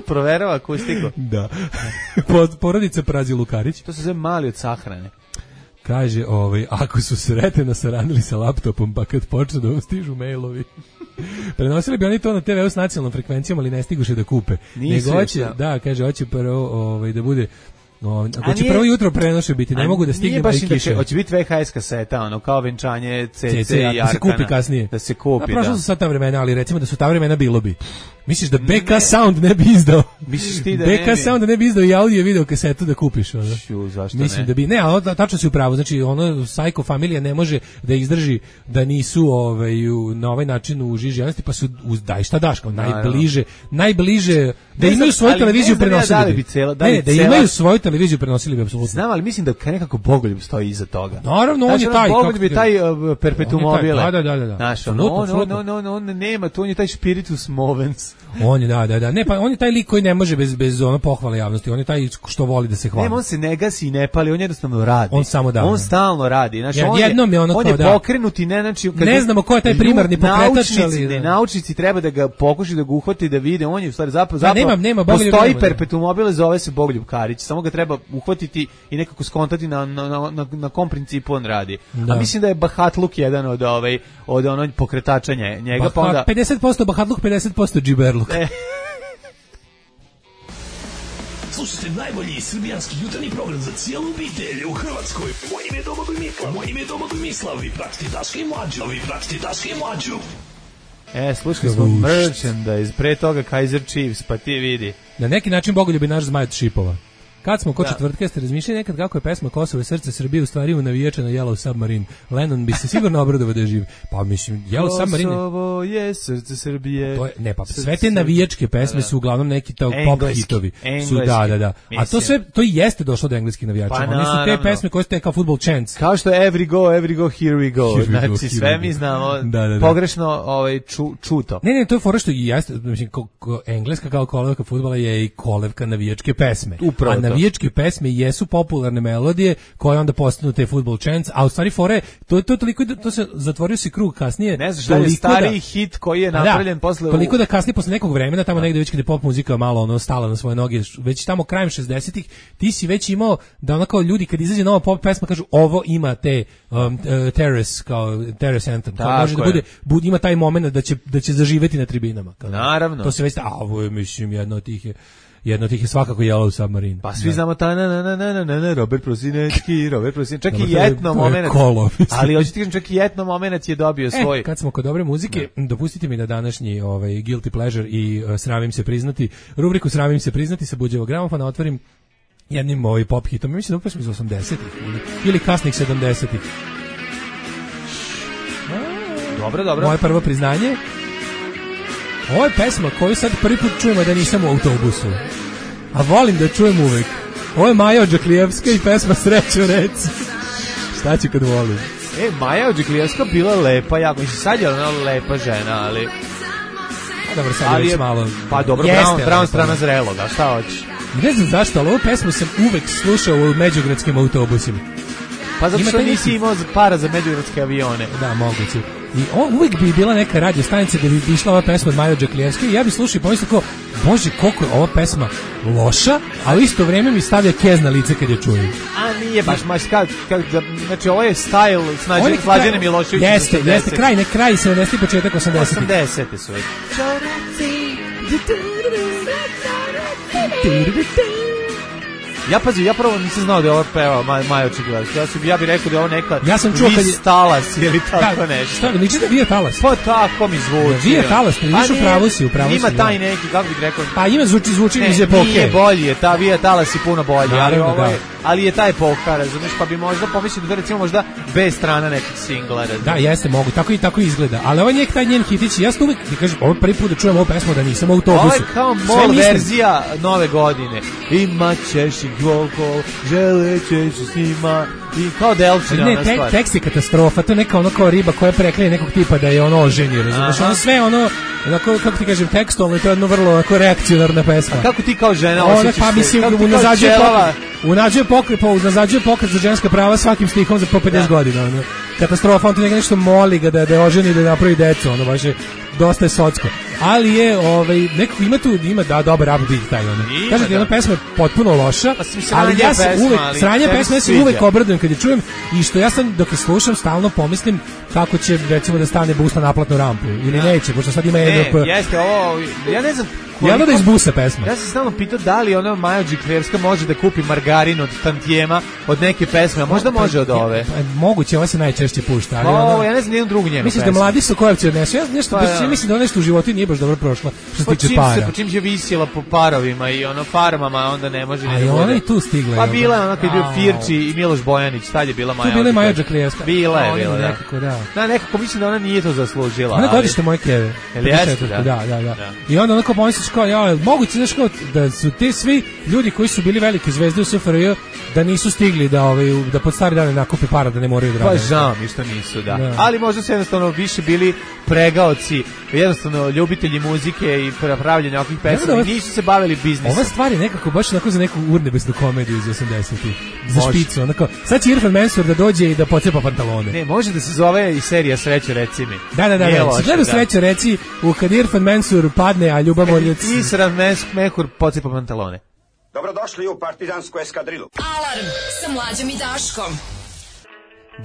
Proverava akustiku. Da. Porodica Prazi Lukarić. To se zove mali od sahrane. Kaže, ovaj, ako su sreteno saranili sa laptopom, pa kad počnu da vam stižu mailovi. Prenosili bi oni to na te ve u s nacionalnom frekvencijom, ali ne stiguše da kupe. Nisu nego hoće, da, kaže, hoće prvo ovaj, da bude No, ako će prvo jutro prenoše biti, ne mogu da stignem da ih kiše. Hoće biti V H S kaseta, ono, kao venčanje C C i Arkana. Da se kupi kasnije. Da se kupi, da. Prošlo su sad ta vremena, ali recimo da su ta vremena bilo bi. Misliš da B K ne. Sound ne bi izdao? Misliš ti da B K ne bi? samo da ne bi izdao i audio i video kasetu da kupiš. Ono. Šu, zašto Mislim ne? da bi, ne, ali tačno si u pravu, znači ono, Psycho familija ne može da izdrži da nisu ovaj, u, na ovaj način u žiži javnosti, pa su, uz, daj šta daš, kao najbliže, najbliže, da Ne imaju znam, svoju ali televiziju ne znam ja prenosili da li bi. bi cela- da Ne, li ne, da cela- imaju svoju televiziju prenosili bi, apsolutno. Znam, ali mislim da nekako Bogoljub stoji iza toga. Naravno, on Znači, je taj, Bogoljub kako je ti taj kažem. uh, perpetuum On je taj, mobile. da, da, da, da. Znaš, on, Apsolutno, on, apsolutno. on, on, on, on nema, to on je taj spiritus movens. On je, da, da, da. Ne, pa on je taj lik koji ne može bez, bez ono pohvale javnosti. On je taj što voli da se hvali. Ne, on se ne gasi i ne pali, on jednostavno radi. On samo da. On stalno radi. Znači, Ja, on je, jednom je ono on kao je da. pokrenut i ne, znači... kad Ne je- znamo ko je taj primarni Lju- pokretač, naučnici, ali- ne, naučnici treba da ga pokušaju da ga uhvati, da vide, on je u stvari zapravo, Da, zapravo nema- nema, Bogoljub postoji nema, da. perpetuum mobile, zove se Bogoljub Karić, samo ga treba uhvatiti i nekako skontati na, na, na, na, na kom principu on radi. Da. A mislim da je Bahatluk jedan od, ovaj, od onog pokretača nje- njega, pa Baha- onda... pedeset posto Bahatluk, pedeset posto džiberluk. E. Slušajte najbolji srbijanski jutarnji program za cijelu obitelj u Hrvatskoj. Moje ime je Domagoj Mislav. Moje ime je Domagoj Mislav. Vi pratite Daška i Mlađu. Vi pratite Daška i Mlađu. E, slušali smo merchandise, pre toga Kaiser Chiefs, pa ti vidi. Na neki način Bogoljub je naš zmaj od šipova. Kad smo kod četvrtka, ste razmišljali nekad kako je pesma Kosovo i srce Srbije u stvari u navijača na Yellow Submarine. Lennon bi se sigurno obradovao da je živ. Pa mislim, Yellow Submarine... Kosovo je srce Srbije. To je, ne, pa Srce sve te navijačke pesme Da, da. su uglavnom neki to pop Engleski, hitovi. Su, engleski, da, da, da. A to mislim. sve, to i jeste došlo do engleskih navijača. Pa Oni su te naravno. pesme koje su te kao football chants. Kao što je Every Go, Every Go, Here We Go. Here we Znači, go, here sve we mi go. znamo Da, da, da. pogrešno ovaj, ču, čuto. Ne, ne, to je fora što i jeste, mislim, ko, ko, engleska kao kolevka fudbala je i kolevka navijačke pesme. Upravo a to. navijačke pesme jesu popularne melodije koje onda postanu te football chants, a u stvari fore, to je to toliko, da- to se zatvorio se krug kasnije. Ne znaš da je toliko stariji hit koji je A da, napravljen posle... u- toliko da kasnije posle nekog vremena tamo negde već kad je pop muzika malo ono stala na svoje noge, već tamo krajem šezdesetih ti si već imao da ono kao ljudi kad izađe nova pop pesma kažu ovo ima te um, uh, terrace kao terrace anthem, kao Tako može da je. bude, bude ima taj momenat da će da će zaživeti na tribinama. Kao, Naravno. To se već, a ovo je mislim jedno od tih je jedno od tih je svakako Yellow Submarine. Pa svi Da. znamo ta na na na na na na na Robert Prosinečki, Robert Prosinečki, čak Dobro, i to je- etno to je momenat. kolo, mislim. Ali hoćete kažem čak i etno momenat je dobio svoj. E, kad smo kod dobre muzike, dopustite mi da današnji ovaj guilty pleasure i uh, sramim se priznati, rubriku sramim se priznati sa Buđevog gramofona otvorim jednim ovaj pop hitom. Mislim da upravo iz osamdesetih ili, ili kasnih sedamdesetih. Dobro, dobro. Moje prvo priznanje. Ovo je pesma koju sad prvi put čujemo da nisam u autobusu. A volim da čujem uvek. Ovo je Maja Odžaklijevska i pesma Sreću reci. Šta ću kad volim? E, Maja Odžaklijevska bila lepa, jako. Mislim, sad je ona lepa žena, ali... Dobro, sad je Ali već je, malo... pa dobro, Jeste, Brown, Brown lepa. strana zreloga, šta hoćeš? Ne znam zašto, ali ovu pesmu sam uvek slušao u međugradskim autobusima. Pa zato Ima što taj nisi neki- imao para za međugradske avione. Da, moguće. I on, uvijek bi bila neka radio stanica gde bi išla ova pesma od Maje Odžaklijevske i ja bi slušao i pomislio kao, bože, koliko je ova pesma loša, a u isto vrijeme mi stavlja kez na lice kad je čujem. A nije baš, maš, kad, kad, znači ovo je style s Ovo je nađenim kraj- Slađanem Miloševićem. Jeste, jeste, kraj, ne kraj, sedamdesetih, početak osamdesetih. osamdesete su već. Ja pazi, ja prvo nisam znao da je ovo peva Maj, Maja Odžaklijevska. Ja, sam- ja bih rekao da je ovo neka Ja sam čuo kad je- Vis Talas ili tako Da, nešto. šta, liči da Vija Talas. Pa tako mi zvuči. Vija Talas, pa vidiš, A u nije, pravu si, u pravu si, Ima da. taj neki, kako bih rekao, Pa ima zvuči, zvuči ne, iz epoke. nije bolji je, ta Vija Talas je puno bolji, ali, Naravno, ovo je, da. ali je ta epoka, razumiješ, pa bi možda pomislio da recimo možda bez strana nekih singla, razumiješ. Da, jeste, mogu, tako i tako izgleda. Ali ovaj njek taj njen hitić, ja sam uvijek, ti kažem, ovo je prvi put da čujem ovu pesmu da nisam u autobusu. Ovo je kao Sve mol mislim- verzija nove godine. Imat ćeš ih dvokol, želećeš s njima, i kao Delčina Ne, ona tek, stvar. tekst je katastrofa, to je neka ono kao riba koja preklije nekog tipa da je ono oženio, razumiješ? Aha. Ono sve ono, onako, kako ti kažem, tekstualno, to je jedno vrlo onako reakcionarna pesma. Kako ti kao žena Ona, osjećaš pa se? mislim, Kako ti kao unazađuje ćelava? pokret, unađuje pokret, po, unazađuje pokret za ženska prava svakim stihom za po pedeset godina. Ono. Katastrofa, on ti neka nešto moli ga da, da je oženi, da napravi decu, ono, baš je, dosta je socko. Ali je, ovaj, nekako ima tu, ima, da, dobar rap beat taj, ono. Ima, Kažete, da. jedna pesma je potpuno loša, Pa, sranje ali ja se pesma, uvek, ali sranje tebi pesma, ja se sviđa. uvek obradujem kad je čujem i što ja sam, dok je slušam, stalno pomislim kako će, recimo, da stane bus na naplatnu rampu, ili Da. neće, pošto sad ima Ne, E D P. jeste ovo, ja ne znam, Jelda da izbusa pesma. Ja sam stalno pitao da li ona Maja Džiklevska može da kupi margarin od tantijema od neke pesme, a možda može od ove. Moguće, ova se najčešće pušta. Ali o, ona, ja ne znam nijednu drugu njenu misliš pesmu. da Mladi Sokojevci odnesu? Ja nešto, pa, ja. mislim da ona nešto u životu nije baš dobro prošla, što se tiče para. Po čim je visjela po parovima i ono farmama, onda ne može ni da bude. A ona i tu stigla. Pa bila je ona kad je bio Firči i Miloš Bojanić, tad je bila Maja. Tu bila je Maja Džiklevska. Bila je, bila, da. Nekako, da. Da, nekako mislim da ona nije to zaslužila. Ona godište moje keve. Jeste, da. Da, da, da. I onda onako pomisliš kao, ja, moguće, znaš kao, da su ti svi ljudi koji su bili velike zvezde u S F R J da nisu stigli da ovaj da pod stari dane nakupe para da ne moraju da rade. Pa žao mi što nisu, da. da. Ali možda su jednostavno više bili pregaoci, jednostavno ljubitelji muzike i pravljenja ovakvih pesama i nisu se bavili biznisom. Ova stvar je nekako baš onako za neku urnebesnu komediju iz osamdesetih. Za špicu, onako. Sad će Irfan Mensur da dođe i da pocepa pantalone. Ne, može da se zove i serija Srećo reci mi. Da, da, da. da. Loše, gledam da. Srećo reci, u kad Irfan Mensur padne, a Ljubomoljac... Isran Mehur pocepa pantalone. Dobrodošli u partizansku eskadrilu. Alarm sa Mlađom i Daškom.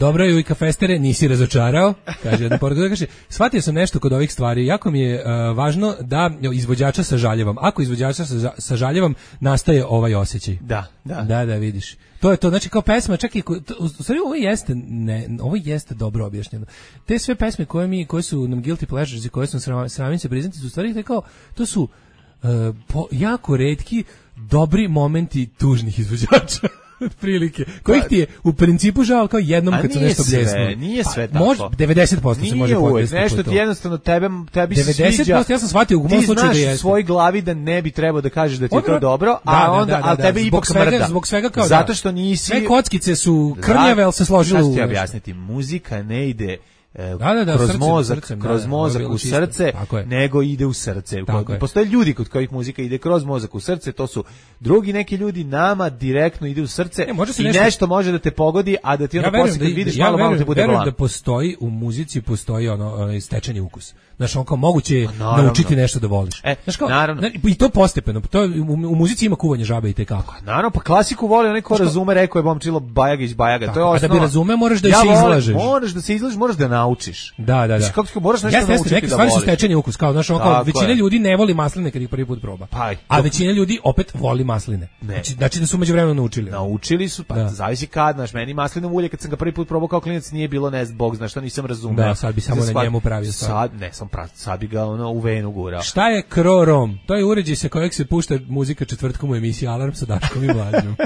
Dobro je, Ujka Festere, nisi razočarao, kaže jedna poruka, kaže, shvatio sam nešto kod ovih stvari, jako mi je uh, važno da izvođača sažaljevam. Ako izvođača sažaljevam, nastaje ovaj osjećaj. Da, da. Da, da, vidiš. To je to, znači kao pesma, čak i, u stvari ovo jeste, ne, ovo jeste dobro objašnjeno. Te sve pesme koje mi, koje su nam guilty pleasures i koje su nam sramim se priznati, su u stvari kao, to su uh, po, jako retki, dobri momenti tužnih izvođača. Otprilike. Kojih ti je u principu žao kao jednom kad se nešto bljesnu. Nije sve tako. Može devedeset posto se može podvesti. Nešto ti jednostavno tebe tebi se sviđa. devedeset posto ja sam shvatio u mom slučaju da jeste. Ti znaš u svojoj glavi da ne bi trebao da kažeš da ti je to dobro, a onda al tebe ipak smrda. Zbog svega kao zato što nisi. Sve kockice su krnjave, al se složile u. Šta ti objasniti? Muzika ne ide Da, da, da, kroz srce, mozak, srcem, kroz da, mozak da, u srce, nego ide u srce. Postoje ljudi kod kojih muzika ide kroz mozak u srce, to su drugi neki ljudi, nama direktno ide u srce e, i nešto... nešto može da te pogodi, a da ti onda ja posle kad vidiš ja malo, verujem, malo te bude verujem da postoji u muzici, postoji ono, ono stečeni ukus. Znaš, on kao moguće je naučiti nešto da voliš. E, znaš kao, naravno. I to postepeno, to, u, u muzici ima kuvanje žabe i tekako. Naravno, pa klasiku voli onaj ko razume, rekao je Momčilo Bajagić Bajaga. Tako, to je osnova. A da bi razume, moraš da ja se izlažeš. Moraš da se izlažeš, moraš da naučiš. Da, da, da. Kako moraš nešto jeste, naučiti neke da stvari voliš. su stečeni ukus, kao, znaš, ono, kao, većina ljudi ne voli masline kad ih prvi put proba. Pa, a većina ljudi opet voli masline. Znači, znači da su međuvremeno naučili. Naučili su, pa da. Zavisi kad, znaš, meni maslinovo ulje kad sam ga prvi put probao kao klinac nije bilo, ne znam, bog zna što nisam razumeo. Da, sad bi samo na njemu pravio stvar. Sad, ne, sam prav, sad bi ga ono u venu gurao. Šta je krorom? To je uređaj sa kojeg se pušta muzika četvrtkom u emisiji Alarm sa Daškom i Mlađom.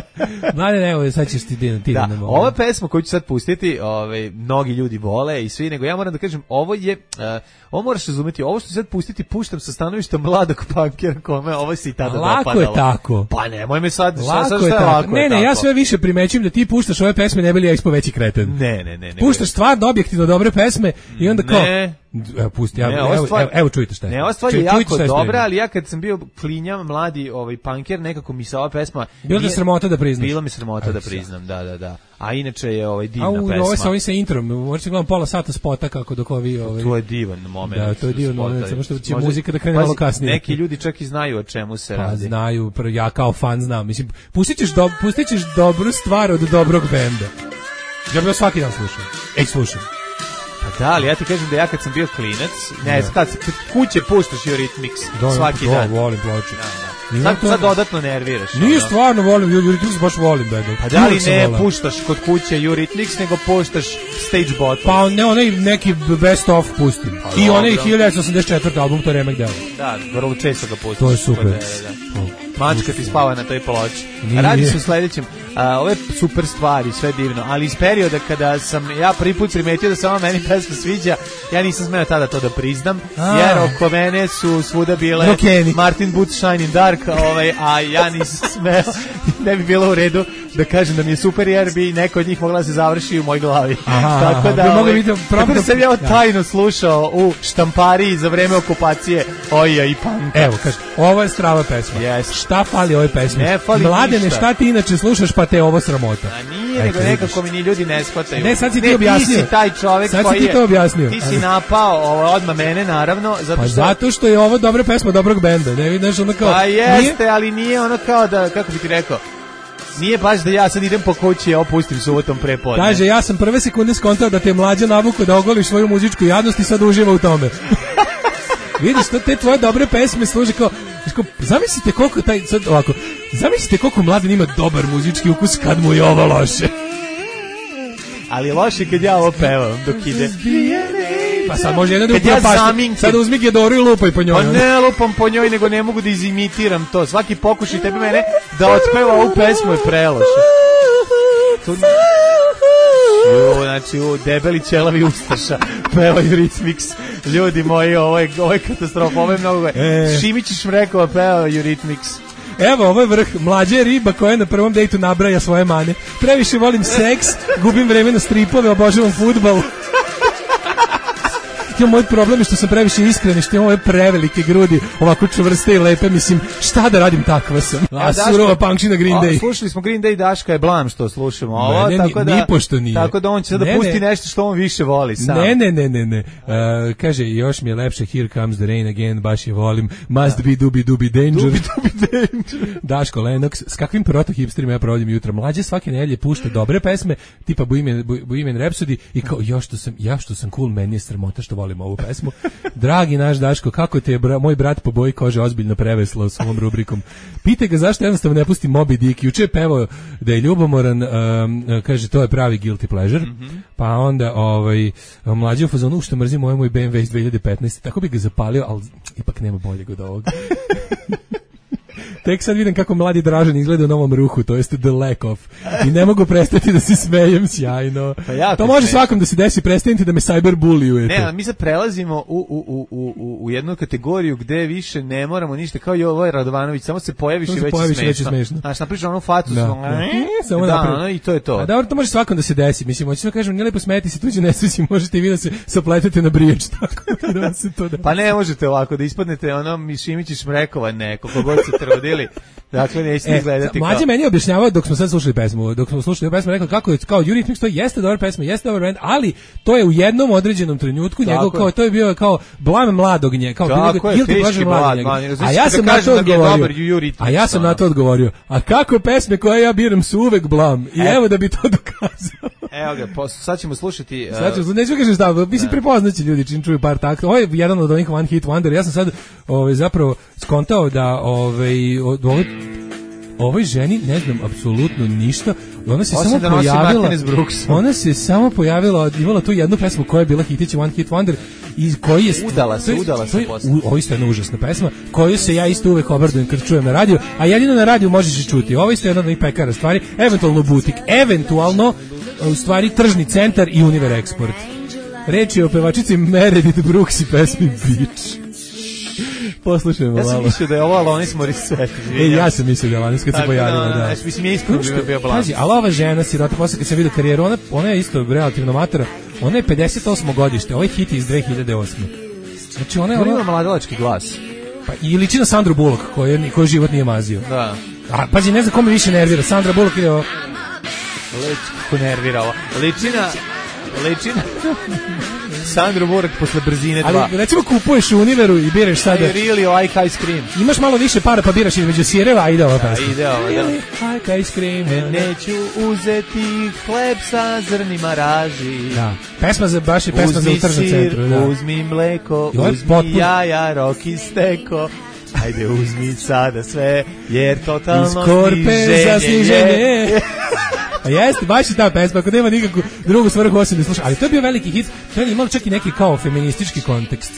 Mladen, evo, sad ćeš ti ti da, da ne ova pesma koju ću sad pustiti, ovaj, mnogi ljudi vole i svi, nego ja moram da kažem, ovo je, uh, ovo moraš razumeti, ovo što ću sad pustiti, puštam sa stanovišta mladog punkera kome, ovo si i tada lako dopadalo. Je tako. Pa nemoj me sad, lako sad je šta tako. Lako ne, je ne, tako. ja sve više primećujem da ti puštaš ove pesme, ne bi li ja ispo veći kreten. Ne, ne, ne. ne puštaš stvarno objektivno dobre pesme i onda kao... Ne. Evo, pusti, ja, ne, evo, stvar, evo, evo čujte šta je. Ne, ova stvar je jako dobra, ali ja kad sam bio klinja, mladi ovaj punker, nekako mi se ova pesma... Bilo da sramota da priznaš? Bilo mi sramota Aj, da priznam, da, da, da. A inače je ovaj divna A u, pesma. A ovo je sa ovim sa introm, možete gledam pola sata spota kako dok ovi... Ovaj... To je divan moment. Da, to je divan moment, samo što će muzika da krene malo kasnije. Neki ljudi čak i znaju o čemu se pa, radi. Znaju, ja kao fan znam. Mislim, pustit ćeš, do, pustit ćeš dobru stvar od dobrog benda. Ja bih svaki dan slušao. Ej, slušam. Pa da, ali ja ti kažem da ja kad sam bio klinac, ne, kad kuće puštaš Eurythmics do, svaki do, dan. Volim ploče. Da, da. Sad, sad dodatno nerviraš. Nije ono. Stvarno volim, Eurythmics baš volim. Da, pa da li ne vola. Puštaš kod kuće Eurythmics, nego puštaš Stage Bottom? Pa ne, onaj neki best of pustim. Pa, I onaj hiljadu devetsto osamdeset četvrti album, to je remek deo. Da, vrlo često ga pustiš. To je super. Da, da, da. Mačka ti spava na toj ploči. Radi se u sledećem. A, ove super stvari, sve divno, ali iz perioda kada sam ja prvi put primetio da se ova meni pesma sviđa, ja nisam smeo tada to da priznam, a. jer oko mene su svuda bile Rokeni. Martin Boots Shine in Dark, ovaj, a ja nisam smeo, ne bi bilo u redu da kažem da mi je super, jer bi neko od njih mogla da se završi u moj glavi. Aha, tako da, ovaj, vidim, tako da sam ja tajno slušao u štampariji za vreme okupacije Oja i Panka. Evo, kaže, ovo je strava pesma. Yes. Šta fali ovoj pesmi? Ne fali Mladene, ništa. Šta ti inače slušaš pa te ovo sramota? A nije, nego nekako mi ni ljudi ne shvataju. Ne, sad si ne, ti objasnio. Ti si taj čovjek sad koji si ti to objasnio. Ti si napao ovo, odmah mene, naravno. Zato pa što... zato što je ovo dobra pesma dobrog benda. Ne vidiš ono kao... Pa jeste, nije... ali nije ono kao da, kako bi ti rekao, nije baš da ja sad idem po kući i opustim subotom prepodne. Kaže, ja sam prve sekunde skontao da te mlađa navuku da ogoliš svoju muzičku jadnost i sad uživa u tome. Vidiš, to te tvoje dobre pesme služe kao, kao zamislite koliko taj, sad ovako, zamislite koliko mladen ima dobar muzički ukus kad mu je ovo loše. Ali je loše kad ja ovo pevam dok ide. Pa sad može jedan drugi ja pašti. Sad uzmi Gedoru i lupaj po njoj. Pa ne lupam po njoj, nego ne mogu da izimitiram to. Svaki pokušaj tebi mene da otpeva ovu pesmu je preloše. To... Jo, znači, u debeli ćelavi ustaša pevaju Eurythmics. Ljudi moji, ovo je, ovo je katastrofa, ovo je mnogo... E. Šimić i Šmrekova pevaju Eurythmics. Evo, ovo je vrh. Mlađa je riba koja na prvom dejtu nabraja svoje mane. Previše volim seks, gubim vreme na stripove, obožavam fudbal. Ja, moj problem je što sam previše iskren i što imam ove prevelike grudi, ovako čvrste i lepe, mislim, šta da radim, takva sam. A surova punkšina Green Day. O, slušali smo Green Day, Daška je blam što slušamo. Ovo, ne, ne, tako da, nipošto nije. Tako da on će sada da pusti ne, nešto što on više voli sam. Ne, ne, ne, ne, ne. Uh, kaže, još mi je lepše Here Comes the Rain Again, baš je volim. Must da. be dubi dubi danger. Dubi dubi danger. Daško Lennox, s kakvim proto-hipsterima ja provodim jutra. Mlađe svake nedelje pušta dobre pesme, tipa Bohemian, Bohemian Rhapsody i kao, ja što sam, ja što sam cool, meni je sramota što volim ovu pesmu. Dragi naš Daško, kako te je bra, moj brat po boji kože ozbiljno preveslao s ovom rubrikom. Pitaj ga zašto jednostavno ne pusti Moby Dick. Juče je pevao da je ljubomoran, um, kaže to je pravi guilty pleasure. Mm-hmm. Pa onda ovaj mlađi u fazonu što mrzim moj moj B M W iz dve hiljade petnaeste. Tako bi ga zapalio, ali ipak nema boljeg od ovoga. Tek sad vidim kako mladi Dražan izgleda u novom ruhu, to jest The Lack Of. I ne mogu prestati da se smejem sjajno. Pa to može smešno. Svakom da se desi, prestanite da me cyberbullyujete. Ne, a mi sad prelazimo u, u, u, u, u jednu kategoriju gde više ne moramo ništa, kao i ovaj Radovanović, samo se pojaviš i već je smešno. smešno. Znaš, napričam onu fatu, da, smo, da. Samo da, ono, i to je to. A dobro, to može svakom da se desi. Mislim, hoćeš da kažem, nije lepo smeti se tuđe nesreći, možete i vi da se sapletete na briječ, tako da se to desi. Pa ne možete ovako, da ispadnete ono Mišimić i Šmrekova, ne, koliko god se trudili. Dakle, nećete e, gledati kao... Mlađe meni je objašnjavao dok smo sad slušali pesmu, dok smo slušali pesmu, rekao kako je, kao Eurythmics, to jeste dobra pesma, jeste dobar band, ali to je u jednom određenom trenutku njegov, kao, to je bio kao blam mladog nje, kao tako je, teški mlad, a ja sam na to odgovorio, a ja sam na to odgovorio, a kako pesme koje ja biram su uvek blam, i evo da bi to dokazao. Evo ga, po, sad ćemo slušati... Uh... Sad ćemo, nećemo kažem šta, mislim prepoznaći ljudi čim čuju par takta. Ovo je jedan od onih one hit wonder, ja sam sad ovaj, zapravo skontao da ovaj, od, ovaj, ovoj ženi ne znam apsolutno ništa. Ona se Osim samo pojavila. Ona se samo pojavila, imala tu jednu pesmu koja je bila hitić one hit wonder i koji je udala se, udala se posle. Ovo isto je jedna užasna pesma koju se ja isto uvek obradujem kad čujem na radiju, a jedino na radiju možeš i čuti. Ovo isto je jedna od onih pekara stvari, eventualno butik, eventualno u stvari tržni centar i Univer Export. Reč je o pevačici Meredith Brooks i pesmi Beach. Poslušajmo malo. Ja sam mislio da je ovo Alanis Morissette. E, ja sam mislio da je Alanis kad se pojavila, da. da. Mislim, je iskreno bi bio blan. Pazi, ali ova žena, sirota, posle kad sam vidio karijeru, ona, ona je isto relativno matora, ona je pedeset osmo godište, ovaj hit je iz dve hiljade osme. Znači, ona je... Ona ima mladalački glas. Pa, i liči na Sandru Bullock, koju, koju život nije mazio. Da. A, pazi, ne znam kome više nervira, Sandra Bullock ili ovo... Liči, kako nervira ovo. Ličina... Ličina... Sandro Bullock posle brzine dva. Ali recimo kupuješ u Univeru i biraš sada... I really like ice cream. Imaš malo više para pa biraš između sireva, a ide ova pesma. Da, ide ova, da. Really like ice cream. Ne, neću uzeti hleb sa zrnima raži. Da, pesma za, baš je pesma uzmi za u tržnom centru. Da. Uzmi mleko, uzmi potpun... jaja, roki steko. Ajde, uzmi sada sve, jer totalno sniženje. Za sniženje. A jeste, baš je ta pesma, ako nema nikakvu drugu svrhu osim da sluša. Ali to je bio veliki hit, to je imalo čak i neki kao feministički kontekst.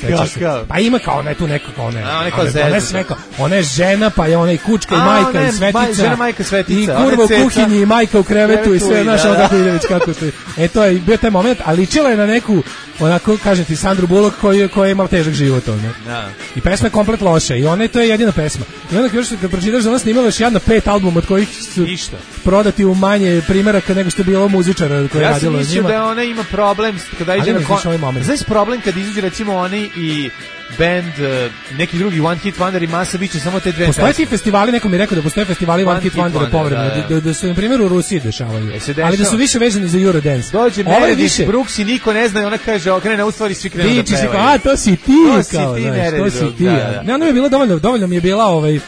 Pa ima kao ona je tu neko kao ona je. Ona, ona, neka, ona je žena, pa je ona i kučka i majka ne, i svetica. Žena, majka, svetica. I kurva u kuhinji i majka u krevetu, krevetu i sve, znaš, ono kako ide već kako stoji. E, to je bio taj moment, ali ličila je na neku, onako, kažem ti, Sandru Bullock koji, koji je imala težak život, ono. Da. I pesma je komplet loša i ona je, to je jedina pesma. I onda još kad pročitaš da ona snimala još jedna pet albuma od kojih su Ništa. prodati u manje primjeraka nego što je bilo muzičara koji je ja radilo njima. Ja sam mislio da ona ima problem kada iđe na kon... Znaš problem kad izađe recimo oni i band, uh, neki drugi One Hit Wonder i masa biće samo te dve. Postoje ti festivali, neko mi je rekao da postoje festivali One, one Hit Wonder, wonder povremeno, da, da. Da, da su na primjer u Rusiji dešavaju, e, ali da su više vezani za Eurodance. Dođe Meredith više... Brooks i niko ne zna i ona kaže, okrene, u stvari svi krenu da pevaju. A, to si ti, to si kao, ti, znaš, to si ti. Da, da. Ne, ono mi je bilo dovoljno, dovoljno mi je bila ovaj,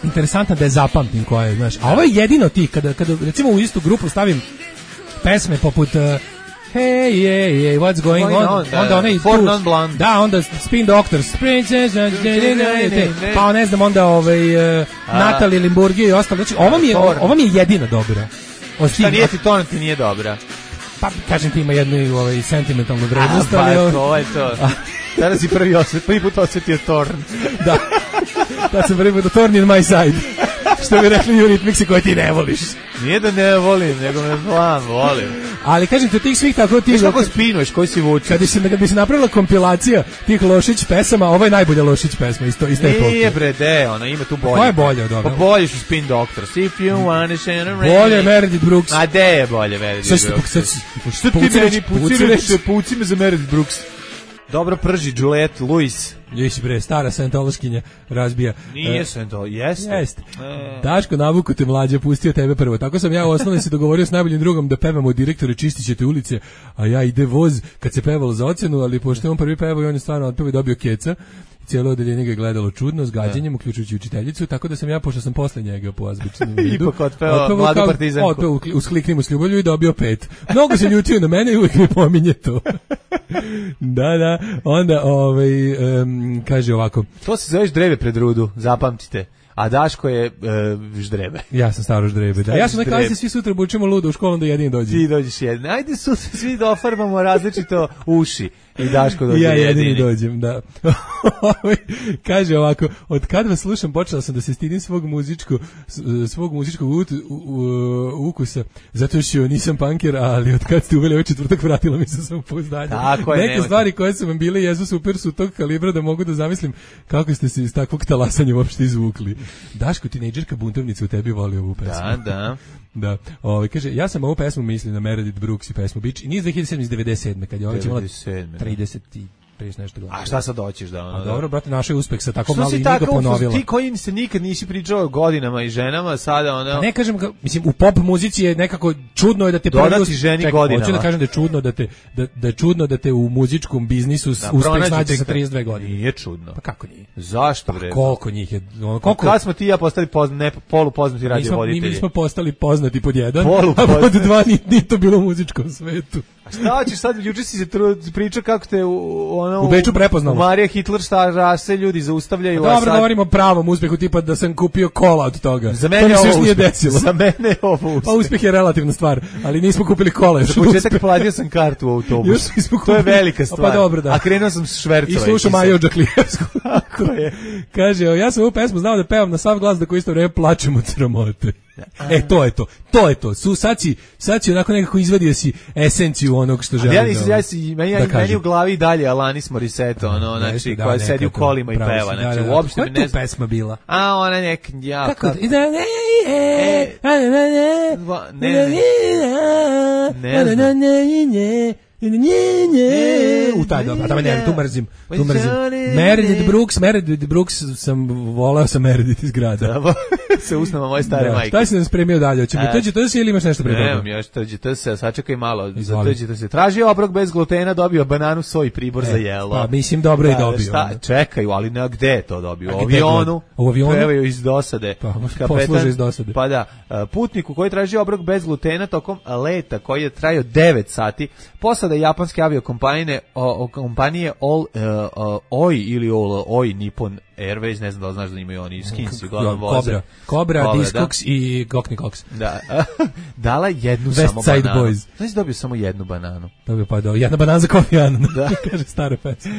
interesantna da je zapamtim koja je, znaš, a ovo je jedino ti, kada, kada recimo u istu grupu stavim pesme poput... Uh, Hey, yeah, yeah, what's going, going on? on? Da, onda onaj Four Non Blonde. Da, onda Spin Doctors. Pa ne znam, onda ovaj, uh, Natalie Limburgija i ostalo. Znači, ova mi je, ova mi je jedina dobra. Šta nije ti to, ti nije dobra? Pa, kažem ti, ima jednu ovaj, sentimentalnu vrednost. Pa, ali, to je to. Sada si prvi, osjet, prvi put osjetio Torn. Da. Da sam prvi put Torn in my side. Što bi rekli Eurythmicsi koje ti ne voliš. Nije da ne volim, nego me znam, volim. Ali kažem te, tih svih tako ti... Viš kako spinuješ, koji si vučeš? Kad bi se, kad bi se napravila kompilacija tih Lošić pesama, ovo je najbolja Lošić pesma, isto, ista epoka. Nije bre, de, ona ima tu bolje. Koja je bolja od ovoga? Pa bolje su Spin Doctors. If you wanna shine a rain. Bolje je Meredith Brooks. A de je bolje Meredith Brooks. Što ti meni puciraš, puci me za Meredith Brooks. Dobro prži, Juliette Lewis. Jesi bre, stara scientološkinja razbija. Nije Scientolo, jeste. Jeste. E. Daško, navuku te mlađe, pustio tebe prvo. Tako sam ja u osnovni se dogovorio s najboljim drugom da pevamo direktore čistit ćete ulice, a ja ide voz kad se pevalo za ocenu, ali pošto on prvi pevao i on je stvarno otpeo i dobio keca. Cijelo odeljenje ga je gledalo čudno, s gađenjem, uključujući učiteljicu, tako da sam ja, pošto sam posle njega po azbučnom vidu, ipak otpeo mladu partizanku. Otpeo u skliknimu s ljubavlju i dobio pet. Mnogo se ljutio na mene i uvijek mi pominje to. Da, da. Onda, ovaj, um, kaže ovako. To se zove ždrebe pred rudu, zapamtite. A Daško je uh, ždrebe. Ja sam staro ždrebe, da. Ja sam na klasi, svi sutra bučemo ludo u školu, onda jedin dođe. Ti dođeš jedin. Ajde sutra svi dofarbamo različito uši. I Daško dođe ja jedini. Ja jedini dođem, da. Kaže ovako, od kad vas slušam počela sam da se stidim svog muzičkog svog muzičkog u, u, u, ukusa, zato što nisam punker, ali od kad ste uveli ovaj četvrtak vratila mi se samopouzdanje. Neke nemate. Stvari koje su vam bile jesu super su tog kalibra da mogu da zamislim kako ste se iz takvog talasanja uopšte izvukli. Daško, tinejdžerka buntovnica u tebi voli ovu pesmu. Da, da. Da, ovaj kaže, ja sam ovu pesmu mislio na Meredith Brooks i pesmu Beach i nije iz dve hiljade sedme, iz devedeset sedme kad je ovaj imala trideset i trideset nešto godina. A šta sad hoćeš da ono? A dobro, brate, naš je uspeh sa tako malo i nije ga ponovila. Ti koji se nikad nisi pričao o godinama i ženama, sada ono... A ne kažem, mislim, u pop muzici je nekako čudno je da te prvi dodati ženi ček, godinama. Hoću da kažem da je čudno da te da, da je čudno da te u muzičkom biznisu da, uspeh snađe sa trideset dve godine. Nije čudno. Pa kako nije? Zašto bre? Pa koliko njih je? Ono, koliko? Kad smo ti i ja postali pozna, ne, polupoznati radiovoditelji? Mi smo postali poznati pod jedan, a pod dva nije to bilo u muzičkom svetu. A šta ćeš sad, juče si se pričao kako te u, ono, u Beču prepoznalo. U Marija Hitler šta rase ljudi zaustavljaju. Dobro, sad... govorimo o pravom uspehu, tipa da sam kupio kola od toga. Za mene to je ovo nije desilo. Za mene je ovo uspeh. Pa uspeh je relativna stvar, ali nismo kupili kola. Za početak platio sam kartu u autobus. To je velika stvar. Pa dobro, da. A krenuo sam s švercova. I slušao Maju Đaklijevsku. Tako je. Kaže, ja sam ovu pesmu znao da pevam na sav glas da koji isto vreme plačem od sramote. E, to je to. To je to. Su, sad si, sad si onako nekako izvadio si esenciju onog što želim. Ja nisam, ja si, meni, da meni u glavi dalje Alanis Morissette, ono, znači, da, koja sedi u kolima i peva. Znači, da, da, uopšte koja je tu pesma bila? A, ona nek, ja. Kako? Kako? Ne, ne, ne, ne, ne, ne, Nje, nje. U taj dobro, tamo ne, tu mrzim, tu mrzim. Meredith Brooks, Meredith Brooks sam voleo sam Meredith iz grada. Se usnama moje stare majke. Šta si nam spremio dalje? Hoće biti tođe to se ili imaš nešto pre toga? Nemam, još tođe to se, sačekaj malo. Za tođe to se. Traži obrok bez glutena, dobio bananu, soj, pribor za jelo. Pa mislim dobro i dobio. Čekaju, ali na gde je to dobio? U avionu. U avionu. Pevaju iz dosade. Posluže iz dosade. Pa da, putniku koji traži obrok bez glutena tokom leta koji je trajao devet sati. Posada japanske aviokompanije o, o kompanije All uh, uh, Oi ili All Oi Nippon Airways, ne znam da li znaš da imaju oni skinsi uglavnom voze. Cobra, Cobra, Cobra Discogs i Cockney Cox. Da. Dala jednu West samo Side bananu. Boys. Znači dobio samo jednu bananu. Dobio pa do jedna banana za Kofi Annan. Da. Kaže stara pesma.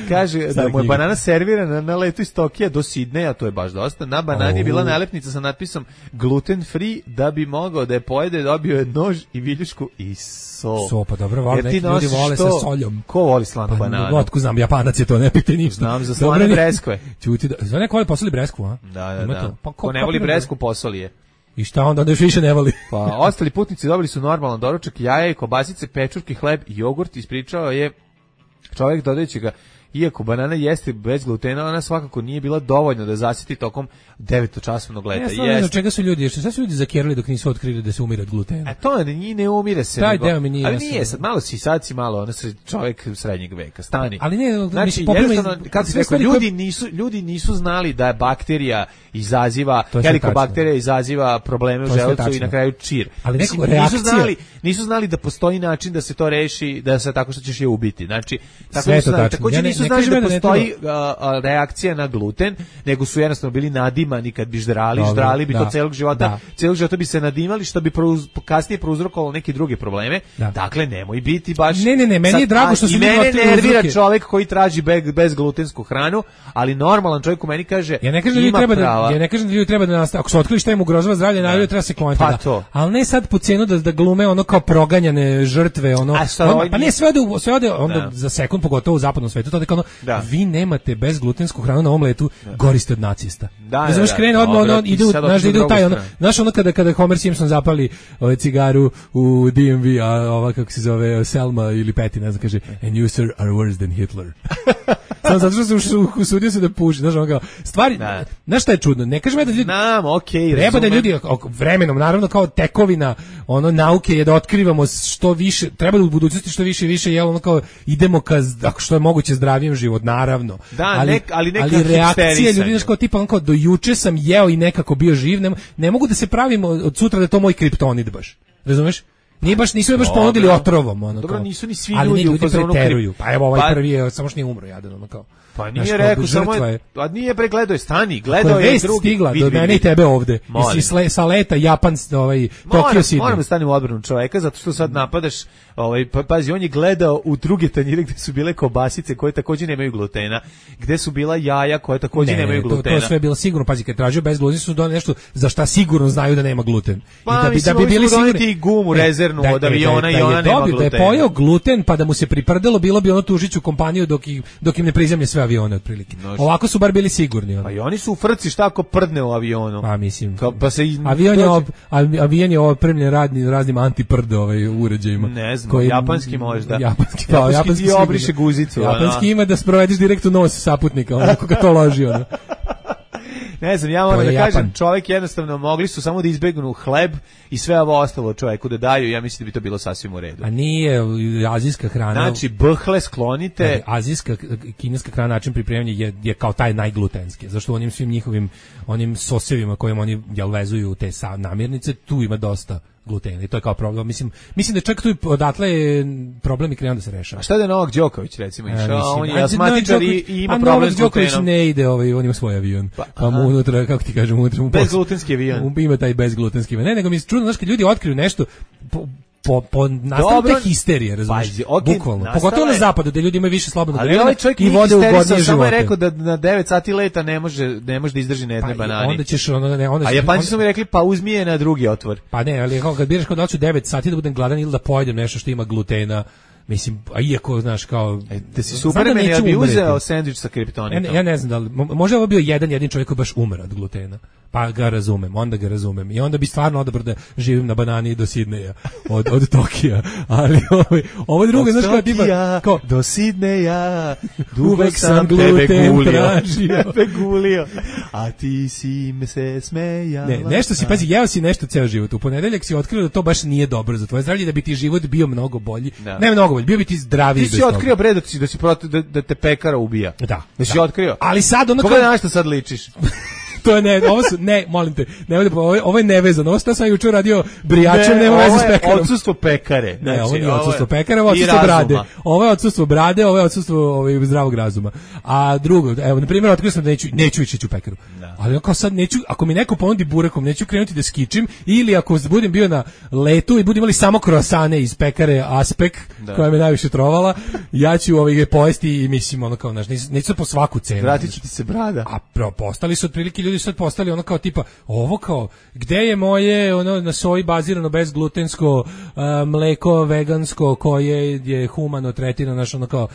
Kaže stara da mu je banana servirana na letu iz Tokija do Sidneja, to je baš dosta. Na banani je bila nalepnica sa natpisom gluten free, da bi mogao da je pojede, dobio je nož i viljušku i so. So, pa dobro, vole, neki ljudi vole sa soljom. Ko voli slanu pa, bananu? Otko znam, Japanac je to, ne pite ništa. Znam za slane breskve. Čuti da, zove neko voli posoli bresku, a? Da, da, da. Pa, ko, ko ne voli bresku, posoli je. I šta onda, onda još više ne voli? Pa, ostali putnici dobili su normalan doručak, jaja i kobasice, pečurki, hleb i jogurt, ispričao je čovjek dodajući ga iako banana jeste bez glutena, ona svakako nije bila dovoljna da zasiti tokom devetočasovnog leta. Ja stvarno ne znam čega su ljudi, šta su ljudi zakerali dok nisu otkrili da se umire od glutena. A to ne, ne umire se. Taj nego, deo mi nije ali jasno. nije, sad malo si, sad si malo, ono se čovjek srednjeg veka, stani. Ali ne, znači, jednostavno, kako se rekao, ljudi nisu, ljudi nisu znali da bakterija izaziva, helikobakterija izaziva probleme u želucu i na kraju čir. Ali Mislim, nisu znali, nisu znali da postoji način da se to reši, da se tako što ćeš je ubiti. Znači, tako sve nisu znali, tačno. također Ja ne, nisu ne znali da da postoji a, a, reakcija na gluten, nego su jednostavno bili nadimani kad bi ždrali, Dobre, ždrali bi da, to celog života, da. celog života bi se nadimali, što bi prouz, kasnije prouzrokovalo neke druge probleme. Da. Dakle, nemoj biti baš... Ne, ne, ne, meni je drago što su ljudi mene otkrili nervira uzroke. čovjek koji traži bez, bez glutensku hranu, ali normalan čovjek u meni kaže, ja ne kažem da ljudi treba da, ja ne kažem da ljudi treba da nastave, ako su otkrili šta im ugrožava zdravlje, naravno treba se kloniti. Pa da. to. Ali ne sad po cenu da da glume ono kao proganjane žrtve, ono. On, pa ne sve ode, sve ode onda da. Za sekund, pogotovo u zapadnom svetu, to da kao ono, da. Vi nemate bezglutensku hranu na ovom letu, da. Goriste od nacista. Da, da, znaš, krene odmah, ono, ide u, znaš, ide u taj, ono, znaš, ono kada, kada Homer Simpson zapali ovaj cigaru u D M V, a ova, kako se zove, Selma ili Patty, ne znam, kaže, and you, sir, are worse than Hitler. Samo zato što se usudio se da puši, znaš, ono kao, stvari, da. Znaš šta je čudno, ne kažem ja da ljudi, Nam, okay, treba da ljudi, vremenom, naravno, kao tekovina, ono, nauke je da otkrivamo što više, treba da u budućnosti što više i više, jel, ono kao, idemo ka, ako što je moguće zdravijem život, naravno. Da, ali, nek, ali neka ali reakcije ljudi, znaš, kao tipa, ono kao, do juče sam jeo i nekako bio živ, ne, ne mogu da se pravim od sutra da je to moj kriptonit baš, razumeš? Nije baš, nisu je baš ponudili otrovom, ono. Dobro, kao. nisu ni svi ali ljudi, ljudi u fazonu preteruju. Pa evo ovaj pa, prvi je samo što nije umro, jadan, ono kao. Pa nije rekao, samo je, a nije bre gledao je stani, gledao je drugi. Stigla do mene i tebe ovde. Jesi sa leta Japan, ovaj Tokio City. Moram da stanem u odbranu čoveka zato što sad napadaš, ovaj pa, pazi, on je gledao u druge tanjire gde su bile kobasice koje takođe nemaju glutena, gde su bila jaja koje takođe ne, nemaju glutena. To, to sve je bilo sigurno, pazi, kad tražio bez glutena su doneli nešto za šta sigurno znaju da nema gluten. Pa, I da bi mislim, da bi bili sigurni i gumu rezervnu da, od aviona da, i da, ona da nema dobio, glutena. Da je pojeo gluten pa da mu se priprdelo, bilo bi ono tužiću kompaniju dok im, dok im ne prizemlje sve avione otprilike. No, ovako su bar bili sigurni. Ono. Pa i oni su u frci šta ako prdne u avionu. Pa mislim. Ka, pa se i, avion je op, avion je opremljen radnim raznim antiprd ovaj uređajima. Ne znam, koji, japanski možda. Japanski, pa, japanski, japanski ti obriše guzicu. Japanski ono. Ima da sprovediš direkt u nos saputnika, onako ga to loži ono. Ne znam, ja moram da Japan. kažem, čovjek jednostavno mogli su samo da izbegnu hleb i sve ovo ostalo čovjeku da daju, ja mislim da bi to bilo sasvim u redu. A nije azijska hrana. Znači, bhle sklonite. Ne, azijska, kineska hrana, način pripremanja je, je kao taj najglutenski, zašto u onim svim njihovim onim sosevima kojim oni jel vezuju te sa namirnice, tu ima dosta glutena i to je kao problem. Mislim, mislim da čak tu odatle je problem i krenuo da se rešava. A šta da je Novak Đoković recimo išao? A, on je asmatičar i, i ima a problem Novak s glutenom. Đoković ne ide, ovaj, on ima svoj avion. Pa, pa mu unutra, kako ti kažem, unutra mu bezglutenski avion. Ima taj bezglutenski avion. Ne, nego mi se čudno, znaš, kad ljudi otkriju nešto, po, po, po nastavu te histerije, razumiješ, okay, bukvalno. Nastala pogotovo na zapadu, gde ljudi imaju više slobodnog vremena ovaj i vode u godnije živote. Samo je rekao da na devet sati leta ne može, ne može da izdrži na jedne pa, banani. Onda ćeš, onda, ne, onda a Japanci su mi rekli, pa uzmi je na drugi otvor. Pa ne, ali kad biraš kao da ću devet sati da budem gladan ili da pojedem nešto što ima glutena, mislim, a iako, znaš, kao... E, da si Superman, ja bi uzeo sendvič sa kriptonitom. Ja, ja ne znam da li, možda je ovo bio jedan jedin čovjek koji baš umre od glutena. Pa ga razumem, onda ga razumem. I onda bi stvarno odabrao da živim na banani do Sidneja, od, od Tokija. Ali ovo, ovo drugo, znaš, kao tipa... Kao, do Sidneja, uvek sam gluten tražio. Tebe gulio, a ti si me se smejala. Ne, nešto si, pazi, jeo si nešto ceo život. U ponedeljak si otkrio da to baš nije dobro za tvoje zdravlje, da bi ti život bio mnogo bolji. Da. Ne mnogo bolji, bio bi ti zdraviji. Ti si otkrio, bre, da, da, si protiv, da, da te pekara ubija. Da. Da si otkrio. Ali sad ono... Pogledaj na što sad ličiš. To je ne, ovo su, ne, molim te, ne, ovo, je, ovo je nevezano, ovo što sam jučer radio brijačem, nema veze s pekarom. Ovo je odsustvo pekare. Znači, ne, ovo nije odsustvo pekara, ovo je odsustvo brade. Ovo je odsustvo brade, ovo je odsustvo ovaj, zdravog razuma. A drugo, evo, na primjer, otkrio sam da neću, neću ići u pekaru. Da. Ali kao sad neću, ako mi neko ponudi burekom, neću krenuti da skičim, ili ako budem bio na letu i budem imali samo kroasane iz pekare Aspek, da. Koja me najviše trovala, ja ću ovaj, pojesti i mislim, ono kao, znaš, neću po svaku cenu. Vratit će ti se brada. A pro, postali su otprilike ljudi sad postali ono kao tipa, ovo kao, gde je moje ono na soji bazirano bezglutensko uh, mleko vegansko koje je humano tretirano, naš ono kao,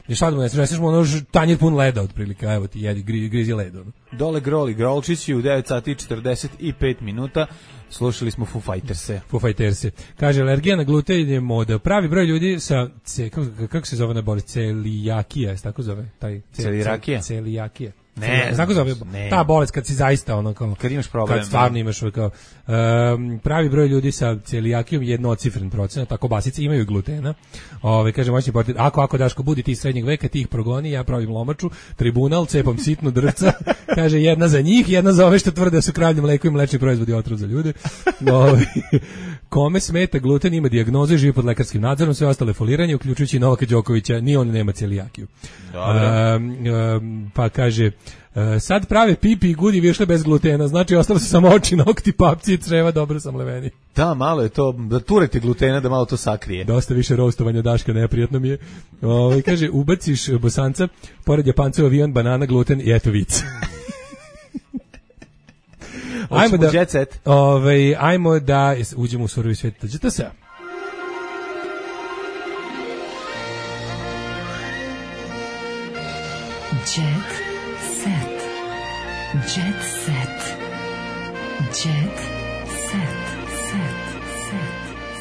ne šta da mu ne srećeš mu ono tanjir pun leda otprilike, evo ti jedi, gri, grizi led. Ono. Dole Groli Grolčići u devet sati i četrdeset pet minuta. Slušali smo Foo Fighters-e. Foo Fighters-e. Kaže, alergija na gluten je moda. Pravi broj ljudi sa, ce, kako, kako se zove na bolest? Celijakija, se tako zove? Taj, ce, Celijakija? Celijakija. Ne, tako zove, ne. Ta bolest kad si zaista ono kao, kad imaš problem, kad stvarno imaš kao, um, pravi broj ljudi sa celijakijom jednocifren procenat, tako basice imaju glutena. Ove kaže moćni portir, ako ako Daško budi ti srednjeg veka, ti ih progoni, ja pravim lomaču, tribunal, cepam sitno drvca. Kaže jedna za njih, jedna za ove što tvrde da su kravlje mleko i mlečni proizvodi otrov za ljude. Ove, kome smeta gluten, ima dijagnozu i živi pod lekarskim nadzorom, sve ostale foliranje, uključujući Novaka Đokovića, ni on nema celijakiju. Um, um, pa kaže Uh, sad prave pipi i gudi višle bez glutena, znači ostalo su samo oči, nokti, papci i creva dobro samleveni. Da, malo je to, da turete glutena da malo to sakrije. Dosta više roastovanja Daška, neprijatno mi je. Ovaj kaže, ubaciš bosanca, pored Japanca avion, banana, gluten i eto vic. Ajmo da, ovaj, ajmo da uđemo u surovi svijet. Tađete se? Jet set. Jet set. Jet set. Set. Set.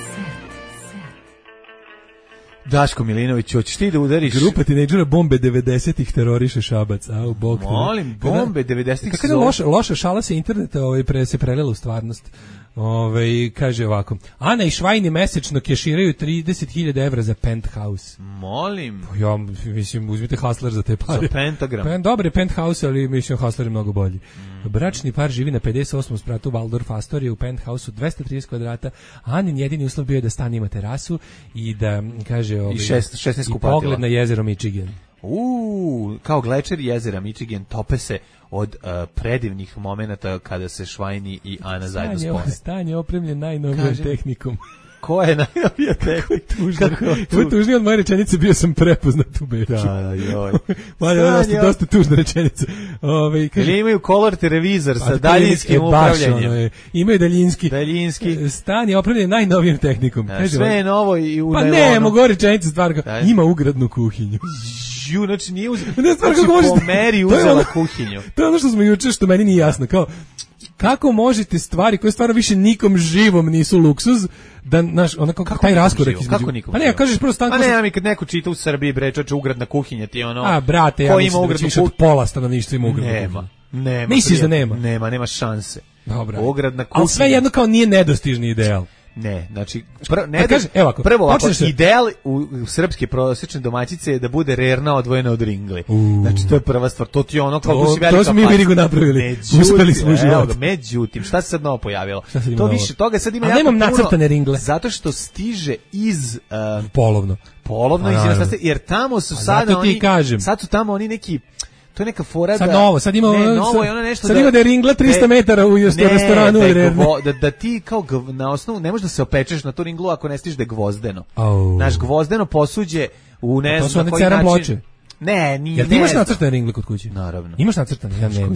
Set. Set. Daško Milinović, hoćeš ti da udariš? Grupa tinejdžera bombe devedesetih teroriše Šabac. Au, bog. Molim, bombe devedesetih. Kako je loša, loša šala se interneta ovaj, pre, se prelela u stvarnost. Ove, kaže ovako, Ana i Švajni mesečno keširaju trideset hiljada evra za penthouse. Molim. Ja, mislim, uzmite Hustler za te pare. Za pentagram. Pen, dobar je penthouse, ali mislim Hustler je mnogo bolji. Mm. Bračni par živi na pedeset osmom spratu Waldorf Astoria u penthouse-u dvesta trideset kvadrata. Anin jedini uslov bio je da stan ima terasu i da, kaže, ove, I šest, šesnaest i kupatila. pogled na jezero Michigan. Uuu, kao glečer jezera Michigan tope se od uh, predivnih momenata kada se Švajni i Ana Stan zajedno je, spore. Stan je opremljen najnovijom Kaže, tehnikom. Ko je najnovija tehnika? Ovo je tužnije od moje rečenice, bio sam prepoznat u Beču. Da, joj. Mali, dosta, dosta tužna rečenica. Ove, kaže, ili imaju color televizor sa pa, daljinskim je, upravljanjem. Ono je, imaju daljinski. Daljinski. Stan je opremljen najnovijom tehnikom. Da, kaže, sve je novo i u pa najlonu. ne, mogu rečenicu stvar, kao, ima ugradnu kuhinju. Ju, znači nije uzela, ne, stvar, znači možete, po meri uzela ono, kuhinju. To je ono što smo juče, što meni nije jasno, kao, kako možete stvari koje stvarno više nikom živom nisu luksuz, da naš onako kako taj raskorak između. Kako nikom? Pa ne, kažeš prvo stan. Pa ne, ja mi kad neko čita u Srbiji bre, čoveče, ugradna kuhinja ti ono. A brate, ja mislim da više od pola stanovništva ima ugradnu kuhinju. Nema. Nema. Misliš da nema? Nema, nema šanse. Dobro. Ugradna kuhinja. Al sve jedno kao nije nedostižni ideal. Ne, znači pr, ne kaže, evo ako, prvo ovako, se... ideal u, u srpske prosječne domaćice je da bude rerna odvojena od ringle. Uh, znači to je prva stvar, to ti ono kao to, si velika. To smo mi Virigu napravili. Uspeli smo u životu. Međutim, šta se sad novo pojavilo? To više toga sad ima jako puno. Nemam nacrtane ringle. Zato što stiže iz uh, polovno. Polovno iz inostranstva, jer tamo su sada oni sad su tamo oni neki to je neka fora da... Sad novo, sad ima, ne, ono, novo je ono nešto sad da, ima da je ringla trista metara u ne, restoranu. Ne, da, da ti kao gv, na osnovu, ne možeš da se opečeš na tu ringlu ako ne stiš da je gvozdeno. Oh. Naš gvozdeno posuđe u ne znam na koji način... ploče. Ne, nije. Jel ti imaš nacrtane ringle kod kuće? Naravno. Imaš nacrtane? Ja nemam.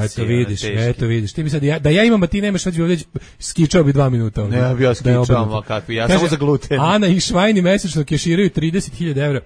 Eto vidiš, eto vidiš. Ti bi sad, ja, da ja imam, a ti nemaš, već bi ovdje skičao bi dva minuta. Ne, ja bi ja skičao, kakvi, ja samo za gluten. Ana i Švajni mesečno keširaju trideset hiljada evra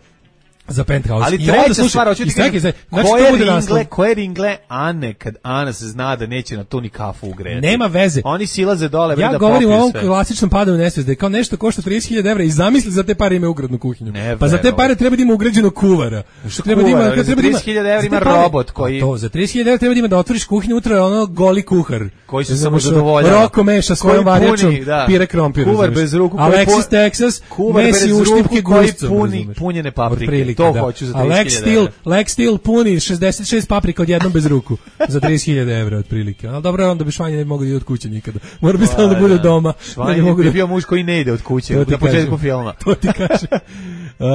za penthouse. Ali treća stvar, hoću ti kažem, znači, koje, ringle, koje ringle Ane, kad Ana se zna da neće na to ni kafu ugrejati. Nema veze. Oni silaze dole, ja da govorim o ovom sve. klasičnom padu u nesvijest, da je kao nešto košta trideset hiljada evra i zamisli za te pare ima ugradnu kuhinju. Ne, pa za te pare treba da ima ugrađeno kuvara. Što treba da ima, treba za trideset hiljada evra ima robot koji... To, za trideset hiljada evra treba da ima da otvoriš kuhinju, utra je ono goli kuhar. Koji se samo zadovoljava. Roko meša svojom varjačom, pire krompir. Kuvar bez ruku. Alexis Texas, Messi uštipke gustom. Punjene paprike. To hoću za trideset hiljada evra. Lex Steel puni šezdeset šest paprika odjednom bez ruku za trideset hiljada evra otprilike. Ali dobro, onda bi Švanje ne mogu da ide od kuće nikada. Mora bi stalno da bude doma. Švanje da bi bio muž koji ne ide od kuće na početku filma. To ti kaže. Uh,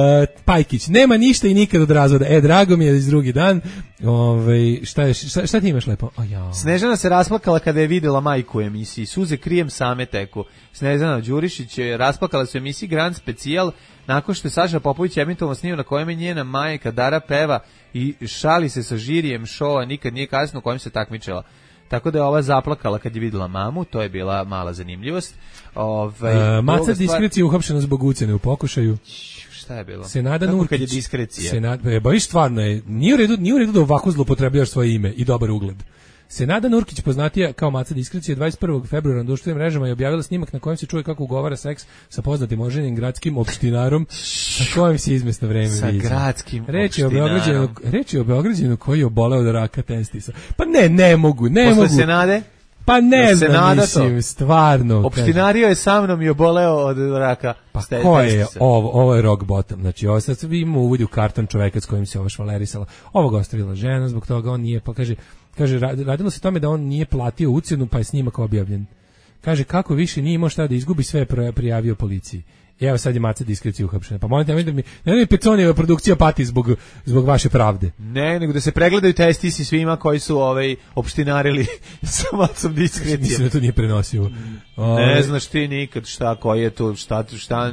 Pajkić, nema ništa i nikad od razvoda. E, drago mi je iz drugi dan. Ove, šta, je, šta, šta ti imaš lepo? Oh, ja. Snežana se rasplakala kada je videla majku u emisiji. Suze krijem same teku. Snežana Đurišić je rasplakala se u emisiji Grand Specijal nakon što je Saša Popović emitovan snimio na kojem je njena majka Dara peva i šali se sa žirijem šova Nikad nije kasno u kojem se takmičila. tako da je ova zaplakala kad je videla mamu, to je bila mala zanimljivost. Ovaj uh, Maca diskrecije uhapšena zbog ucene u pokušaju. Šta je bilo? Senada Nurkić, kad je diskrecija. Senada, e, baš stvarno je, nije u redu, nije u redu da ovako zloupotrebljavaš svoje ime i dobar ugled. Senada Nurkić, poznatija kao Maca diskrecije, dvadeset prvog februara na društvenim mrežama je objavila snimak na kojem se čuje kako ugovara seks sa poznatim oženjenim gradskim opštinarom sa kojim se izmesno vreme sa viđa. gradskim reč je opštinarom. Reč je o Beograđanu koji je oboleo od raka testisa. Pa ne, ne mogu, ne Posle mogu. Posle Senade? Pa ne da znam, mislim, stvarno. Opštinario je sa mnom i oboleo od raka. Pa ko je ovo? Ovo je rock bottom. Znači, ovo sad vi mu uvodi u karton čoveka s kojim se ovo švalerisala. Ovo ga ostavila žena, zbog toga on nije, pa kaže, kaže, radilo se tome da on nije platio ucjenu, pa je snimak objavljen. Kaže, kako više nije imao šta da izgubi, sve je prijavio policiji. I evo sad je Maca diskrecija uhapšena. Pa molim te, da mi, ne da mi Peconijeva produkcija pati zbog, zbog vaše pravde. Ne, nego da se pregledaju testisi svima koji su ovaj, opštinarili sa Macom diskrecije. Mislim da to nije prenosio. Ove, ne znaš ti nikad šta, koji je to, šta, šta,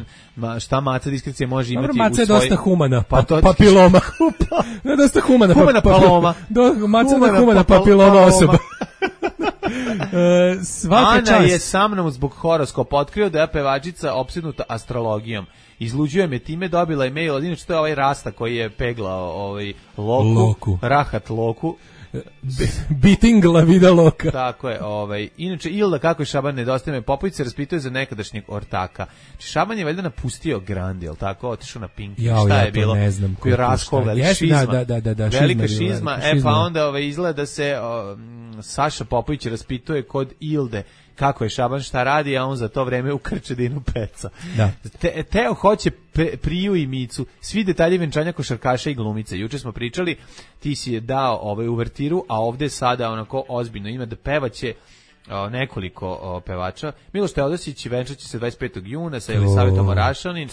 šta Maca diskrecije može imati. Maca je svoj... dosta humana, pa, to... papiloma. Ne, dosta humana, humana pa, paloma. Do, Maca humana, humana papiloma, papiloma osoba. Uh, svaka Ana čast. je sa mnom zbog horoskopa otkrio da je pevačica opsednuta astrologijom. Izluđuje me time, dobila je mail od inače to je ovaj Rasta koji je peglao ovaj Loku, Loku. Rahat Loku. Beating la vida loka. Tako je, ovaj. Inače Ilda kako je Šaban nedostaje me Popović se raspituje za nekadašnjeg ortaka. Znači Šaban je valjda napustio Grand, jel tako? Otišao na Pink. Jao, šta ja je bilo? Ne znam koji raskol, velika šizma. Da, da, da, da, velika šizma, šizma. šizma. E pa onda ovaj izgleda da se o, Saša Popović raspituje kod Ilde kako je Šaban šta radi, a on za to vreme u Krčedinu peca. Da. Te, Teo hoće pe, Priju i Micu, svi detalji venčanja košarkaša i glumice. Juče smo pričali, ti si je dao ovaj uvertiru, a ovde sada onako ozbiljno ima da pevaće o, nekoliko o, pevača. Miloš Teodosić venčaće se dvadeset petog juna sa Elisavetom Orašanin,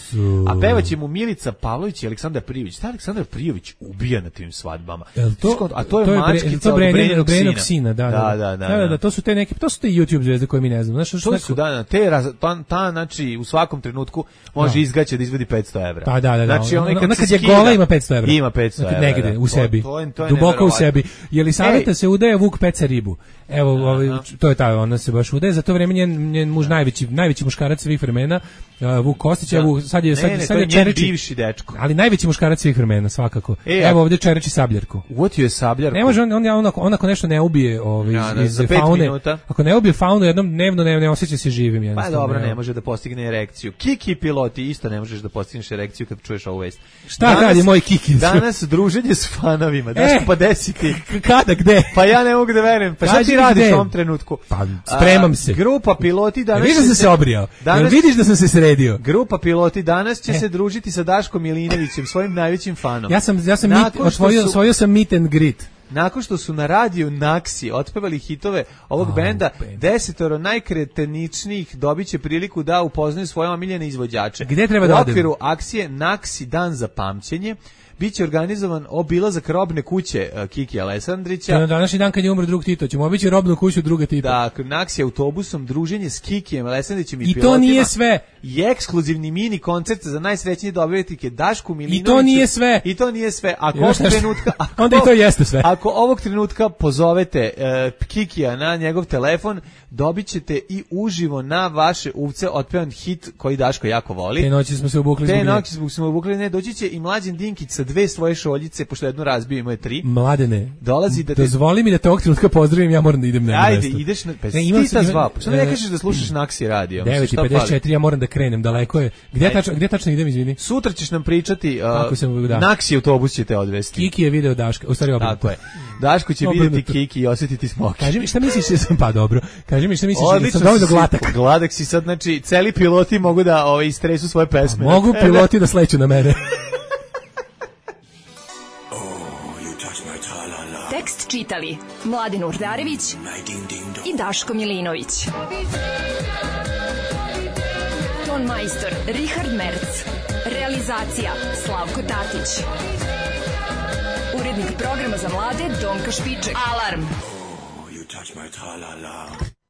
a pevaće mu Milica Pavlović i Aleksandar Prijović. Šta Aleksandar Prijović ubija na tim svadbama? To, a to je, to je mačkica od Brenenog sina. sina. Da, da, da, da, da, da, da. To su te neke, to su te YouTube zvezde koje mi ne znam. Znaš, to su, da, da, te, ta, ta, znači, u svakom trenutku može no. izgaći da izvadi petsto evra. Pa da, da, da. Znači, ona, ona kad je gola ima petsto evra. Ima petsto evra. Negde, u sebi. To, to, to je duboko u sebi. Jelisaveta se udaje, Vuk peca ribu. Evo, ovaj, to je ta, ona se baš udaje, za to vreme njen, njen muž najveći, najveći muškarac svih vremena, uh, Vuk Kostić, evo, sad je, sad, ne, ne, sad je Čereči, bivši dečko. Ali najveći muškarac svih vremena, svakako. E, evo ovdje Čereči sabljarku. Uvotio je sabljarku. Ne može, on, on, on, on ako nešto ne ubije ovaj, ja, iz, iz faune, minuta. Ako ne ubije faunu jednom dnevno, ne, ne osjeća se živim. Pa dobro, ne može da postigne erekciju. Kiki piloti, isto ne možeš da postigneš erekciju kad čuješ ovu vest. Šta danas, radi moj Kiki? Danas druženje s fanovima, daš e, pa desiti. Kada, gde? Pa ja ne mogu da verujem. Pa šta ti radiš u ovom trenutku? Pa spremam se. A, grupa piloti danas... Vidiš da sam se obrijao? Danas, vidiš da sam se sredio? Grupa piloti danas će e. se družiti sa Daškom Milinovićem, svojim najvećim fanom. Ja sam, ja sam mit, osvojio, osvojio sam meet and greet. Nakon što su na radiju Naksi otpevali hitove ovog oh, benda, band. desetoro najkreteničnijih dobit će priliku da upoznaju svoje omiljene izvođače. Gde treba da odem? U okviru akcije Naksi dan za pamćenje biće organizovan obilazak robne kuće uh, Kiki Alessandrića. Na današnji dan kad je umro drug Tito, ćemo obići robnu kuću druga Tita. Da, Naksi autobusom, druženje s Kikijem Alessandrićem i, I pilotima. I to nije sve. I ekskluzivni mini koncert za najsrećnije dobitnike Dašku Milinoviću. I to nije sve. I to nije sve. Ako ovog trenutka, ako, onda i to jeste sve. Ako ovog trenutka pozovete uh, Kikija na njegov telefon, dobit ćete i uživo na vaše uvce otpevan hit koji Daško jako voli. Te noći smo se obukli. Te noći smo se obukli, ne, doći će i Mlađan Dinkić sa dve svoje šoljice, pošto jednu razbio, ima je tri. Mladene, dolazi da te... dozvoli mi da te ovog trenutka pozdravim, ja moram da idem na jedno Ajde, mesto. ideš na... Pa ne, imam ti ta zva, pa što ne kažeš da slušaš Naksi radio? devet i pedeset četiri, ja moram da krenem, daleko je. Gdje tačno, gdje tačno idem, izvini? Sutra ćeš nam pričati, uh, sam, da. Naksi autobus će te odvesti. Kiki je video Daška, u stvari obrnuto. Tako je. Daško će vidjeti Kiki i osjetiti smoke. Kaži mi šta misliš da sam pa dobro. Kaži mi šta misliš da sam dovoljno glatak. Gladak si sad, znači celi piloti mogu da ovaj istresu svoje pesme. A mogu piloti da sleću na mene. Tekst čitali Mladin Urdarević i Daško Milinović. Ton majstor Richard Merc. Realizacija Slavko Tatić. Urednik programa za mlade Donka Špiček. Alarm! Oh, you touch my tra-la-la.